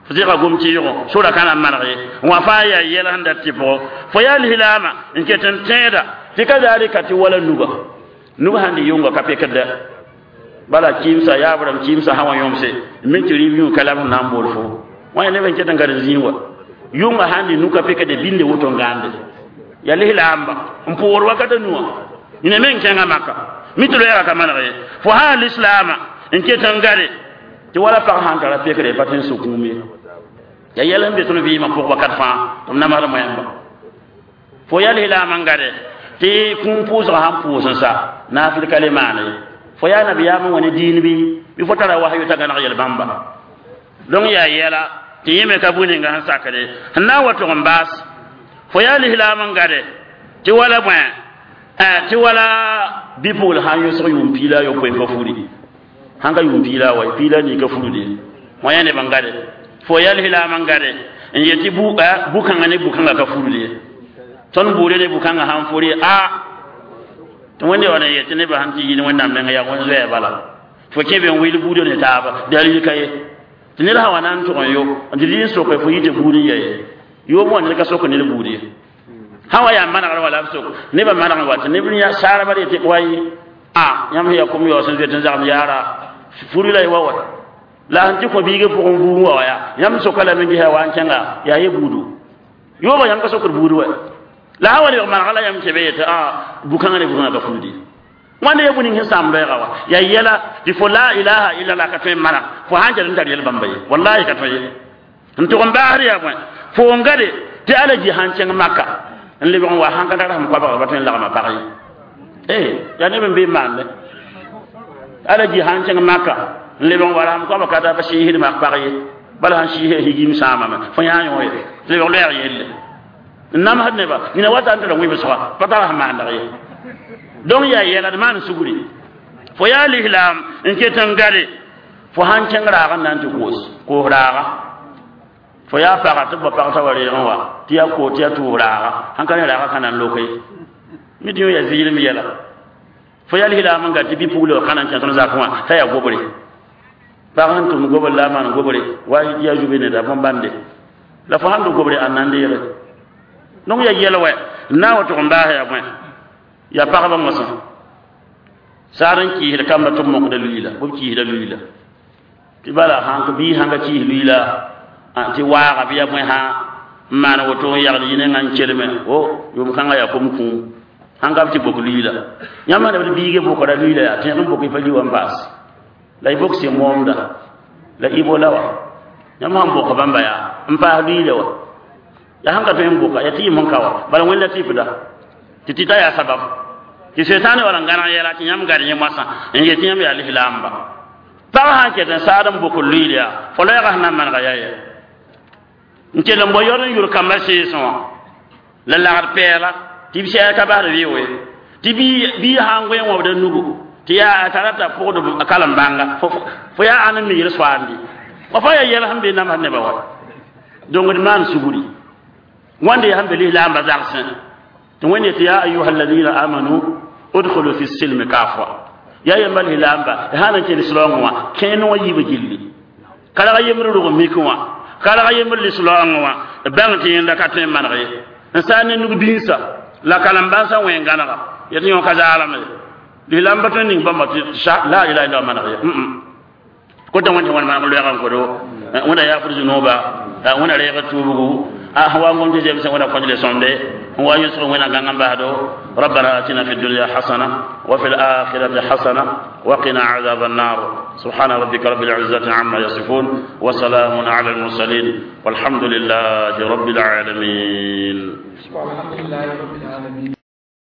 fo sega gom-tɩɩgo sora ka na n maneg ye wã fãa yaa yɛl sẽn dat tɩ pʋgɔ fo yaa lislaama n ket n tẽeda tɩ ka zaalika tɩ wala nuga nuga sãn dɩ yʋnga ka pekd bala kɩɩmsa yaab rãmb kɩɩmsa sã wa yõmse min tɩ rɩɩb yũ ka la b sẽn na n bool fo wã yaa neb n ket n gad n zĩig wa yʋnga sãn dɩ nu ka pekde binde woto n gãande yaa lislaamba n pʋʋr wakata nuwã yẽne me n kẽngã maka mi tɩ loɛɛga ka maneg ye fo sã lislaama n ket n gade tɩ wala pag sãn tara pekre pa tõe n sʋ kũum ye yaa yɛl sẽn be tõnd vɩɩmã pʋg wakat fãa tɩ b namsd moẽmba fo yaa lislaam n gade tɩ kũum pʋʋsgã sãn pʋʋs n sa naafɩl ka le maan ye fo yaa nabiyaam n wa ne diin bɩ bɩ fo tara wasyo t'a gãneg yel bãmba donc yaa yɛla tɩ yẽ me ka bũ ninga sẽn sakde sẽn na n wa tʋg n baas fo yaa lislaam n gade tɩ wala bõe tɩ wala bɩ-pugl sãn yõsg yʋʋm piila a yopoe ka furi sãn ka yʋʋm piila wa piila nii ka furude wã yaa neb n gade fo yaa lislaam n gade n yetɩ bu-kãngã ne bu-kãngã ka furude tõnd buure ne bu-kãngã sãn furi a tɩ Wẽnde wa n yetɩ nebã sãn tɩ yɩɩd Wẽnnaam menga yaa wẽn zoɛɛ bala fo kẽ be n wɩl buudã ne taaba dalil ka ye tɩ ned sã wa na n tʋg n yo n tɩ dɩ n soke fo yɩ tɩ buud n ya ye yoom wã ned ka sok ned buud ye sã wa yaa manegr wala b sok nebã maneg n wa tɩ neb saarba d yetɩ way a yãmb sẽn yaa kom yaoos n zoet n zagem yaara furi la y wa wa la sẽn tɩ kõ biigã pʋgẽ buug wa wa yaa yãmb soka lame n ges wa n kẽnga yaa ye buudu yoobã yãmb ka sokd buud wa la sã wa lebg manega la yãmb kẽ be yetɩ a bu-kãngã ne bu-kãngã ka fuudi wãnda ya bũ ning sẽn sãam loɛɛga wa yaa yɛla tɩ fo la ilaha illallah ka tõe n maneg fo sãn ket n tar yɛl bãmba ye wallahi ka tõe ye n tʋg n baasd yaa bõe fo n gade tɩ alaji sãn kẽng maka n lebg n wa sãn ka tar sẽn koabga pa tõe n lagma pag ye eh yaa neb n be n maande alaji sãn kẽng maka n lebg n wa rasem koabga ka ta pa sɩɩsd mak pag ye Bala sãn sɩɩsã higim sãamame fo yã yõ ye lebg loɛɛg yelle n namsd neba nina wata n tara wẽbsga pa tar sẽn maandag ye donc yaa yɛla d maan sugri fo yaa lislaam n ket n gade fo sãn kẽng raag n na n tɩ koos koos raaga fo yaa paga tɩ b ba pag t'a wa reegẽ wa tɩ yaa koos tɩ yaa tʋʋs raaga sãn ka ne raaga ka na n loke mi tɩ yõ yaa zɩɩlem yɛla fo yaa lislaam n gat tɩ bi-pugla wa ka na n kẽ tõnd zakẽ wã t'a yaa gobre pag sẽn tʋm gobr la a maan gobre wa yaa zube neda bõn-bãnde la fo sãn dʋ gobre a nan deege donc yaa yɛl wɛ n na n wa tʋg n baas yaa bõe yaa pagba mosã saar n kɩɩsd kamba tɩ b mokda luiila b kɩɩsda luiila tɩ bala sãn bii sãn ka kɩɩs luiila tɩ waaga bɩ yaa bõe sã n maan woto n yagd yĩnengã n kelme o yʋʋm kãngã yaa kom kũum sãn ka b tɩ bok luiila yãmb sã d biigã bokra luiila yaa tẽeg n bok y pa li wa n baas la y bok sẽn moomda la ibo la wa yãmb sãn boka bãmba yaa n paas luiila wa ya sãn ka tõe n boka ya tɩ yɩm n ka wa bala wẽnda tɩpda tɩ tɩ ta yaa sabab tɩ setaane wala n gãneg yɛla tɩ yãmb gad yẽ moasã n yet yãmb yaa lislaamba pag sãn ket n saad n bok luiil yaa fo loɛɛga sẽn na n manega yaa yɛ n kell n bao yɔd n yʋr kambã seesẽ wã la lagd pɛɛla tɩ b sɛɛr ka basd vɩʋ ye tɩ bii sã n goe n wãbda nugu tɩ yaa a tara t'a pʋgd kalem bãnga fo yaa ãn n migr soaandi wa fa yaa yɛl sẽn be namsd nebã wa donc d maan sugri wãnde yaa sẽn be lislaambã zagsẽ tɩ wẽnd yetɩ ya ayuha alladina amanu udkhulu fi silmi kafa yaa yamba lislaamba sã n kell sɩlaoongẽ wã kẽe wã yiibã gilli ka yembr rog mik wã ka yembr lislaoongẽ wã bãng tɩ yẽnda ka tõe n maneg ye n saa ne nug binsã la kalem bãnsã wẽ gãnega yetɩ yõ ka zaalame lislaamba tõe n ning bãmba tɩ la ilaha illa maneg ye kota wẽnd tɩ wãn maneg loɛɛgã n kodo wẽnda yaafd zũnoba wẽnda reega tuubgu wa ngom tɩ zemsẽ wẽnda kõj le sõmde wa yʋsg wẽnna gãng n basdo ربنا آتنا في الدنيا حسنة وفي الآخرة حسنة وقنا عذاب النار سبحان ربك رب العزة عما يصفون وسلام على المرسلين والحمد لله رب العالمين الحمد لله رب العالمين.